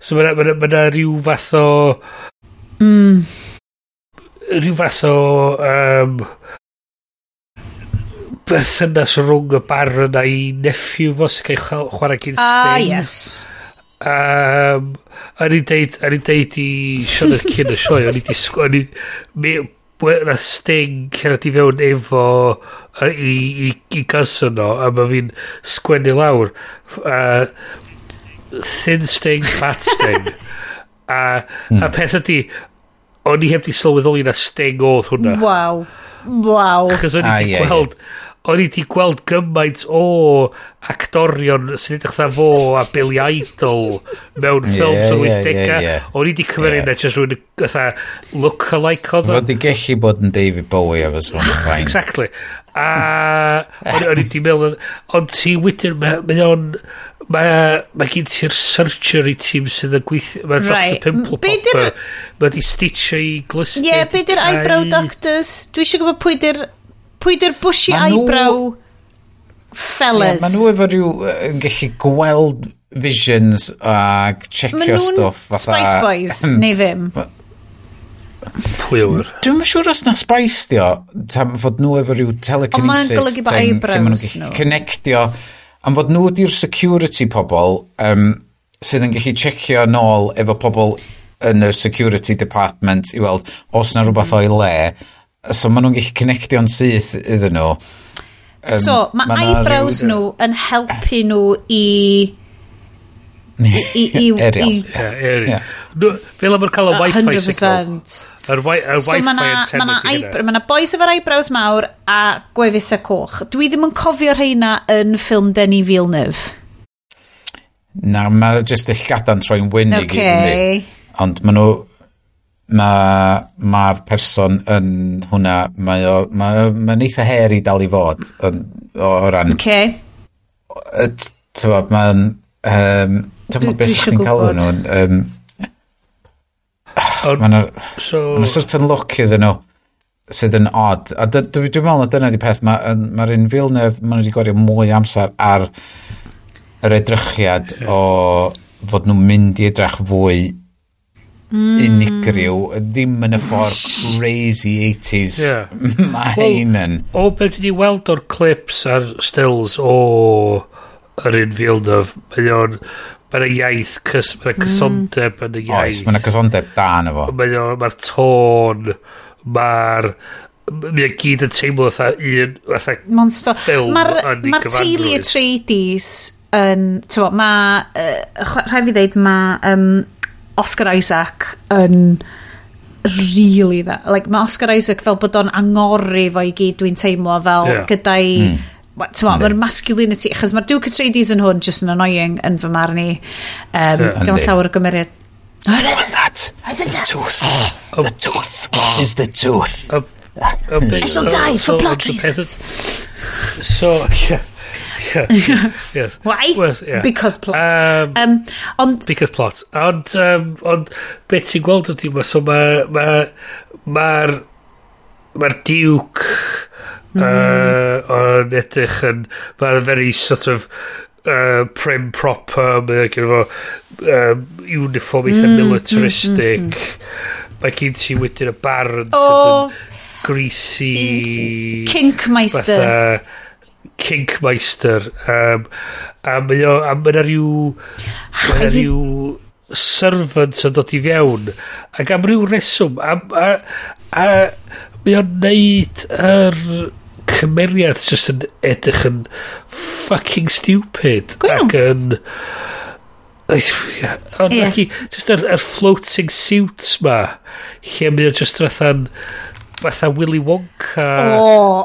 So mae yna rhyw fath o... Rhyw fath o... berthynas rhwng y Baron a'i nephew fo sy'n cael chwarae gyn Sting. Ah, yes. O'n i'n deud i Sioned cyn y sioe, o'n i di... Na Sting cerdded i fewn efo i cousin o, a mae fi'n sgwennu lawr. Thin Sting, Fat Sting. A peth ydi, o'n i heb di sylweddoli na Sting oedd hwnna. Waw. Waw. Achos o'n i di gweld... O'n i di gweld gymaint o actorion sy'n edrych fatha fo a Billy Idol mewn ffilms o'r 80au. O'n i di cymeru yna just rhywun fatha look-alike oedd o. Fod i gellu bod yn David Bowie efo sfon fine. Exactly. A o'n i di meddwl, ond ti wedyn, mae o'n... Mae gen ti'r surgery team sydd yn gweithio... Mae Dr Pimple Popper. Mae di stitcho i glusted. Ie, be di'r eyebrow doctors? Dwi eisiau gwybod pwy di'r... Pwy di'r bushy eyebrow fellas? Yeah, maen nhw efo rhyw yn gallu gweld visions ac checio stwff. Maen nhw'n Spice Boys, neu ddim? Pwy yw'r? Dwi'm yn siŵr os na Spice di o, fod nhw efo rhyw telekinesis. Ond mae'n golygu bod eyebrows nhw. Connectio, am fod nhw di'r security pobl sydd yn gallu checio nôl efo pobl yn yr security department i weld os na rhywbeth o'i le. So maen nhw'n gallu connectio'n syth iddyn nhw. So, mae eyebrows nhw yn helpu nhw i... Aerials. Fel am cael y wifi signal. Yr wifi antenna. Mae yna boys efo'r eyebrows mawr a gwefusau coch. Dwi ddim yn cofio rheina yn ffilm Denis Villeneuve. Na, mae jyst y llgada'n troi'n wyn i gyd. Ond maen nhw... Mae'r person yn hwnna, mae'n eitha her i dal i fod o ran... Okay. Ti'n mae'n... Ti'n beth chdi'n cael nhw? Mae'n a certain look iddyn nhw sydd yn odd. A dwi'n meddwl na dyna di peth, mae'r un Villeneuve, maen nhw wedi gwario mwy amser ar yr edrychiad o fod nhw'n mynd i edrych fwy unigryw, ddim yn y ffordd crazy 80s mae hein yn. O beth dwi wedi weld o'r clips a'r stills o yr un Villeneuve, mae o'n mae'n iaith, mae'n cysondeb yn y iaith. Oes, mae'n cysondeb da yn efo. Mae'r tôn, mae'r... Mae'n gyd yn teimlo fatha un, fatha ffilm yn ei gyfanrwydd. Mae'r teulu Atreides yn... Mae... Rhaid fi ddeud, mae... Oscar Isaac yn really dda. Like, mae Oscar Isaac fel bod o'n angori fo i gyd, dwi'n teimlo fel gyda'i... Mae'r masculinity, achos mae'r Duke Atreides yn hwn just yn annoying yn fy marn i. Dwi'n llawer o gymeriad. What was that? The tooth. The tooth. What is the tooth? I shall die for plot reasons. So, yeah. Yeah, yes. Why? Well, yeah. Because plot. Ond Because plot. Ond, ond beth ti'n gweld ydy, so mae'r Duke yn edrych yn fel very sort of prim proper, mae gen fo uniform eitha militaristic. Mae gen ti wedyn y Baron sydd yn greasy Kinkmeister. Fatha Kinkmeister. A mae o, a mae 'na rhyw servant yn dod i fewn ac am ryw reswm a mae o'n neud yr cymeriad just yn edrych yn fucking stupid. Go iawn. Ac yn ond just yr floating suits ma lle mae o just fatha Willy Wonka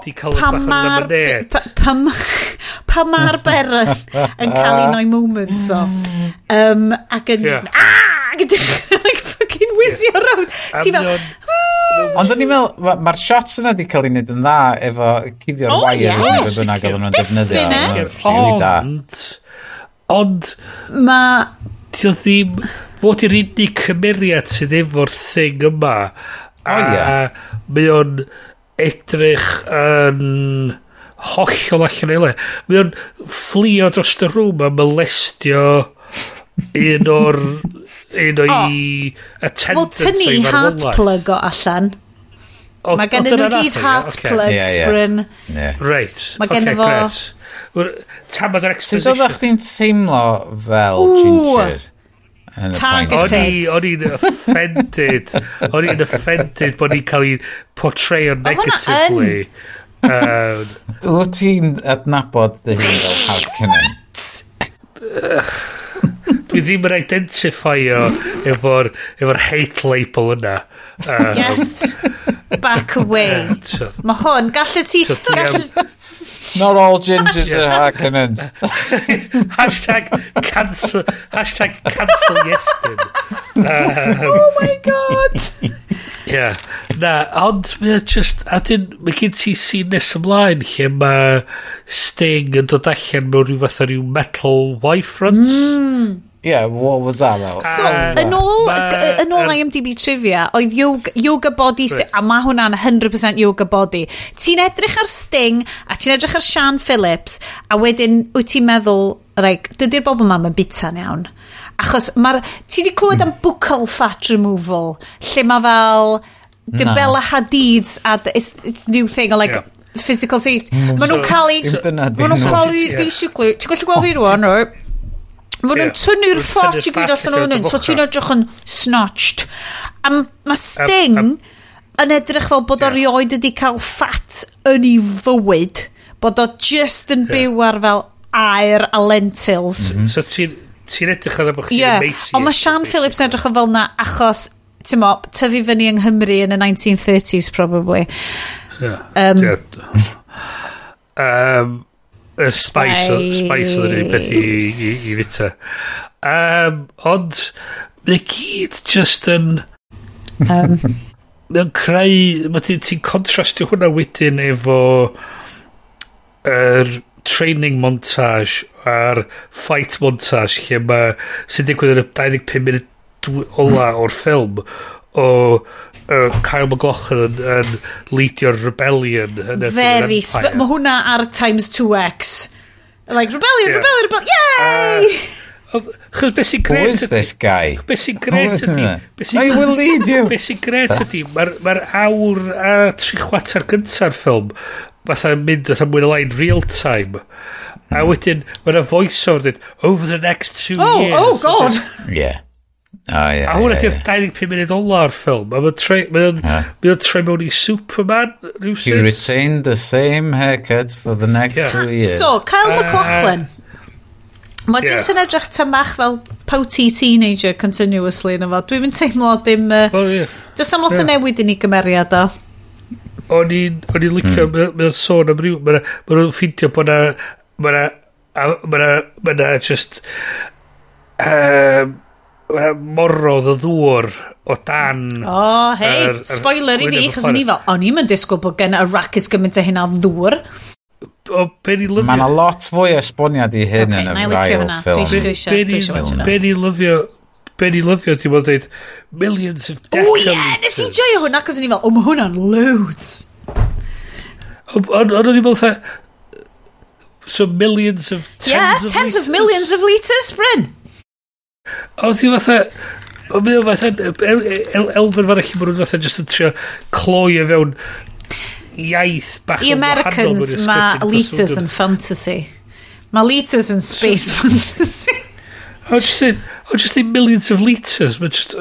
di cael Pa bach o lemonade. Pa ma'r Baron yn cael un o'i moments o. Ac yn just, ac yn dechrau like fucking whizzio round. A Ti fel, mae o'n- Ond o'n i'n meddwl, mae'r shots yna di cael ei wneud yn dda efo cuddio'r wires neu be bynnag oedden nhw'n defnyddio. Definite. Oedd o'n rili da. Ond Ma di o ddim fod i'r unig cymeriad sydd efo'r thing yma a mae o'n edrych yn hollol allan o'i le. Mae o'n fflio dros y rŵm a molestio un o'i Wel, attendants tynnu o'i heart farwolaeth. plug o allan. Mae gen nhw gyd heart plugs, Bryn. Reit. Mae genno Ocê, fo grêt. Wel, tamad o'r Sut exposition. oeddech chdi'n teimlo fel Ww. ginger yn y point? Targeted. O'n i'n offended bod ni'n cael ei portrayo Ma' hwnna negatively. Wyt ti'n adnabod dy hun fel Harkonnen? Dwi ddim yn identifio efo'r hate label yna. Yes. Back away. Mae hwn, gallu ti So dwi am- Not all gingers are Harkonnens. #cancel Iestyn. Oh my God. Yeah. Na, ond mae o just, a dyn, mae gen ti scene nes ymlaen lle mae Sting yn dod allan mewn rhyw fath o ryw metal Y-front. Yeah, what was that about? So, yn ôl IMDb trivia, oedd yoga body, a mae hwnna'n 100% yoga body. Ti'n edrych ar Sting, a ti'n edrych ar Sian Phillips, a wedyn wyt ti'n meddwl, like, dydy'r bobl yma yn bita'n iawn. Achos mae'r... Ti di clywed am buccal fat removal, lle mae fel... Dy Na. Bella Hadid's a it's new thing o like physical safety. Maen nhw'n cael ei Dim dyna Maen nhw'n dyn nhw. cael ei basically, ti'n gallu gweld fi rwan, right? Maen nhw'n tynnu'r Maen nhw'n fat tynnu'r i gyd fat allan o'n allan hyn, o so ti'n dy edrych yn snatched. A mae Sting yn edrych fel bod o rioed wedi cael fat yn ei fywyd, bod o just yn byw ar fel aer a lentils. So ti'n edrych ar bod chdi'n Ie, emaciated. ond mae Sian Phillips yn edrych yn fel na achos, ti'n mo, tyfu fyny yng Nghymru yn y 1930s probably. Yeah. Y spice, spice oedd yr unig peth i fita. Ond, mae gyd just yn mae'n creu, mae ti'n contrastio hwnna wedyn efo yr training montage a'r fight montage lle mae sy'n digwydd yn y 25 munud ola o'r ffilm o Kyle MacLachlan yn leadio'r rebellion yn erbyn yr Very, Empire. mae hwnna ar times 2x. Like, rebellion, rebellion, rebellion, yay! Chos beth sy'n Who gret is this guy? Beth sy'n gret ydi beth sy'n I will lead you. Beth sy'n gret ydi mae'r awr a 3/4 gynta'r ffilm fatha mynd fatha mwy na lai'n real time a wedyn mae'na voice-over dweud over the next 2 Oh, years. oh god. Yeah. Oh, yeah, A hwnna yeah, di'r 25 munud ola'r ffilm. A mae'n troi mae o'n troi mewn i Superman He rhywsut. retained the same haircut for the next 2 years. So, Kyle MacLachlan. Mae jyst yn edrych tam bach fel pouty teenager continuously yn efo. Dwi'n mynd teimlo dim... Well, yeah. Does am lot o newid yn ei gymeriad o. O'n i'n licio, mae o'n sôn am ryw, mae nhw'n ffeindio bod na, mae na just, mae na morodd o ddŵr o dan. O, hei, yr spoiler i fi, gwyneb y chos o'n i planet. fel, o'n i'n mynd disgwyl bod gen Arrakis gymaint o hynna o ddŵr. o be ni lyfio... Mae yna lot fwy o esboniad i hyn okay, yn yr ail ffilm. Be ni lyfio... Be ni lyfio, ti'n bod dweud, millions of decaliters. O ie, nes i joio hwnna, cos o'n i fel, o, mae hwnna'n loads. Ond o'n i'n meddwl, so millions of tens yeah, of tens litres. Of millions of litres, Bryn. Oedd hi fatha... Ond mae o fatha... Elfen fan allan maen nhw'n fatha just yn trio cloi o fewn iaith bach I Americans, mae litres yn fantasy. Mae litres yn space fantasy. O, just the millions of litres. Mae just...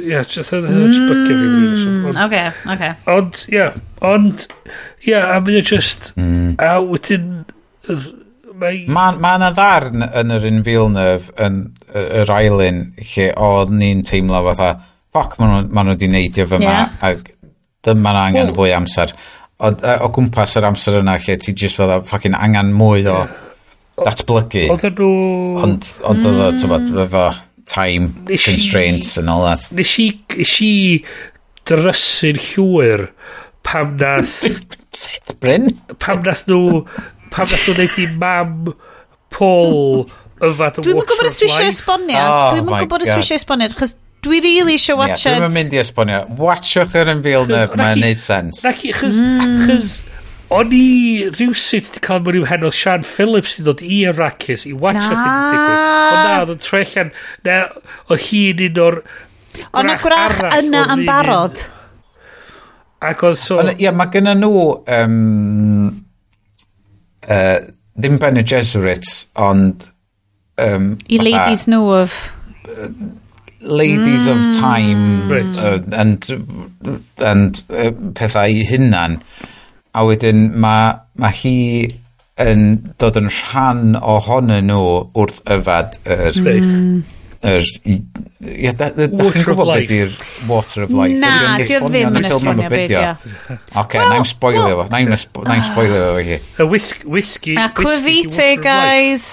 Yeah, just... Just bygio fi. Okay, okay. Ond, yeah. Ond, yeah, a mae o just... A wedyn... Mae yna ddarn yn yr un Villeneuve yn yr ail un lle oedd ni'n teimlo fatha ffoc, maen nhw wedi neidio fyma yeah. Ac dyma na angen fwy amser. O gwmpas yr amser yna lle ti just fatha fucking angen mwy o datblygu. Oedden nhw... Ond oedd o, ti'n efo time constraints and all that. Nes i drysu'n llwyr pam nath... Sut, Bryn? Pam nath nhw... Pam nath nhw'n neud i mam Paul yfad y Dwi'm yn Water gwybod of os dwi eisiau Life. esboniad. Oh Dwi'm yn my gwybod os God. dwi eisiau esboniad, chos dwi really eisiau Yeah, watchad... Dwi'm yn mynd i esbonio. Watchwch yr un Villeneuve, mae'n neud sens. Naci, chos o'n i rhywsut di cael mewn i'w hen oedd Sian Phillips i ddod i Arrakis i watchad hyn yn digwydd. Ond na, oedd yn troi allan, na, oedd hi'n un o'r Ond na gwrach arall yna oedd yn un- barod. Ac oedd so... Ond, ie, mae gynna nhw ddim Bene Gesserit, ond I ladies know of... Ladies of time Right. and pethau i hunan. A wedyn mae hi yn dod yn rhan ohonyn nhw wrth yfad yr... Reit. Yr... Ie, da chi'n Water of gwybod beth Life. di'r Water of Life? Na, Ydy o'n dio esbonio ddim yn yn y ffilm am esbonio y be be' 'di o? Oce, na i'm spoilio fo. Na i'm spoilio fo i chi. Y whisky... Aquavite, guys.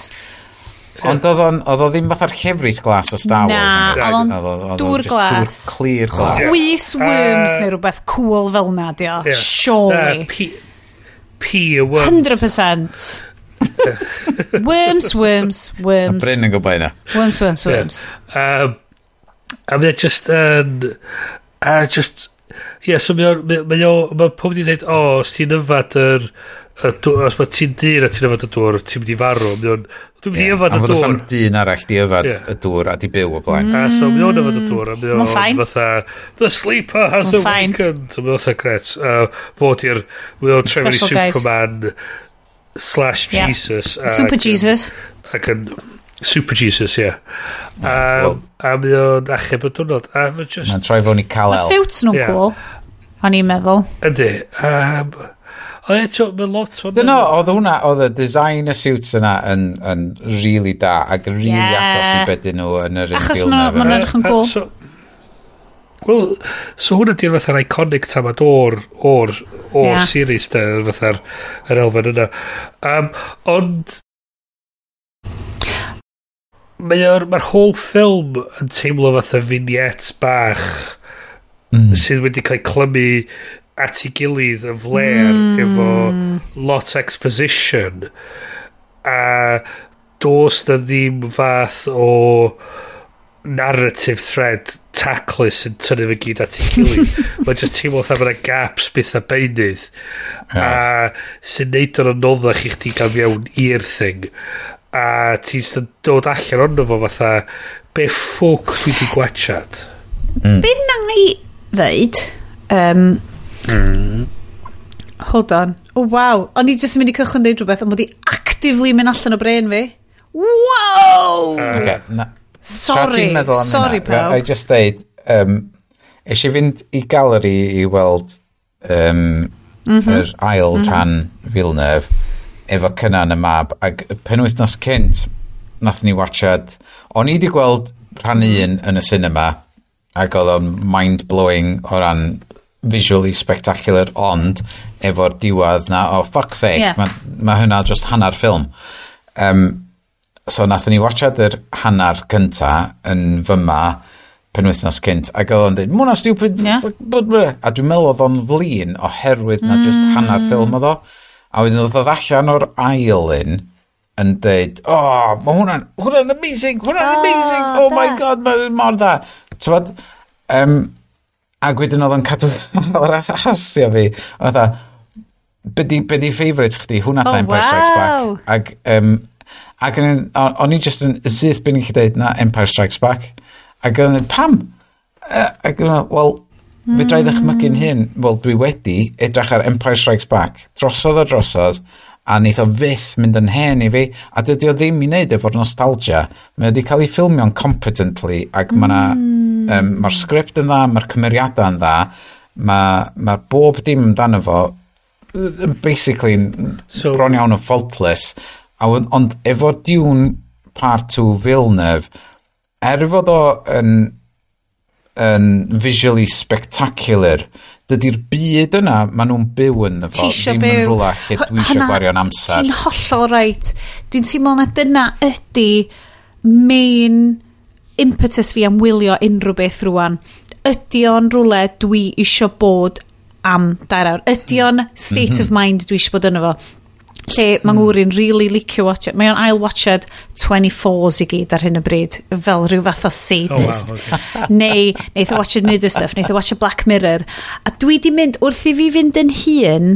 Ond oedd o ddim fatha'r llefrith glas o Star Wars. Na, yn oedd o'n Oedd dŵr jyst glas. Dŵr clear glas. Chwys worms neu rhywbeth cool fel na, dio. Surely. P y worms. 100%. Worms, worms, worms. Bryn yn gwybod hynna. Worms, worms, worms. A mae o just yn... A just... Ie, so mae o... Mae pob di dweud, o, os ti'n yfad yr... Os mae ti'n dyn a ti'n yfad y dŵr, ti'n mynd i farw. Mae o'n... Dwi'n mynd i yfad Am y fod oes dŵr. am dyn arall di yfad Ie. y dŵr a di byw o blaen. A so mae o'n yfad y dŵr, a mae Ma'n o'n fine. fatha, the sleeper has Ma'n fine. awakened. A mae o'n fatha gret. Fod i'r... Mae o'n troi fewn i Special guys. Superman slash Yeah. Jesus. Super Jesus. Ac yn Super Jesus, ie. Wel- A mae o'n achub y diwrnod. A mae just... Mae'n troi fewn i Mae Kal-El. suits nhw'n Ie. cool. O'n i'n meddwl. Yndi. Ond eto, mae lot o... Dyna, oedd hwnna, oedd y design y suits yna yn really da ac really Yeah. agos i beth nhw yn yr un Achos Villeneuve. ma' nhw'n edrych yn cool. So, wel, so hwnna di'r fatha'r iconic tamad o'r Yeah. series da, fatha'r yr elfen yna. Ond mae'r whole film yn teimlo fatha vignettes bach sydd wedi cael clymu at ei gilydd yn fler efo lot exposition a does na ddim fath o narrative thread taclus yn tynnu fe gyd at ei gilydd. Mae'n just teimlo fatha ma' 'na gaps byth a beunydd a sy'n neud o'n anoddach i chdi gael fewn i'r thing a ti'n jyst yn dod allan ono fo fatha be ffwc dwi di gwachad. Be na i ddeud? Hold on. Oh, wow. O'n i jyst yn mynd i cychwyn ddeud rhywbeth, ond mod i actively mynd allan o brain fi. Wow! Okay, na, Tra Sorry. ti'n meddwl am Sorry, hynna, pawb. I just deud, es i fynd i galeri i weld yr ail rhan Villeneuve efo Cynan y mab ac y penwythnos cynt nath ni watchad o'n i wedi gweld rhan un yn y cinema ac oedd o'n mind-blowing o ran visually spectacular ond efo'r diwedd na oh fuck's sake Yeah. mae ma hynna just hanner ffilm so nathon ni watchad yr hanner cynta yn fyma penwythnos cynt ac oedd o'n dweud ma hwnna stupid Yeah. fuck, blah, blah." A dwi'n meddwl oedd o'n flin oherwydd na just hanner ffilm oedd o. A wedyn oedd allan o'r ail un yn dweud, oh, mae hwnna'n amazing, hwnna'n amazing, oh my god, mae'n mor dda. T'bod, ac wedyn oedd o'n cadw o'r hasio fi, oedd be di favourite chdi, hwnna ta Empire Strikes Back. Ac, ac o'n i just yn syth bin i chi dweud na Empire Strikes Back. Ac o'n i, pam? Ac o'n i, wel, fedra i ddychmygu'n hyn, wel, dwi wedi edrych ar Empire Strikes Back, drosodd a drosodd, a neith o fyth mynd yn hen i fi, a dydy o ddim i wneud efo'r nostalgia. Mae wedi cael ei ffilmio'n competently, ac mae mae'r sgript yn dda, mae'r cymeriadau yn dda, mae bob dim amdano fo basically so, bron iawn yn faultless. Ond efo Dune Part 2 Villeneuve, er fod o yn visually spectacular, dydy'r byd yna maen nhw'n byw yn fo ddim yn rhywle lle dwi eisiau gwario'n amser. Ti'n hollol right. Dwi'n teimlo na dyna ydy main impetus fi am wylio unrhyw beth rwan. Ydy o'n rhywle dwi isio bod am 2 awr? Ydy o'n state of mind dwi isio bod yno fo? Lle mae ngŵr i'n really licio watch it. Mae o'n ail-watched 24s i gyd ar hyn o bryd, fel rhyw fath o sadist. Oh, wow, okay. Neu, neith o watched murder stuff, neith o watched Black Mirror. A dwi di mynd, wrth i fi fynd yn hun,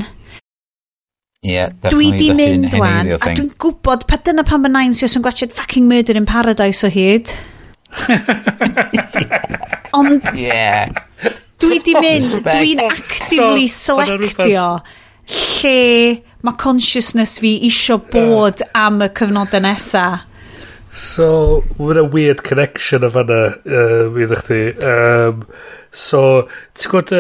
yeah, dwi di mynd wan, a dwi'n gwybod, pa dyna pan mae nain sy'n gwatched fucking Murder in Paradise o hyd. Ond, dwi di mynd, dwi'n actively selectio lle mae consciousness fi isio bod am y cyfnodau nesa. So, mae'n a weird connection o fanna, iddo chdi. So, ti'n gwybod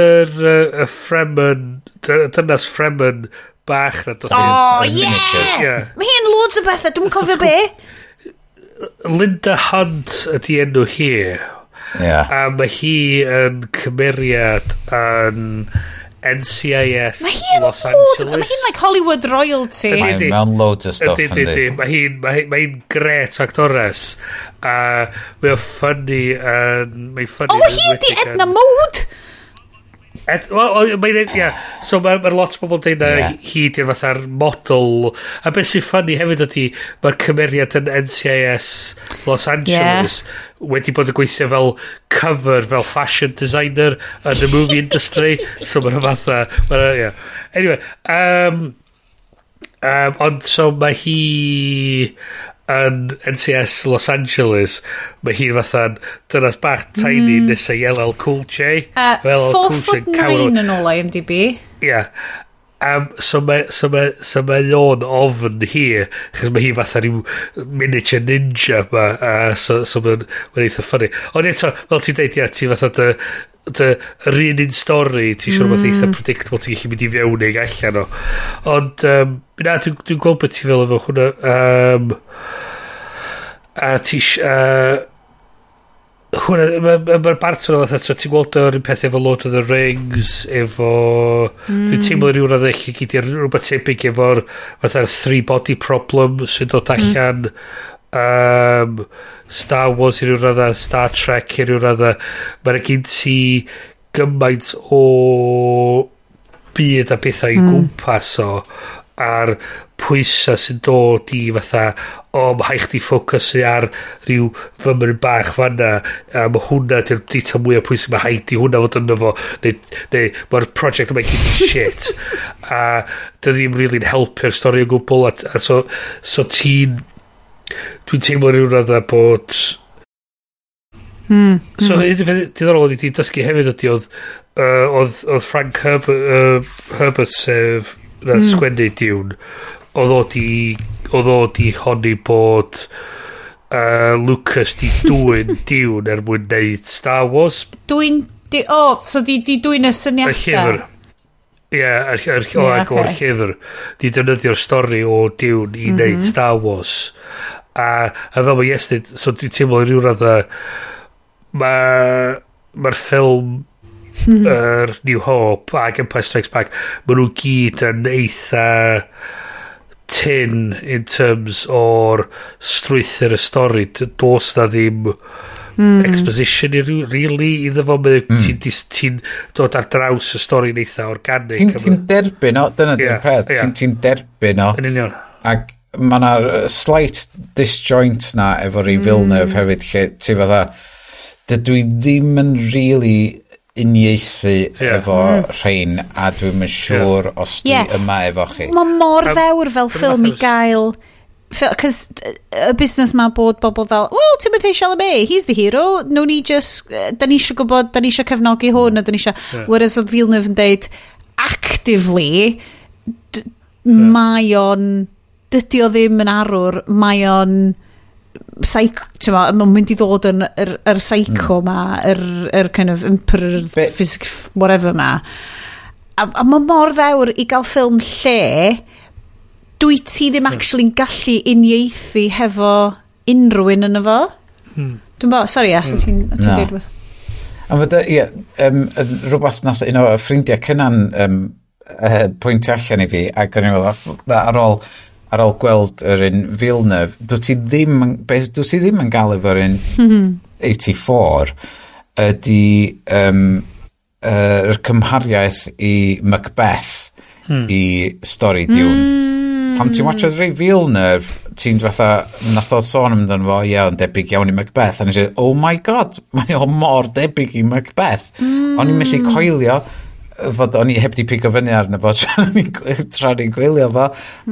y Fremen, dynas Fremen bach na dod. Oh, yeah! Mae hi'n loads o bethau, dwi'n cofio be. Linda Hunt ydi enw hi. Yeah. A mae hi yn cymeriad yn NCIS Los Angeles. Mae hi'n like Hollywood royalty. Mae'n mewn loads o stuff. Ydy. Mae hi'n great actores. A mae'n funny. Mae'n funny. Oh, hi ydi Edna Mode! Wel, mae'n, ia. So mae lot o bobl yn dweud na hi di'r fatha'r model. A beth sy'n funny hefyd ydy, mae'r cymeriad yn NCIS Los Angeles wedi bod yn gweithio fel cover, fel fashion designer yn the movie industry. So mae'n fatha, yeah. Anyway, ond so mae hi yn NCIS Los Angeles, mae hi fatha'n dynas bach tiny nesa i LL Cool J. 4'9" yn ôl IMDb. Ie. So mae o'n ofn hi, chos mae hi fatha rhyw miniature ninja ma, so mae'n eitha funny. Ond eto, fel ti'n deud, ia, ti fatha yr un stori, ti eisiau rhywbeth eitha predictable, ti'n gallu mynd i fewn neu allan o. Ond, na, dwi'n gweld beth ti fel efo hwnna. A ti hwnna, mae'r Barton o fatha, so ti'n gweld o'r un peth efo Lord of the Rings, efo dwi'n teimlo rhyw radd eich gyd i'r rhywbeth tebyg efo'r fatha'r three body problem sy'n dod allan, Star Wars i ryw radda, Star Trek i ryw radda. Mae'n gen ti gymaint o byd a bethau i gwmpas o, a'r pwysau sy'n dod i fatha, o, mae rhaid chdi ffocysu ar rhyw fymryn bach fanna, a mae hwnna di'r detail mwyaf pwysig, mae rhaid i hwnna fod yno fo, neu mae'r project yma i gyd yn shit, a dy ddim really'n helpu'r stori o gwbl, a so ti'n, dwi'n teimlo rhyw radda bod so un peth diddorol o'n i wedi dysgu hefyd ydy oedd Frank Herbert sef na sgwennu Dune, oedd o di honni bod Lucas di dwyn Dune er mwyn neud Star Wars. Dwyn so di dwyn y syniadau? Y llyfr. Ie, o'r llyfr. Di defnyddio'r stori o Dune i neud Star Wars. A fel mae Iestyn, so dwi'n teimlo rhyw radda mae'r ffilm yr New Hope ac Empire Strikes Back, maen nhw gyd yn eitha tyn in terms o'r strwythur y stori. Does na ddim Exposition i ryw, really iddo fo. Ti'n ti dod ar draws y stori'n eitha organic. Ti'n derbyn o, dyna di'r peth, ti'n derbyn o. Yn union. Ac mae yna slight disjoint na efo rei Villeneuve hefyd, lle ti fatha, dydw i ddim yn really uniaethu efo rhain, a dwi'm yn siŵr os dwi yma efo chi. Mae mor ddewr fel ffilm i gael. Cos y busnes ma bod bobl fel, well, Timothée Chalamet, he's the hero. No ni just, da ni eisiau gwybod, da ni eisiau cefnogi hwn, a da ni eisiau. Whereas oedd Villeneuve yn deud, actively, mae o'n, dydy o ddim yn arwr, mae o'n psycho, ti'n ma, mae'n mynd i ddod yn yr psycho ma, yr kind of emperor, physics, whatever ma. A mae mor ddewr i gael ffilm lle dwi ti ddim actually'n gallu uniaethu hefo unrhyw un yn efo. Dwi'n bo, sorry, Yes, ti'n Na. deud rhywbeth? A fod, ie, rhywbeth nath un o ffrindiau cynnan pwyntio allan i fi, ac o'n i'n meddwl, ar ôl gweld yr un Villeneuve, dwi ti ddim yn gael efo'r un 84, ydy yr cymhariaeth i Macbeth i stori Dune. Pam ti'n watchad rei Villeneuve, ti'n fatha, nath o sôn amdano fo, ie, ond debyg iawn i Macbeth. A nes i, oh my God, mae o mor debyg i Macbeth. O'n i'n methu coelio fod o'n i heb di pigo fyny arno fo tra ni'n gwylio fo.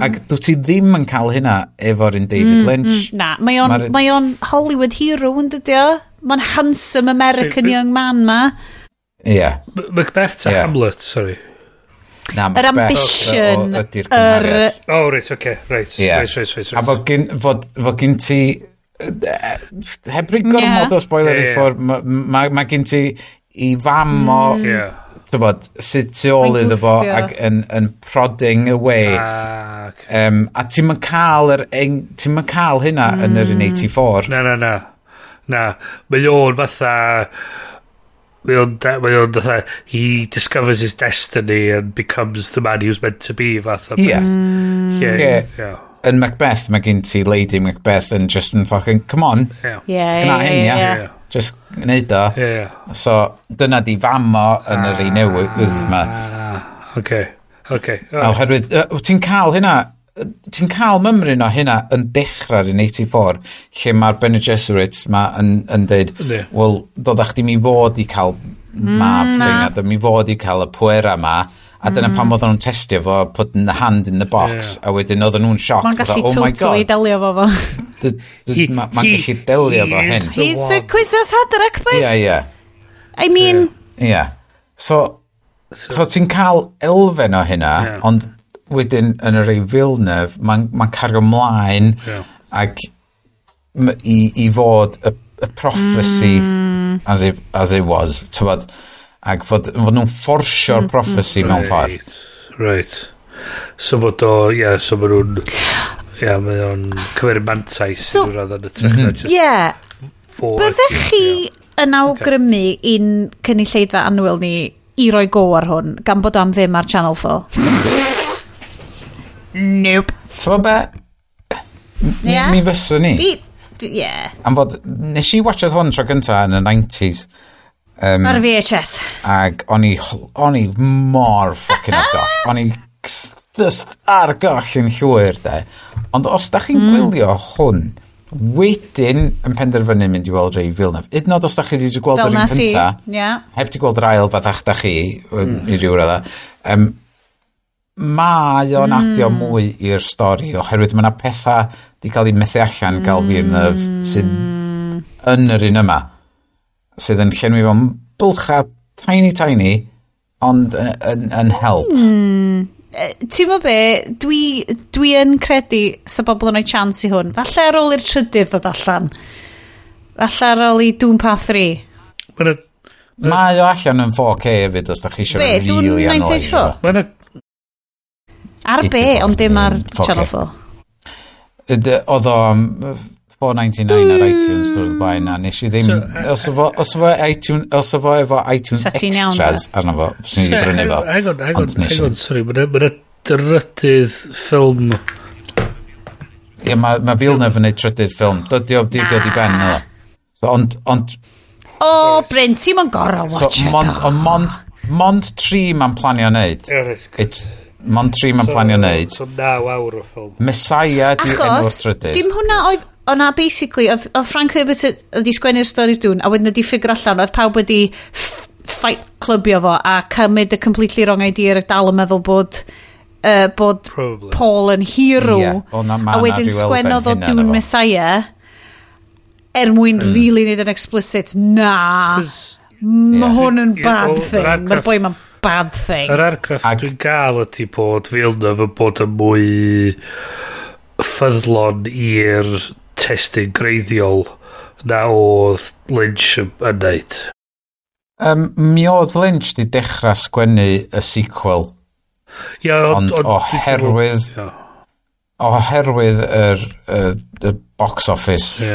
Ac dwi ti ddim yn cael hynna efo'r un David Lynch. Na, mae o'n, mae o'n Hollywood hero yn dydy o? Mae'n handsome American young man ma. Ie. Yeah. Macbeth ta Hamlet, sorry. Na, Yr Macbeth ambition, ydy'r cymhariaeth. Oh, right, okay, right. Ie. Right. A fod gyn ti heb roi gormod o spoiler i ffwrdd, mae ma gen ti i fam o tybod, sydd tu ôl Mae'n iddo fo gwthio. ac yn prodding away. Ah, okay. A ti'n mynd cael hynna yn yr un 84. Na. Na, mae o'n fatha... Mae o'n fatha... He discovers his destiny and becomes the man he was meant to be, fatha. Ie. Lle, Ie. ie. Yn Macbeth, mae gen ti Lady Macbeth yn just yn fucking, come on, gwna hyn, ia. Just gwneud o. Ie. So, dyna di fam o yn yr un newydd yma. Ah, okay. Oherwydd, ti'n cael hynna, ti'n cael mymryn o hynna yn dechrau'r un 84, lle mae'r Bene Gesserit ma yn dweud, wel, dod chdi mi fod i cael mab thing, a mi fod i cael y pwera ma, a dyna pam oedden nhw'n testio fo, putting the hand in the box, a wedyn oedden nhw'n shocked, Mae'n fatha, gallu oh my totally God, delio fo fo. Mae'n gallu delio fo he hyn. is the He's the one. Kwisatz Haderach, boys. Ie. I mean, Ie. So ti'n cael elfen o hynna, ond wedyn yn yr ei Villeneuve, mae'n ma cario mlaen ac i fod y prophecy as it was, tybod, ac fod nhw'n fforsio'r prophecy mewn ffordd. Right. So bod o, ie, yeah, so ma nhw'n... Ie, yeah, mae o'n cymeryd mantais so, i radd yn y trech na just fo Byddech chi yn awgrymu i'n cynulleidfa annwyl ni i roi go ar hwn, gan bod o am ddim ar Channel 4? Nope. Tybod be? Mi, mi fyswn ni. Ie. Am fod, nes i watchad hwn tro gynta yn y 90s. Ar VHS. Ac o'n i mor fucking ar goll. O'n i just ar goll yn llwyr, de. Ond os da chi'n gwylio hwn, wedyn yn penderfynu mynd i weld Ray Villeneuve. Hyd yn oed os da chi wedi gweld Fel yr un nas i. cynta, heb di gweld yr ail fathach da chi, i ryw radda, mae o'n adio mwy i'r stori oherwydd mae yna pethau di cael eu methu allan gael Villeneuve sydd yn yr un yma sydd yn llenwi fo'n bylcha tiny tiny ond yn help. Ti'n mo be, dwi yn credu sa bobl yn rhoi chance i hwn. Falle ar ôl i'r trydydd ddod allan. Falle ar ôl i Dune Part 3. Mae Mae o allan yn 4K hefyd os da chi eisiau Be, Dune really analysio 1984? fo. Mae 'na Ar be, 84 ond dim ar 4K. Channel 4. Oedd o am 4.99 ar iTunes drwy'r blaen a nes i ddim So, os efo iTunes os efo efo iTunes Sa ti'n iawn, Extras arno fo fyswn i wedi brynu fo. Hang on, hang on, Ond nes hang i on, sorry. Mae 'na drydydd ffilm... Ie, mae Villeneuve yn neud trydydd ffilm. Dydy o di dod i ben, no. So, ond O, Bryn, ti'n ma'n gorau watch so, it. Ond mond 3 ma'n planio wneud. Mond 3 ma'n planio wneud. So 9 awr o ffilm. Messiah di enw'r trydydd. Dim hwnna oedd... O'na basically, oedd Frank Herbert wedi sgwennu'r stories Dune, a wedyn wedi ffigur allan, oedd pawb wedi fight clubio fo a cymryd y completely wrong idea a dal yn meddwl bod Paul yn hero. Yeah. O, na, a wedyn sgwennodd o Dune Messiah er mwyn really neud yn explicit, na, mae hwn yn bad thing. Mae'r boi ma'n bad thing. Yr argraff dwi'n gael ydy bod Villeneuve yn bod yn mwy ffyddlon i'r testun greiddiol na oedd Lynch yn neud. Mi oedd Lynch di dechrau sgwennu y sequel. Yeah, ond oherwydd y box office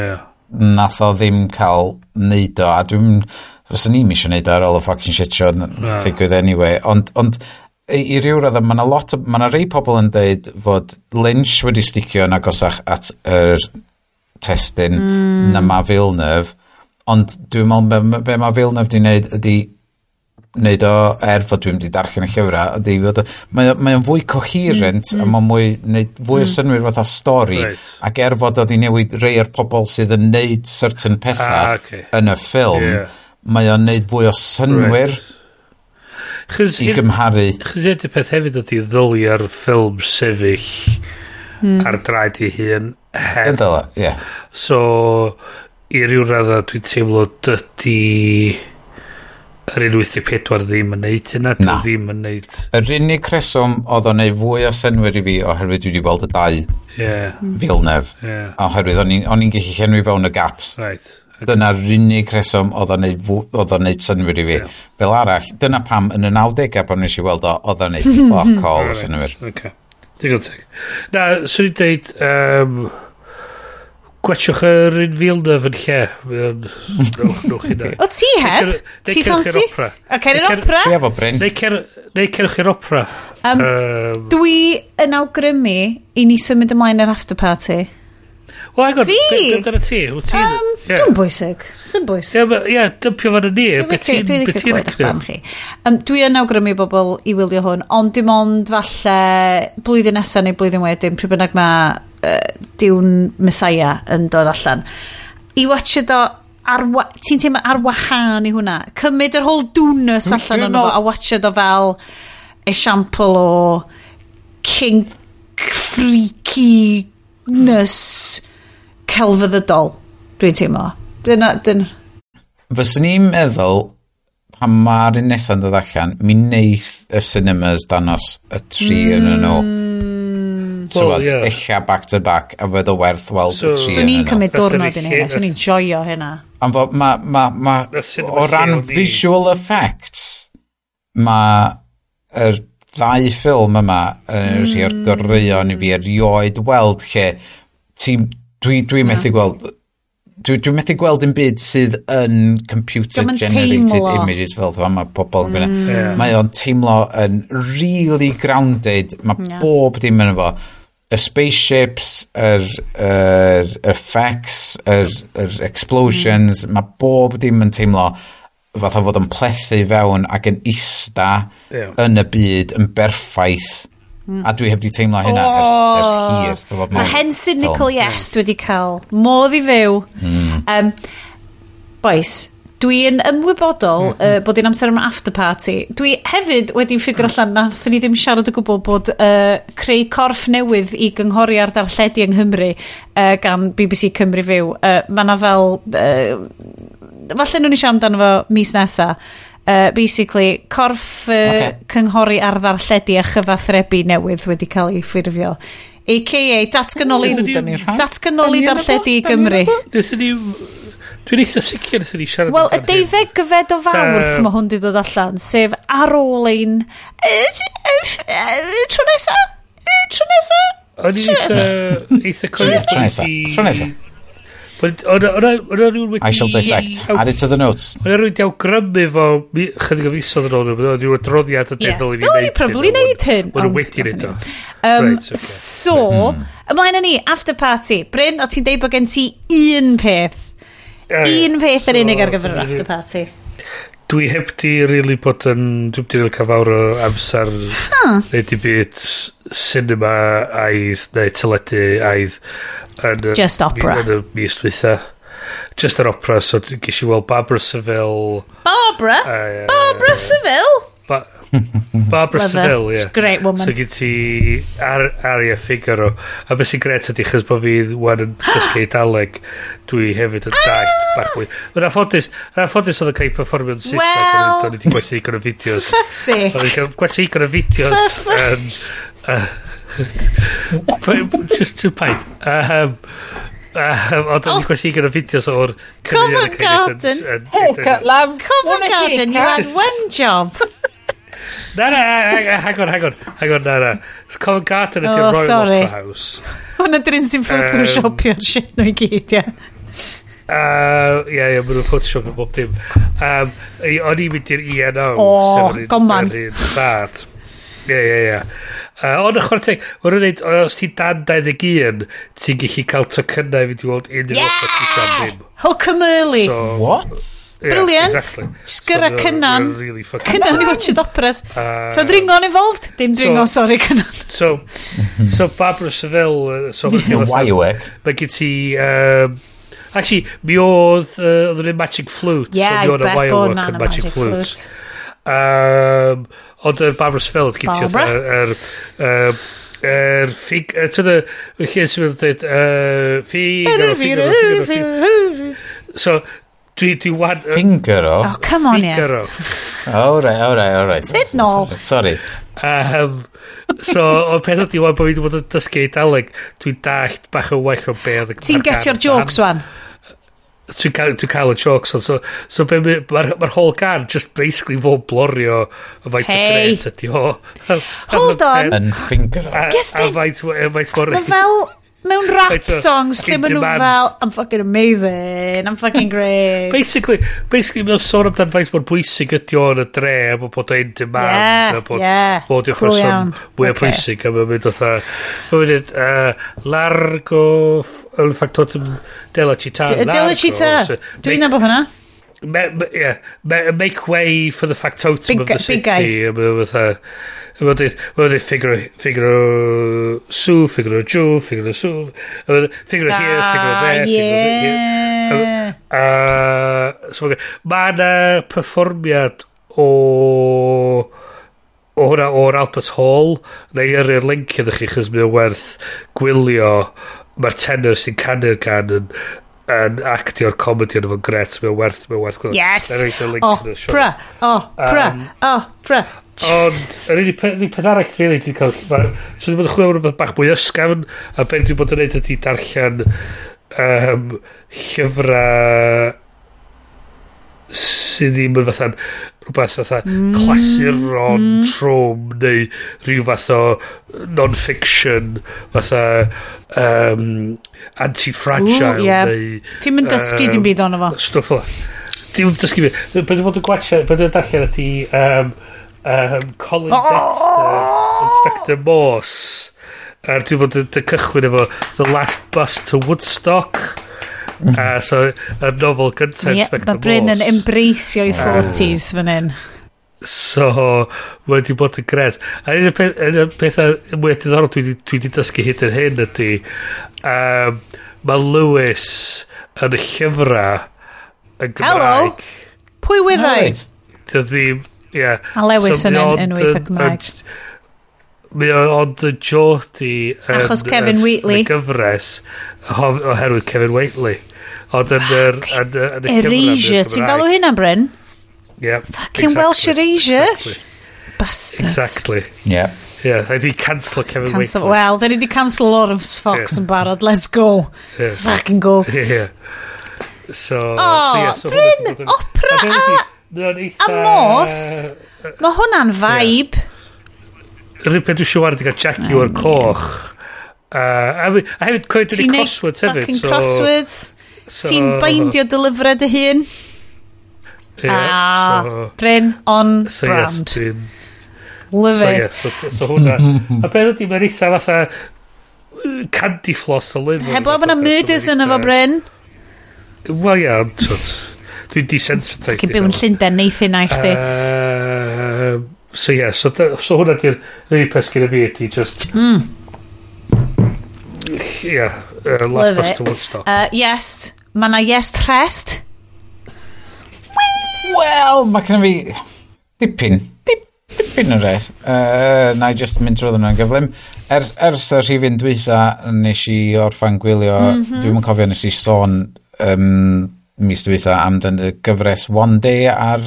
nath o ddim cael neud o, a dwi'n fyswn i'm eisiau neud o ar ôl y fucking shit show ddigwydd anyway, ond i ryw raddau, mae 'na lot mae 'na rei pobl yn deud fod Lynch wedi sticio yn agosach at yr testun na ma Villeneuve, ond dwi'n meddwl be mae Villeneuve di wneud ydi wneud o, er fod dwi'n wedi darllen y llyfrau, ydi fod mae o'n fwy coherent a mae'n mwy neud fwy o synnwyr fatha stori, right. Ac er fod oedd i newid rei o'r pobl sydd yn neud certain pethau yn y ffilm, mae o'n neud fwy o synnwyr i gymharu. Chos un peth hefyd ydi ddylia'r ffilm sefyll ar draed ei hun heb. Dyla, ie. So, i ryw raddau dwi'n teimlo dydy yr 1.84 ddim yn neud hynna, dwi ddim yn neud. Yr unig reswm oedd o'n neud fwy o synnwyr i fi oherwydd dwi wedi gweld y dau Villeneuve. Oherwydd o'n i'n gallu llenwi fewn y gaps. Right. Okay. Dyna'r unig reswm oedd o'n neud synnwyr i fi. Yeah. Fel arall, dyna pam yn y 90au pan nes i weld o, oedd o'n neud fuck all o synnwyr. Okay. Digon teg. Na, swn i'n deud, gwatchwch yr un Villeneuve yn lle. Nwch hynna. O ti heb? Ti ffansi? A cer i'r opera? Ti efo Bryn. Neu cerwch i'r opera. Dwi yn awgrymu i ni symud ymlaen i'r after party. Wel, hang on. Fi? Dyna ti. Dwi'n bwysig. Sy'n bwysig. Ie, dympio fan y ni. Dwi'n licio gwybod eich barn chi. Dwi yn awgrymu bobl i wylio hwn, ond dim ond falle blwyddyn nesaf neu blwyddyn wedyn, pryd bynnag mae Dune Messiah yn dod allan. I watch o ti'n teimlo ar wahân i hwnna. Cymryd yr whole Dune-ness allan ono fo a watch o fel esiampl o kink freakiness celfyddydol, dwi'n teimlo. Fyswn i'n meddwl, pan mae'r un nesaf yn dod allan, mi neith y cinemas danos y tri yn nhw. Well, yeah. Ella back to back, a fydd o werth weld y tri Swn yn i'n nhw. cymryd diwrnod i hynna, swn i'n joio hynna. Ond fo, ma, o ran visual effects, mae'r ddau ffilm yma yn rhai o'r goreuon i fi erioed weld lle ti'n Dwi'n methu gweld dwi'n methu gweld un byd sydd yn computer generated images fel dda mae pobl yn gwneud. Mae o'n teimlo yn really grounded, mae bob dim yn efo. Y spaceships, yr effects, yr explosions, mae bob dim yn teimlo fatha fod yn plethu fewn ac yn ista yn y byd yn berffaith. A dwi heb di teimlo hynna ers hir. Mae Henson Nicole Yes wedi cael modd i fyw. Boys, dwi'n ymwybodol bod hi'n amser am after party. Dwi hefyd wedi ffigur allan nathon ni ddim siarad o gwbl bod creu corff newydd i gynghori ar ddarlledu yng Nghymru gan BBC Cymru Fyw. Mae 'na fel... falle nhw'n i siarad amdano fo mis nesa. Basically, corff cynghori ar ddarlledu a chyfathrebu newydd wedi cael ei ffurfio. AKA datganoli darlledu i Gymru. Dwi'n eitha sicr wnaethon ni siarad. Wel, y 12 o Fawrth mae hwn wedi dod allan, sef ar ôl ein... Tro nesa? Tro nesa? O'n i'n eitha cofio. Tro nesa. O'na rhywun wedi... I shall dissect. Add it to the notes. O'na rhywun wedi awgrymu fo chydig o fisoedd yn ôl, o'na rhyw adroddiad yn deddol i ni wneud hyn. Dylen ni probably wneud hyn. O'n nhw wedi wneud o. So, ymlaen â ni, after party. Bryn, o ti'n deud bod gen ti un peth. Un peth yn unig ar gyfer yr after party. Dwi heb di really bod yn... Dwi heb di really cael fawr o amser neu di byd cinema aidd neu teledu aidd yn Just opera. Yn y mis dwytha. Just yr opera, so ges i weld Barbara Seville. Barbara? Barbara Seville? Barbara Seville, ie. Great woman. So gen ti Aria Figaro. A beth sy'n gret ydy, chos bod fi wan yn dysgu Eidaleg, dwi hefyd yn dallt bach mwy. Mae'n anffodus, oedd yn cael ei perfformio'n Saesneg, o'n i wedi gwerthu digon o fideos. Fuck's sake. O'n i wedi gwerthu digon o fideos. Just paid. Ond o'n i gwerthu digon o fideos o'r Covent Garden. Haircut, love. Covent Garden, you had one job. Na, na, hang on, na. Covent Garden ydy'r Royal Opera House. Hwna dyn sy'n photoshopio'r shit nhw i gyd, ie. Ie, maen nhw'n photoshopio bob dim. O'n i'n mynd i'r ENO. O, goman. Yr un bad. Ie. Ond y chwarae teg, maen nhw'n dweud, os ti'n dan 21, ti'n gallu cael tocynnau i fynd i weld unrhyw opera ti isio am ddim. Hook 'em early. What? Yeah, Brilliant. Exactly. Sgyrra so Cynan. Really Cynan i watched operas. So dringo'n involved? Dim dringo, sorry Cynan. So Barbara Seville... So Wirework. Mae gen ti... Actually, mi oedd yn Magic Flute. Yeah, so mi oedd I bet bod na'n yn Magic Flute. Ond yr Barbara Seville, gen ti yr ffig... Ti'n y lle sy'n mynd dweud... Figaro, Figaro, Figaro. So, dwi wan... Fingero? Oh, come on, yes. Oh, right. Sut nôl? Sorry. So, o'r peth ydi wan bod fi wedi bod yn dysgu Eidaleg, dwi'n dallt bach o well o be oedd... Ti'n getio'r jokes wan? Dwi'n cael y jokes wan. So mae'r whole gan just basically fod blorio y faint o gret ydi o. Hold on. Yn Fingero. A faint mor... Mae fel... Mewn rap songs lle maen nhw fel I'm fucking amazing, I'm fucking great. Basically mae'n sôn amdan faint mor bwysig ydi o yn y dre a bod o'n demand a bod bod yw'r person mwy o bwysig a mae'n mynd fatha mae'n mynd largo il factotum della città. Della città. Dwi'n nabod hwnna. Make way for the factotum of the city. Big guy. Mae'n dweud Figaro su, Figaro giù, Figaro su, Figaro here, Figaro there, Figaro here. Mae yna perfformiad o hwnna o'r Albert Hall. Na i yrru'r link iddo chi, chos mae o werth gwylio. Mae'r tenor sy'n canu'r gan yn actio'r comedy yn efo'n gret, mae'n werth gwylio. Yes! Opera! Opera! Opera! Ond, yr unig peth arall really dwi'n cael... So dwi'n bod yn chwilio am rhywbeth bach mwy ysgafn, a be dwi'n bod yn neud ydy darllen llyfrau sydd ddim yn fatha rhywbeth fatha clasuron trwm neu rhyw fath o non-fiction fatha anti-fragile neu... Ti'n mynd dysgu dim byd ono fo? Stwff o. Ti'n mynd dysgu byd. Be dwi'n bod yn gwachio, be dwi'n darllen ydy Colin Dexter, Inspector Morse. A dwi'n bod yn cychwyn efo The Last Bus to Woodstock. So, y nofel gyntaf Inspector Morse. Mae Bryn yn embraceio i 40s fan hyn. So, mae wedi bod yn gret. A un o'r pethau mwy diddorol dwi wedi dysgu hyd yn hyn ydy, mae Lewis yn y llyfrau yn Gymraeg. Hello! Pwy wyddai? Ddim, ie. A Lewis yn enw eitha Cymraeg. Mae o ond y Geordie achos Kevin Wheatley. Yn y gyfres oherwydd Kevin Wheatley. Ond yn yr Erasure, ti'n galw hynna, Bryn? Yeah, fucking exactly. Welsh Erasure. Exactly. Bastards. Exactly. Yeah. Yeah, they di cancel Kevin Wheatley. Well, they di cancel Lawrence Fox yn barod. Let's go. Yeah. Let's fucking go. Yeah. So, oh, so, yeah, so Bryn, opera a Morse. Mae hwnna'n vibe. Yr un peth dwi eisiau wario di gael Jaguar coch. A hefyd, coed dwi'n crosswords hefyd. Ti'n fucking crosswords. Ti'n beindio dy lyfrau dy hun. Yeah, so, Bryn on so brand. Yes, Love so it. Yes, so hwnna. A beth ydy, mae'n eitha fatha candy floss o lyfr. Heblaw bod 'na murders yno fo, Bryn. Wel, ia, ond dwi'n desensitised. Cyn byw yn Llundain, neith hynna i chdi. So ie, yeah, so hwnna di'r unig peth gyda fi ydi just... Yeah, last bus to Woodstock. Yes, mae na yes rest. Wel, mae gen fi dipyn o res. Na i just mynd drwy nhw'n gyflym. Ers y rhifyn dwytha, nes i orffan gwylio, dwi'm yn cofio nes i sôn mis dwytha amdan y gyfres One Day ar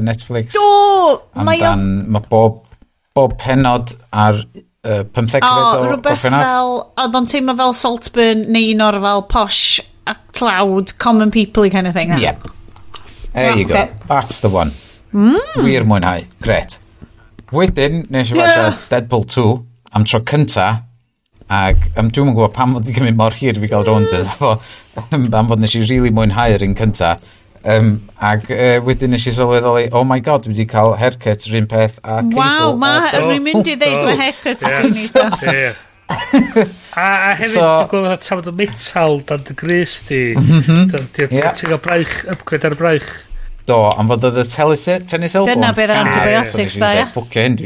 Netflix. Do! Amdan, mae bob pennod ar 15 o rhywbeth fel, oedd o'n teimlo fel Saltburn neu un o'r fel posh a cloud, common people kind of thing. Yep. There you go. That's the one. Wir mwynhau. Gret. Wedyn, nes i watcha Deadpool 2 am tro cynta, ac dwi'm yn gwybod pam oedd wedi cymryd mor hir i fi gael rownd iddo fo, am fod nes i really mwynhau'r un cynta. Ac wedyn nes i sylweddoli, oh my god, dwi wedi cael haircut yr un peth a cable. Waw, rwy'n mynd i ddeud mae haircut sy'n eitha. A hefyd, dwi'n gwybod fatha tafod o metal dan dy grys di. Ti'n cael braich, upgrade ar y braich. Do, am fod oedd y tennis elbow. Dyna beth yr antibiotics da, ia. Bwcio hyn,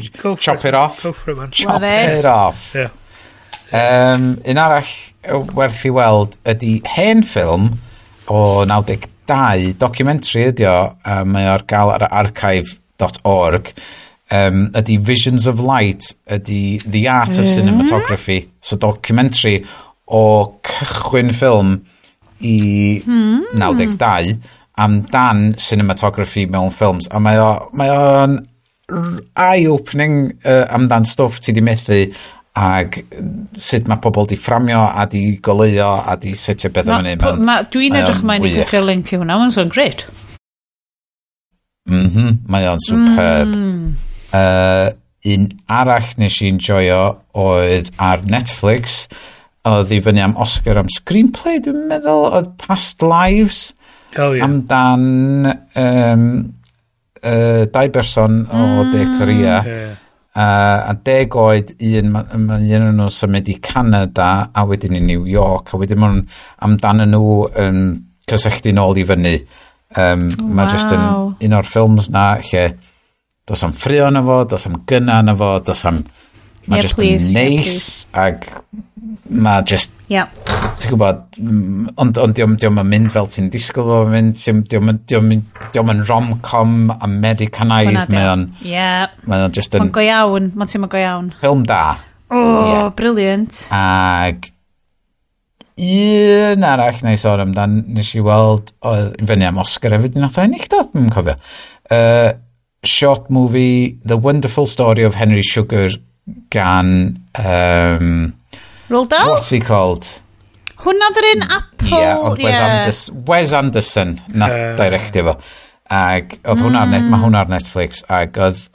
chop it off. Go for it, man. Chop it off. Un arall werth i weld ydy hen ffilm o 92, documentary ydy o, mae o'r gael ar archive.org, ydy Visions of Light, ydy The Art of Cinematography, so documentary o cychwyn ffilm i 92, amdan cinematography mewn ffilms, a mae o'n eye-opening amdan stwff ti di methu ag sut mae pobl di fframio a di goleuo a di setio beth am hynny. Dwi'n edrych ymlaen i clicio link i hwnna, mae'n sôn great. Mae o'n superb. Un arall nes i enjoyo oedd ar Netflix, oedd i fyny am Oscar am screenplay, dwi'n meddwl, oedd Past Lives. Oh, yeah. Amdan dau berson o De Korea. Yeah. A 10 oed un o'n nhw symud i Canada a wedyn i New York a wedyn maen nhw'n amdan nhw yn cysylltu nôl i fyny. Mae just yn un o'r ffilms na lle does am ffrio na fo, does am gynna na fo, does am... Mae just yn neis ag mae just... Ti'n gwybod, ond diom yn mynd fel ti'n disgwyl fo mynd, diom yn rom-com Americanaidd, mae o'n just yn... Mae'n go iawn, mae'n teimlo go iawn. Ffilm da. Oh, brilliant. Ag un arall na i sôn amdan, nes i weld, oedd i fyny am Oscar hefyd, nath o ennill do, dwi'n cofio. Short movie, The Wonderful Story of Henry Sugar gan... Roald Dahl? What's he called? Hwna ddyr un Apple... Yeah, ond Wes Anderson nath directio fo. Ag oedd hwnna ar, mae hwnna ar Netflix. Ag oedd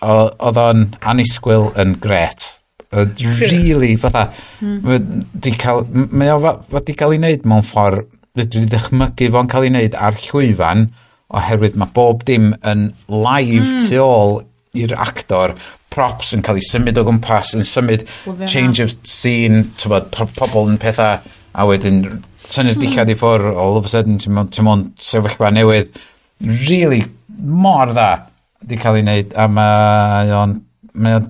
o'n annisgwyl yn gret. Oedd really, fatha... Mae o wedi cael ei wneud mewn ffordd... Dwi wedi dychmygu fo'n cael ei wneud ar llwyfan oherwydd mae bob dim yn live tu ôl i'r actor, props yn cael ei symud o gwmpas, yn symud change of scene, t'bod, pobl yn pethau, a wedyn tynnu'r dillad i ffwrdd, all of a sudden ti'n mewn sefyllfa newydd. Really, mor dda di cael ei wneud, a mae o'n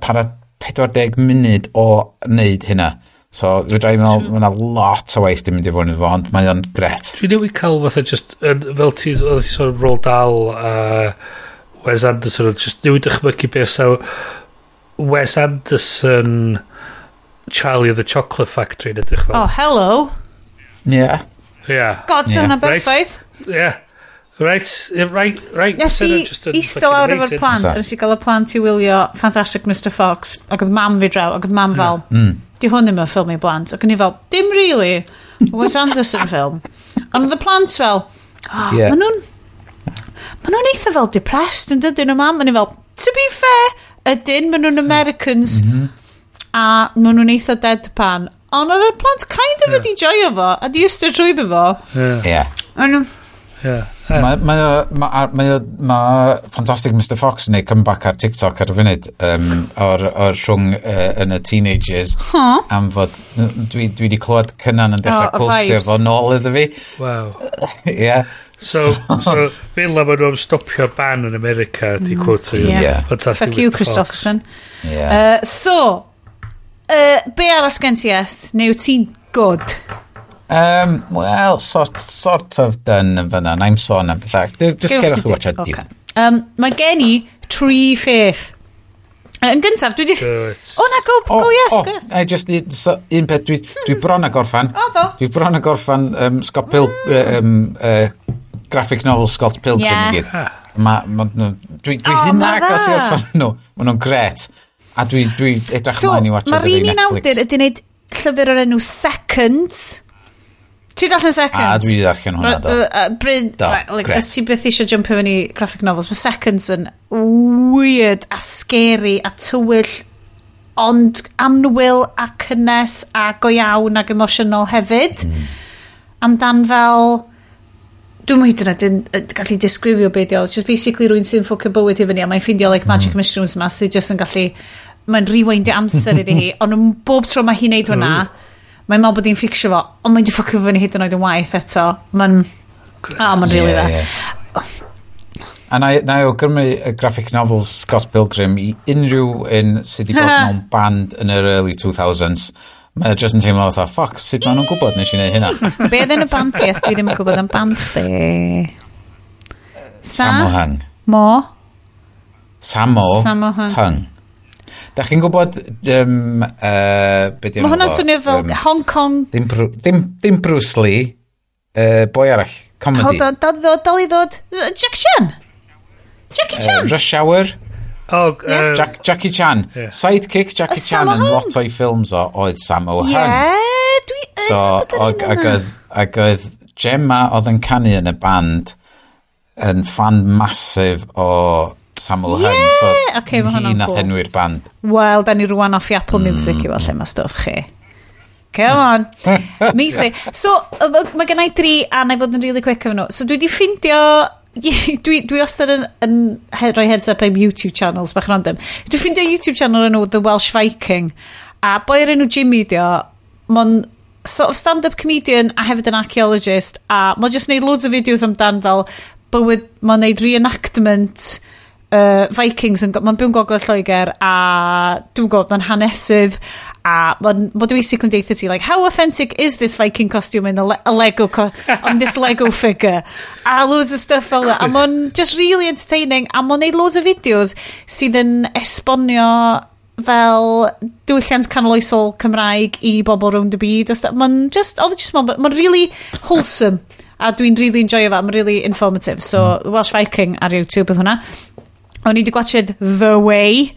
para 40 munud o wneud hynna. So, fedra i meddwl, mae yna lot o waith di mynd i fod yn fo, ond mae o'n gret. Dwi'n newid cael fatha just, fel ti, oedd ti sôn am Roald Dahl a Wes Anderson, just newid dychmygu beth so Wes Anderson Charlie and the Chocolate Factory yn edrych fel. Oh, hello. Yeah. Yeah. God, so hwnna berffaith. Yeah. Right. Nes i eistedd lawr efo'r plant, a nes i gael y plant i wylio Fantastic Mr Fox, ac oedd mam fi draw, ac oedd mam fel, di hwn ddim yn ffilm i blant, ac o'n i fel, dim really, Wes Anderson film. Ond oedd y plant fel, oh, yeah. Maen nhw'n eitha fel depressed yn dydyn nhw, mam. O'n i fel, to be fair, ydyn, maen nhw'n Americans, a maen nhw'n eitha deadpan. Ond oedd y plant kind of wedi joio fo, a di eistedd trwyddo fo. Yeah. Yeah. Mae Fantastic Mr Fox yn neud comeback ar TikTok ar y funud o'r rhwng yn y teenagers am fod dwi wedi clywed Cynan yn dechrau quotio fo nôl iddo fi. Wow. Yeah. So fel la maen nhw am stopio'r ban yn America, di quote Yeah. Fantastic. Fuck you, Mr. Fox. Christopherson. Yeah. So, be arall gen ti est? Neu wyt ti'n good? Well, sort of done yn fyna. Na'n sôn am bethau. Just Gewch cerwch ti i watch Okay. Dune. Mae gen i tri pheth. Yn gyntaf, dwi di... Good. O na, go, go yes, go yes. I just need, so, un peth, dwi bron a gorffan. O, ddo. Dwi bron a gorffan Scott Pil graphic novel Scott Pilgrim Yeah. i gyd. Dwi O, hyn ma' agos i dda. orffan nhw. Ma nhw'n gret. A dwi edrych So, ymlaen i watch mae'r ar un un Netflix. awdur ydy wneud llyfr o'r enw Seconds. Ti darllen Seconds? A dwi 'di darllen hwnna, do. Bryn, Do, right, like, grêt. os ti byth eisiau jumpio fyny graphic novels, mae Seconds yn weird a scary a tywyll, ond annwyl a cynnes a go iawn ac emosiynol hefyd. Amdan fel... Dwi'n hyd yn oed yn gallu disgrifio beth o. It's just basically rhywun sy'n ffwcio bywyd i fyny a mae'n ffindio like magic mushrooms ma sydd just yn gallu... Mae'n rewindio amser iddi hi, ond yn bob tro mae hi'n neud hwnna, mae'n meddwl bod hi'n fficsio fo, ond mae'n di ffwcio fyny hyd yn oed yn waith eto. Mae'n... Ah, mae'n really Ie, dda. ie. A na i awgrymu y graphic novels Scott Pilgrim i unrhyw un sydd wedi bod mewn band yn yr early 2000s. Mae o just yn teimlo fatha, fuck, sut maen nhw'n gwybod nes i wneud hynna? Be oedd yn y band ti, os dwi ddim yn gwybod am band chdi? Sa? Sammo Hung. Mo? Sammo Sammo Hung. Hung. Da chi'n gwybod be 'di Mae enw hwnna'n fo? swnio fel Hong Kong. Ddim Bruce Lee, boi arall, comedy. Hold on, dal i ddod, dal i ddod. Jack Chan? Jackie Chan? Rush Hour. Oh, Jackie Chan. Yeah. Sidekick Jackie Sammo Chan yn Hung. lot o'i ffilms o oedd Sammo Hung. Ie, dwi yn So, gwybod yr enw ag yna. oedd Gemma oedd yn canu yn y band yn fan massive o Sammo Hung. So, Ocê, ma' hi hwnna'n nath cool. enwi'r band. Wel, da ni rwan off i Apple Music i weld lle mae stwff chi. Come on. Amazing. So, mae gen i dri, a na i fod yn really quick efo nhw. So, dwi di ffindio... Dwi wastad yn rhoi heads up am YouTube channels bach random. Dwi ffindio YouTube channel o'r enw The Welsh Viking. A boi o'r enw Jimmy di o, mae'n sort of stand-up comedian a hefyd yn archaeologist, a mae'n just neud loads o videos amdan fel bywyd, mae'n neud reenactment Vikings yn, mae'n byw'n gogledd Lloegr a dwi'n gwybod, mae'n hanesydd a mae'n basically yn deutha ti like, how authentic is this Viking costume in a Lego on this Lego figure, a loads of stuff fel that, a mae'n just really entertaining, a mae'n neud loads o videos sydd yn esbonio fel diwylliant canoloesol Cymraeg i bobl rownd y byd a stuff. Mae'n just, oedd e just, mae'n really wholesome a dwi'n really enjoyo fe, mae'n really informative. So, The Welsh Viking ar YouTube oedd hwnna. O'n i wedi gwachod The Way.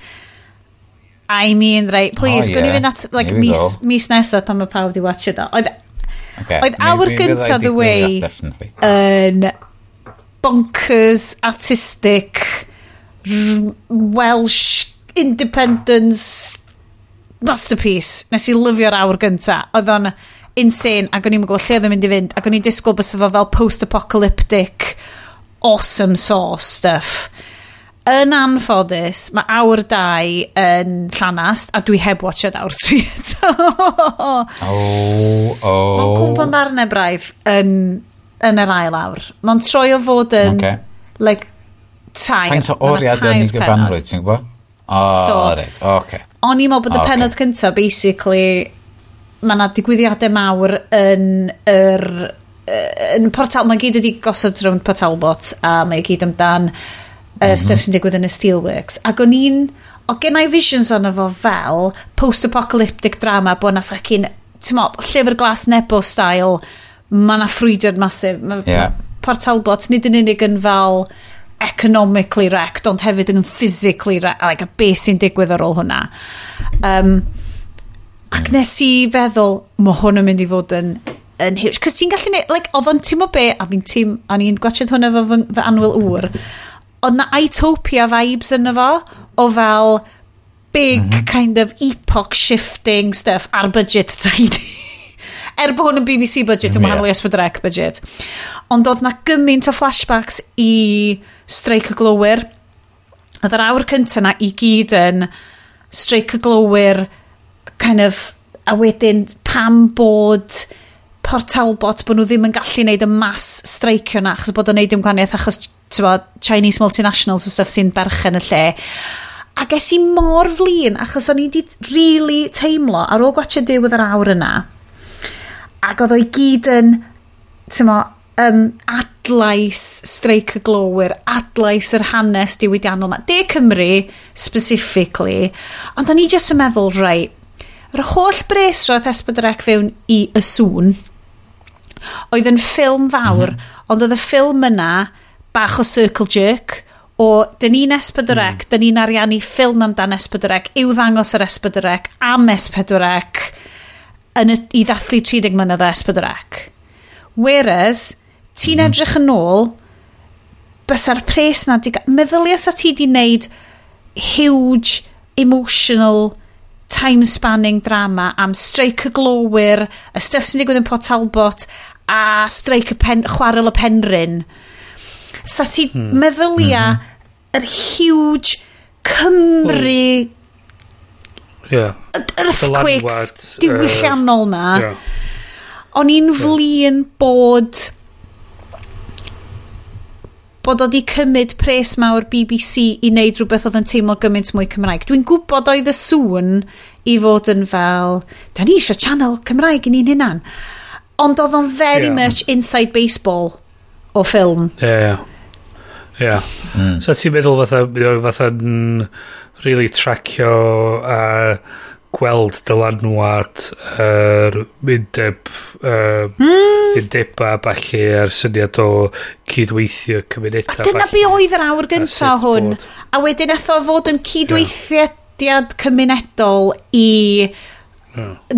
I mean, right, please, Oh, gwni yeah. fynd at, like, Here we mis, go. mis nesaf pan mae pawb wedi watchad o. Oedd Okay. Oedd awr Mi fydda i gynta 'di The Way gwylio, Definitely. yn bonkers, artistic, Welsh independence masterpiece. Nes i lyfio'r awr gynta. Oedd o'n insane ac o'n i'n gwybod lle oedd o'n mynd i fynd ac o'n i'n disgwyl bysa fo fel post-apocalyptic awesome sauce stuff. Yn anffodus, mae awr 2 yn llanast a dwi heb watchad awr 3 eto. Oh, oh. Mae'n cwmpo'n ddarnau braidd yn yr ail awr. Mae'n troi o fod yn like, tair. Faint o Ma' 'na oriad yn tair ei gyfanrwydd, pennod. ti'n gwybod? O, So- reit, oce. O'n i'n meddwl bod y Ocê. pennod cyntaf, basically, mae yna digwyddiadau mawr yn yr yn Port Talbot, mae gyd wedi gosod rownd Port Talbot a mae gyd amdan stuff sy'n digwydd yn y Steelworks. Ac o'n i'n, o gen i visions ono fo fel post-apocalyptic drama bod na fucking, ti'n mo, Llyfr Glas Nebo style, mae na ffrwydrad massive. Ma, Port Talbot nid yn unig yn fel economically wrecked, ond hefyd yn physically wrecked, like, a beth sy'n digwydd ar ôl hwnna. Ac nes i feddwl, mae hwn yn mynd i fod yn huge. Cos ti'n gallu neud, like, oedd o'n teimlo be, a fi'n teim, o'n i'n gwachod hwnna efo fy annwyl ŵr, oedd na Itopia vibes yno fo, o fel big kind of epoch shifting stuff ar budget tiny. Er bod hwn yn BBC budget yn wahanol i S4C budget. Ond oedd na gymaint o flashbacks i Streic y Glowyr. Oedd yr awr cyntaf na i gyd yn Streic y Glowyr, kind of, a wedyn pam bod Port Talbot, bod nhw ddim yn gallu neud y mass streicio na, achos bod o'n neud dim gwahaniaeth, achos bod, Chinese multinationals o stuff sy'n berchen y lle. A ges i mor flin, achos o'n i di really teimlo, ar ôl gwatchio diwedd yr awr yna, ac oedd o i gyd yn, ti'n mo, adlais streic y glowyr, adlais yr hanes diwydiannol ma. De Cymru, specifically, ond o'n i jyst yn meddwl, right, yr holl bres roedd S4C fewn i Y Sŵn, oedd yn ffilm fawr, ond oedd y ffilm yna bach o circle jerk, o dyn ni'n S4C, dyn ni'n ariannu ffilm amdan S4C, i'w ddangos yr S4C, am S4C, yn y, i ddathlu 30 mlynedd o S4C. Whereas, ti'n edrych yn ôl, bysa'r pres na di... Meddylia sa ti di wneud huge emotional time-spanning drama am streic y glowyr, y stuff sy'n digwydd yn Port Talbot, a streic y pen, chwarel y Penrhyn. Sa ti meddylia yr huge Cymru earthquakes Dylanwad, diwylliannol na. O'n i'n flin bod o di cymryd pres mawr BBC i wneud rhywbeth oedd yn teimlo gymaint mwy Cymraeg. Dwi'n gwybod oedd y Sŵn i fod yn fel, da ni eisiau channel Cymraeg i ni'n hunan. Ond oedd o'n very much inside baseball o ffilm. Ie. So ti'n meddwl fatha, mae o fatha'n really tracio a gweld dylanwad yr undeb undeba ballu a'r syniad o cydweithio cymunedau. A dyna be oedd yr awr gyntaf sut hwn. bod. A wedyn eto fod yn cydweithiad cymunedol i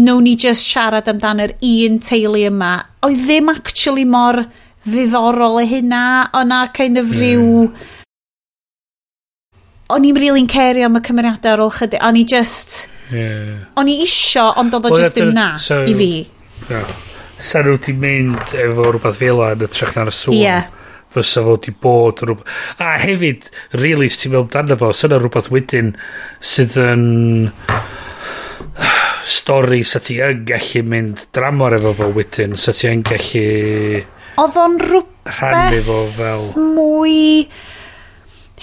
nawn ni just siarad amdan yr un teulu yma. Oedd ddim actually mor ddiddorol e hynna. O'na kind of rhyw... O'n i'n really'n cario am y cymeriadau ar ôl chydig. O'n i just... O'n i isio, ond oedd o Wel, just ddim na i fi. Yeah. Sa nhw wedi mynd efo rhywbeth fel 'na yn hytrach na'r Sŵn. Fysa fo wedi bod yn rhywbeth. A hefyd, really, ti'n meddwl amdano fo, sa 'na rhywbeth wedyn sydd yn stori sa ti yn gallu mynd dramor efo fo wedyn, sa ti yn gallu Oedd o'n rhannu rhywbeth fo fel mwy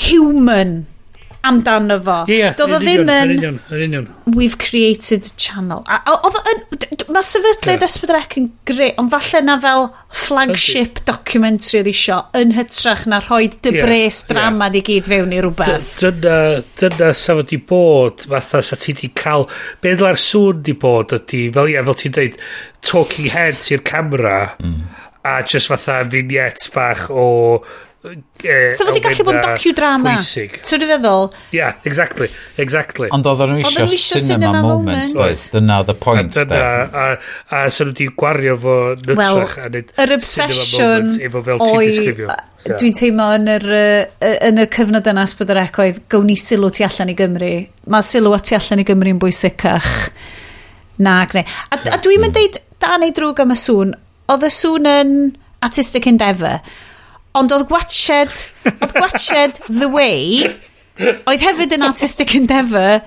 human amdano fo. Ie, Doedd o yn ddim union, yn yn union, yn union. We've created channel. A oedd o yn... Mae sefydliad S4C yn greu, ond falle na fel flagship documentary oedd isio, yn hytrach na rhoi dy bres drama di gyd fewn i rhywbeth. Dyna sa fo di bod, fatha sa ti di cael, be ddyla'r Sŵn di bod ydy, fel ie, fel ti'n dweud, talking heads i'r camera, a just fatha vignettes bach o So fo di gallu bod yn elfennau docudrama. pwysig. Ti'n feddwl? Yeah, exactly. Ond oedden nhw Oedden isio nhw isio cinema cinema moment, moment. doedd? Dyna oedd y pwynt, A dyna, de. a sa nhw di gwario fo Wel, nytrach a neud yr cinema obsession moment efo fel ti'n oedd disgrifio. Ie. Dwi'n teimlo yn y cyfnod yna S4C oedd gawn ni sylw tu allan i Gymru. Mae sylw tu allan i Gymru yn bwysicach na gneu. A dwi'n mynd deud da neu drwg am y Sŵn. Oedd y Sŵn yn artistic endeavour. Ond oedd gwatched The Way oedd hefyd yn artistic endeavour.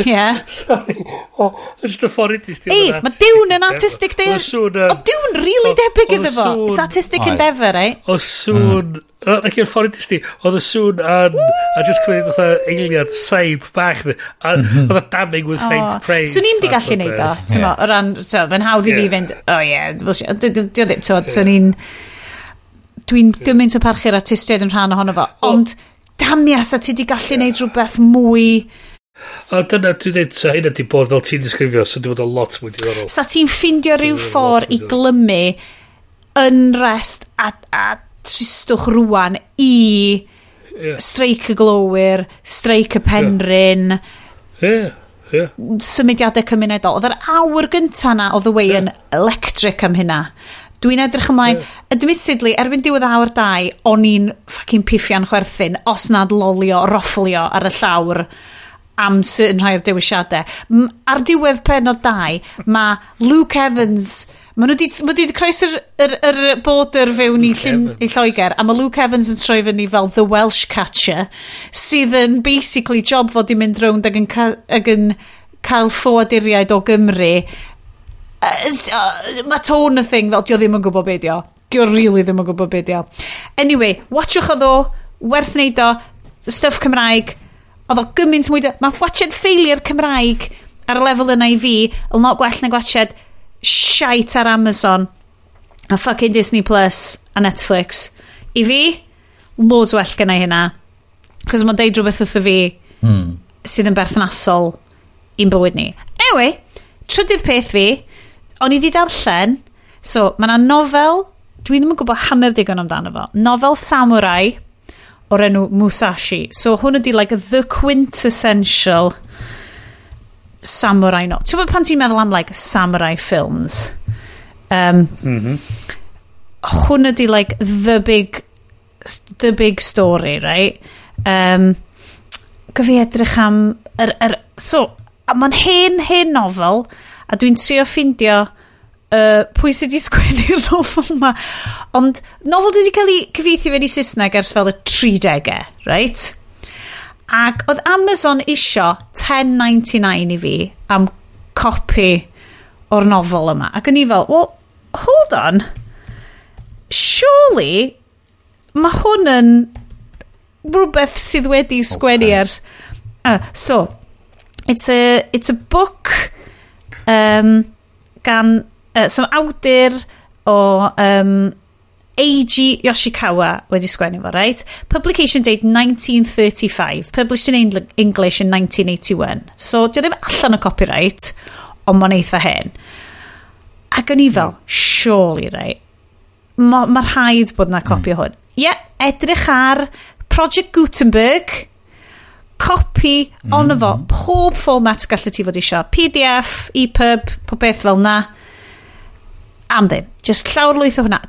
Yeah. Sorry. Oh, just y ffordd i Ei, mae Dune yn artistic Oedd y Sŵn yn O, Dune really debyg iddo fo. It's artistic Oedd. endeavour, eh? O Sŵn. Ac i'r ffordd i ti, oedd y Sŵn yn... A just cymryd fatha eiliad saib bach. A oedd y damning with faint praise. Swn i'n di fath o gallu neud o, beth. ti'n mo, o ran, ti'n mo, mae'n hawdd i fi fynd, oh yeah, bullshit. Dio ddim, ti'n mo, swn i'n, dwi'n gymaint o parchu'r artistiaid yn rhan ohono fo, ond damia, sa ti di gallu neud rhywbeth mwy, A dyna, dwi'n dweud, sa hynna di bod fel ti'n disgrifio, so di bod yn lot mwy diddorol. Sa ti'n ffindio rhyw Dwi'n ffordd i lot mwy glymu unrest a tristwch rwan i streic y glowyr, streic y Penrhyn, Ie, ie. symudiadau cymunedol. Oedd yr awr gynta na o The Way yn electric am hynna. Dwi'n edrych ymlaen. Admittedly, erbyn diwedd awr 2, o'n i'n fucking piffian chwerthin, os nad lolio, rofflio ar y llawr am certain rhai o'r dewisiadau. Ar diwedd penod 2, mae Luke Evans. Mae nhw wedi ma di croesi'r yr border fewn i, Luke Llyn, Evans. i Lloegr, a mae Luke Evans yn troi fyny fel The Welsh Catcher, sydd yn basically job fod i mynd rownd ac yn cael ffoaduriaid o Gymru. Mae tone y thing fel, dio ddim yn gwybod be dio. Dio really ddim yn gwybod be dio. Anyway, watchwch o ddo, werth neud o, stuff Cymraeg, oedd o gymaint mwy. Mae watched failure Cymraeg ar y lefel yna i fi, yn lot gwell na gwatched shite ar Amazon a fucking Disney Plus a Netflix. I fi, loads well gynna i hynna. Cos mae'n deud rhywbeth wrtho fi sydd yn berthnasol i'n bywyd ni. Anyway, trydydd peth fi, o'n i di darllen, so mae yna nofel, dwi ddim yn gwybod hanner digon amdano fo, nofel samurai o'r enw Musashi. So hwn ydi like the quintessential samurai novel. Ti'n gwybod pan ti'n meddwl am like samurai films? Hwn ydi like the big story, right? Gyfi edrych am so, a mae'n hen, hen nofel, a dwi'n trio ffindio pwy sydd wedi sgwennu'r nofel yma. Ond nofel wedi cael ei cyfieithu fewn i Saesneg ers fel y 30au, right? Ac oedd Amazon isio 10.99 i fi am copi o'r nofel yma. Ac o'n i fel, "Well, hold on. Surely, mae hwn yn rhywbeth sydd wedi sgwennu ers." So, it's a book gan so awdur o Eiji Yoshikawa wedi sgwennu fo, right? Publication date 1935. Published in English in 1981. So, dio ddim allan o copyright, ond mae'n eitha hen. Ac o'n i fel, surely, right? Mae ma rhaid bod na copi o hwn. Ie, yeah, edrych ar Project Gutenberg, copi ono fo, pob format gallu ti fod isio. PDF, EPUB, pob beth fel na. Am ddim. Just llawr lwyth o hwnna.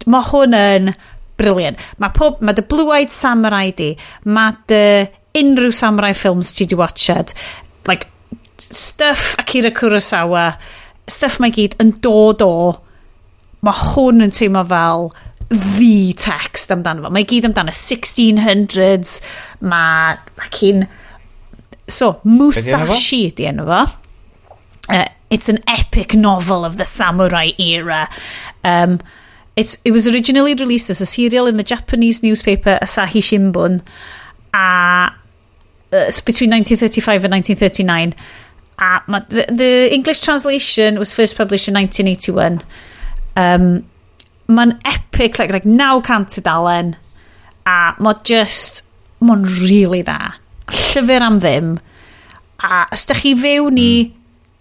Mae hwn yn brilliant. Mae dy Blue-Eyed Samurai di, mae dy unrhyw samurai films ti di watched, like, stuff Akira Kurosawa, stuff mae gyd yn dod o, mae hwn yn teimlo fel the text amdano fo. Mae gyd amdano 1600s, mae fucking. So, Be 'di enw fo? Musashi di enw fo. It's an epic novel of the samurai era. It was originally released as a serial in the Japanese newspaper Asahi Shimbun between 1935 and 1939. The English translation was first published in 1981. Mae'n epic, like 900 tudalen, a mae just, mae'n really dda. Llyfr am ddim. A os da chi fewn i,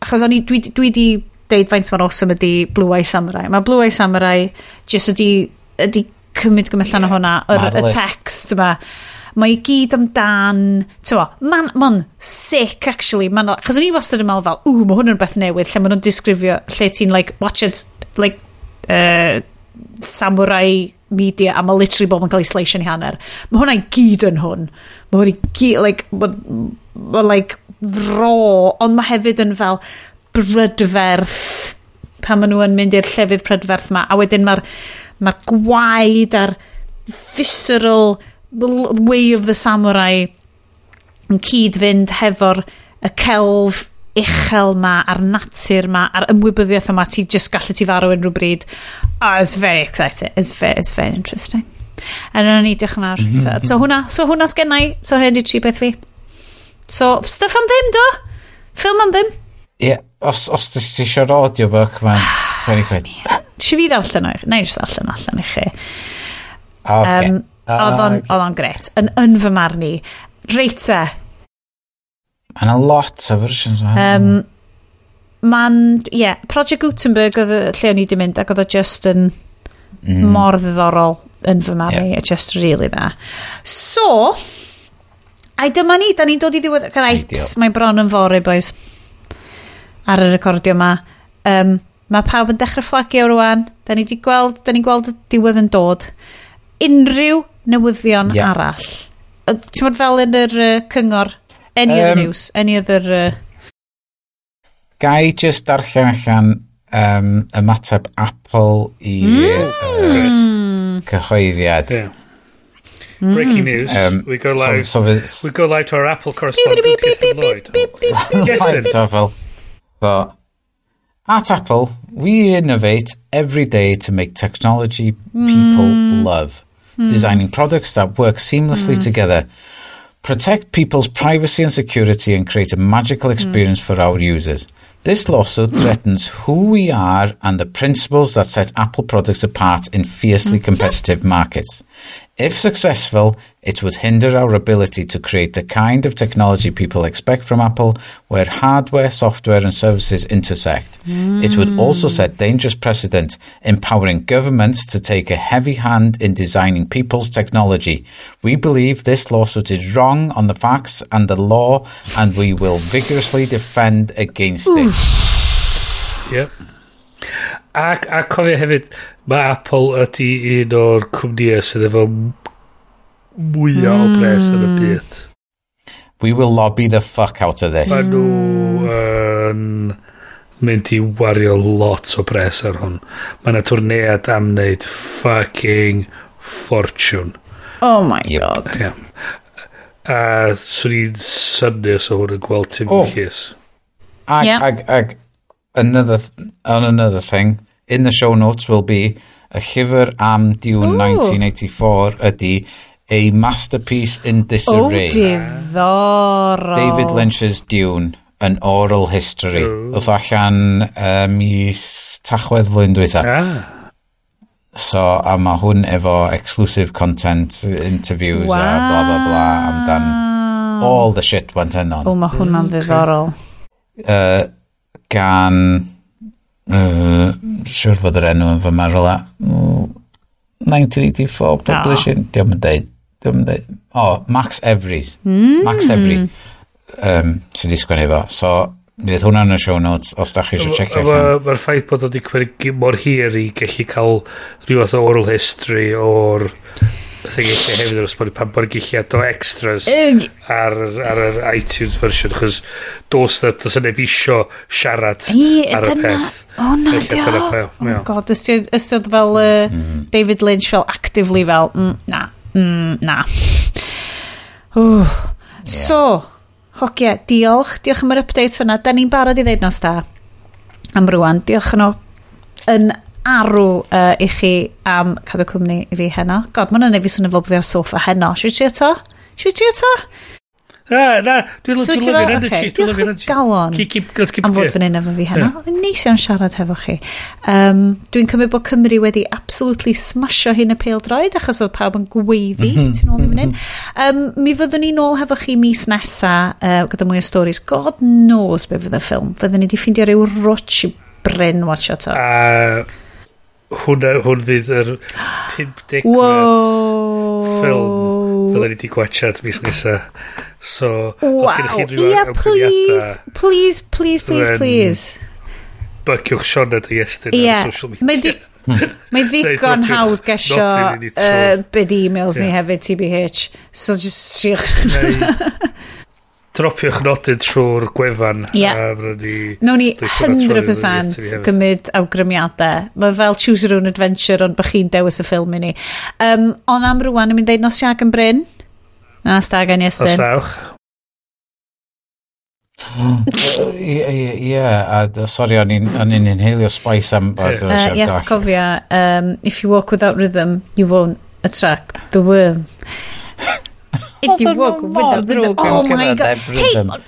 achos o'n i, dwi di deud faint mor awesome ydi Blue Eye Samurai. Mae Blue Eye Samurai just ydi cymryd gymryd allan o hwnna, y Marvellous. text yma. Mae i gyd amdan, ti'n mo, mae'n ma sick actually. Ma'n, achos o'n i wastad yn meddwl fel, ww, mae hwn yn beth newydd, lle maen nhw'n disgrifio, lle ti'n like, watch it, like, samurai media, a mae literally bob yn cael ei slice yn hanner. Mae hwnna i gyd yn hwn. Mae hwn i gyd, like, ma, like, raw, ond mae hefyd yn fel brydferth pan maen nhw yn mynd i'r llefydd prydferth ma, a wedyn mae'r ma gwaed a'r visceral way of the samurai yn cyd-fynd hefo'r y celf uchel ma a'r natur ma a'r ymwybyddiaeth yma ti just gallu ti farw unrhyw bryd. Oh, it's very exciting. It's very interesting. A dyna ni, diolch yn fawr. So hwnna sgennai. So hwnna di tri beth fi. So, stuff am ddim, do? Ffilm am ddim. Ie, yeah, os ti eisiau'r audiobook, mae'n 20 quid. Si fi ddarllen o i chi? Na i jyst ddarllen allan i chi. Okay. Oedd o'n gret. Yn fy marn i. Reit te. Mae yna lot o versions o hynny. Ma'n, ie, yeah, Project Gutenberg oedd y lle o'n i wedi mynd ac oedd o just yn mor ddiddorol yn fy marn i. Just really dda. So, ai dyma ni, da ni'n dod i ddiwedd. Gripes, Ideal. mae bron yn fory, boys. Ar y recordio ma. Mae pawb yn dechrau fflagio rwan. Da ni di gweld, da ni'n gweld y diwedd yn dod. Unrhyw newyddion arall. Ti'n bod fel yn yr cyngor? Any other news? Any other... Gai just darllen allan ymateb Apple i cyhoeddiad. Yeah. Breaking news. We go live. So we go live to our Apple correspondent, Kirsten Lloyd. Kirsten. So, fel, so, At Apple, we innovate every day to make technology people love. Designing products that work seamlessly together, protect people's privacy and security, and create a magical experience for our users. This lawsuit threatens who we are and the principles that set Apple products apart in fiercely competitive markets. If successful, it would hinder our ability to create the kind of technology people expect from Apple, where hardware, software and services intersect. It would also set dangerous precedent, empowering governments to take a heavy hand in designing people's technology. We believe this lawsuit is wrong on the facts and the law, and we will vigorously defend against it. Yep. A cofio hefyd, mae Apple ydy un o'r cwmnïau sydd efo mwyaf o bres yn y byd. We will lobby the fuck out of this. Mae nhw yn mynd i wario lot o bres ar hwn. Mae yna twrnead am wneud fucking fortune. Oh my god. Yeah. A swn i'n synnu os o hwn yn gweld Tim llys. Ag, another, on another thing, in the show notes will be a llyfr am Dune 1984 ydy A Masterpiece in Disarray. Oh, diddorol. David Lynch's Dune, An Oral History. Oedd allan mis Tachwedd flwyddyn dwytha. So, a mae hwn efo exclusive content, interviews a bla bla bla amdan all the shit went on. O, mae hwnna'n ddiddorol. Gan siwr fod yr enw yn fy marw 1984 publishing. Diolch yn deud. Oh, Max Everys. Max Every sydd wedi sgwennu fo. So, fydd hwnna yn y show notes os da chi eisiau checio allan. Mae'r ffaith bod o wedi cymryd mor hir i gallu cael rhyw fath o oral history o'r thing eich hefyd yr ysboni pan bod gallu add o extras ar yr iTunes version, achos dos na does neb isio siarad ar y peth. O na, dio. Oh god, ystod fel David Lynch fel actively fel na. So, hogia, diolch am yr update fyna. Da ni'n barod i ddeud nos da am rwan. Diolch yn yn arw i chi am cadw cwmni i fi heno. God, mae hwnna'n neud fi swnio fel bod fi ar soffa heno. Should we trio to? Na, dwi'n lyfio'r energy. Diolch o galon am fod fan hyn efo fi heno. Oedd yn neis iawn siarad hefo chi. Dwi'n cymryd bod Cymru wedi absolutely smasho hyn y pêl-droed achos oedd pawb yn gweiddi tu nôl i fan hyn. Mi fyddwn ni nôl hefo chi mis nesa gyda mwy o stories. God knows be fydd y ffilm. Fyddwn ni wedi ffeindio ryw rwtsh i Bryn watch to. Hwn fydd yr 50 ffilm fydden ni wedi gwachad mis nesa. So, wow. Os gennych chi rhyw awgrymiadau... Please, please, please, please. Byciwch Sioned a Iestyn ar social media. Mae ddigon hawdd gesio byd e-mails ni hefyd, TBH. So just siwch. Dropiwch nodyn trwy'r gwefan. Yeah. Nawn ni 100% gymryd awgrymiadau. Mae fel choose your own adventure, ond bych chi'n dewis y ffilm i ni. Ond am rwan, yn mynd ddeud nos Iau yn Bryn. Na, stag yn Iestyn. Nos dawch. Ie, a sori, o'n i'n inhalio spice am... Yes, cofia, if you walk without rhythm, you won't attract the worm. If you walk without rhythm. Oh my god. Hey, mae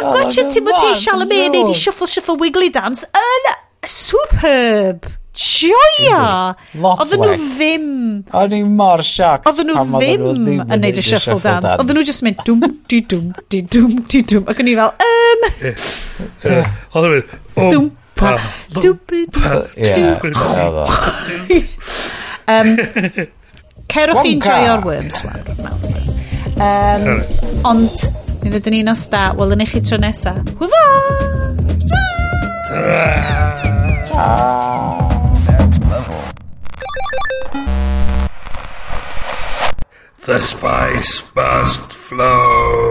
gwachio Timothée Chalamet yn neud i shuffle shuffle wiggly dance yn superb. Joia! Oedden nhw ddim... O'n i mor shocked. Oedden nhw ddim yn neud y shuffle dance. Oedden nhw just mynd dwm, di dwm, di dwm, di dwm. Ac o'n i fel, Oedden nhw mynd, dwm, pa, dwm, pa, dwm. Cerwch chi'n joio'r worms. Ond, mi ddydyn ni nos da. Welwn i chi tro nesa. Hwfa! Ta! The spice must flow.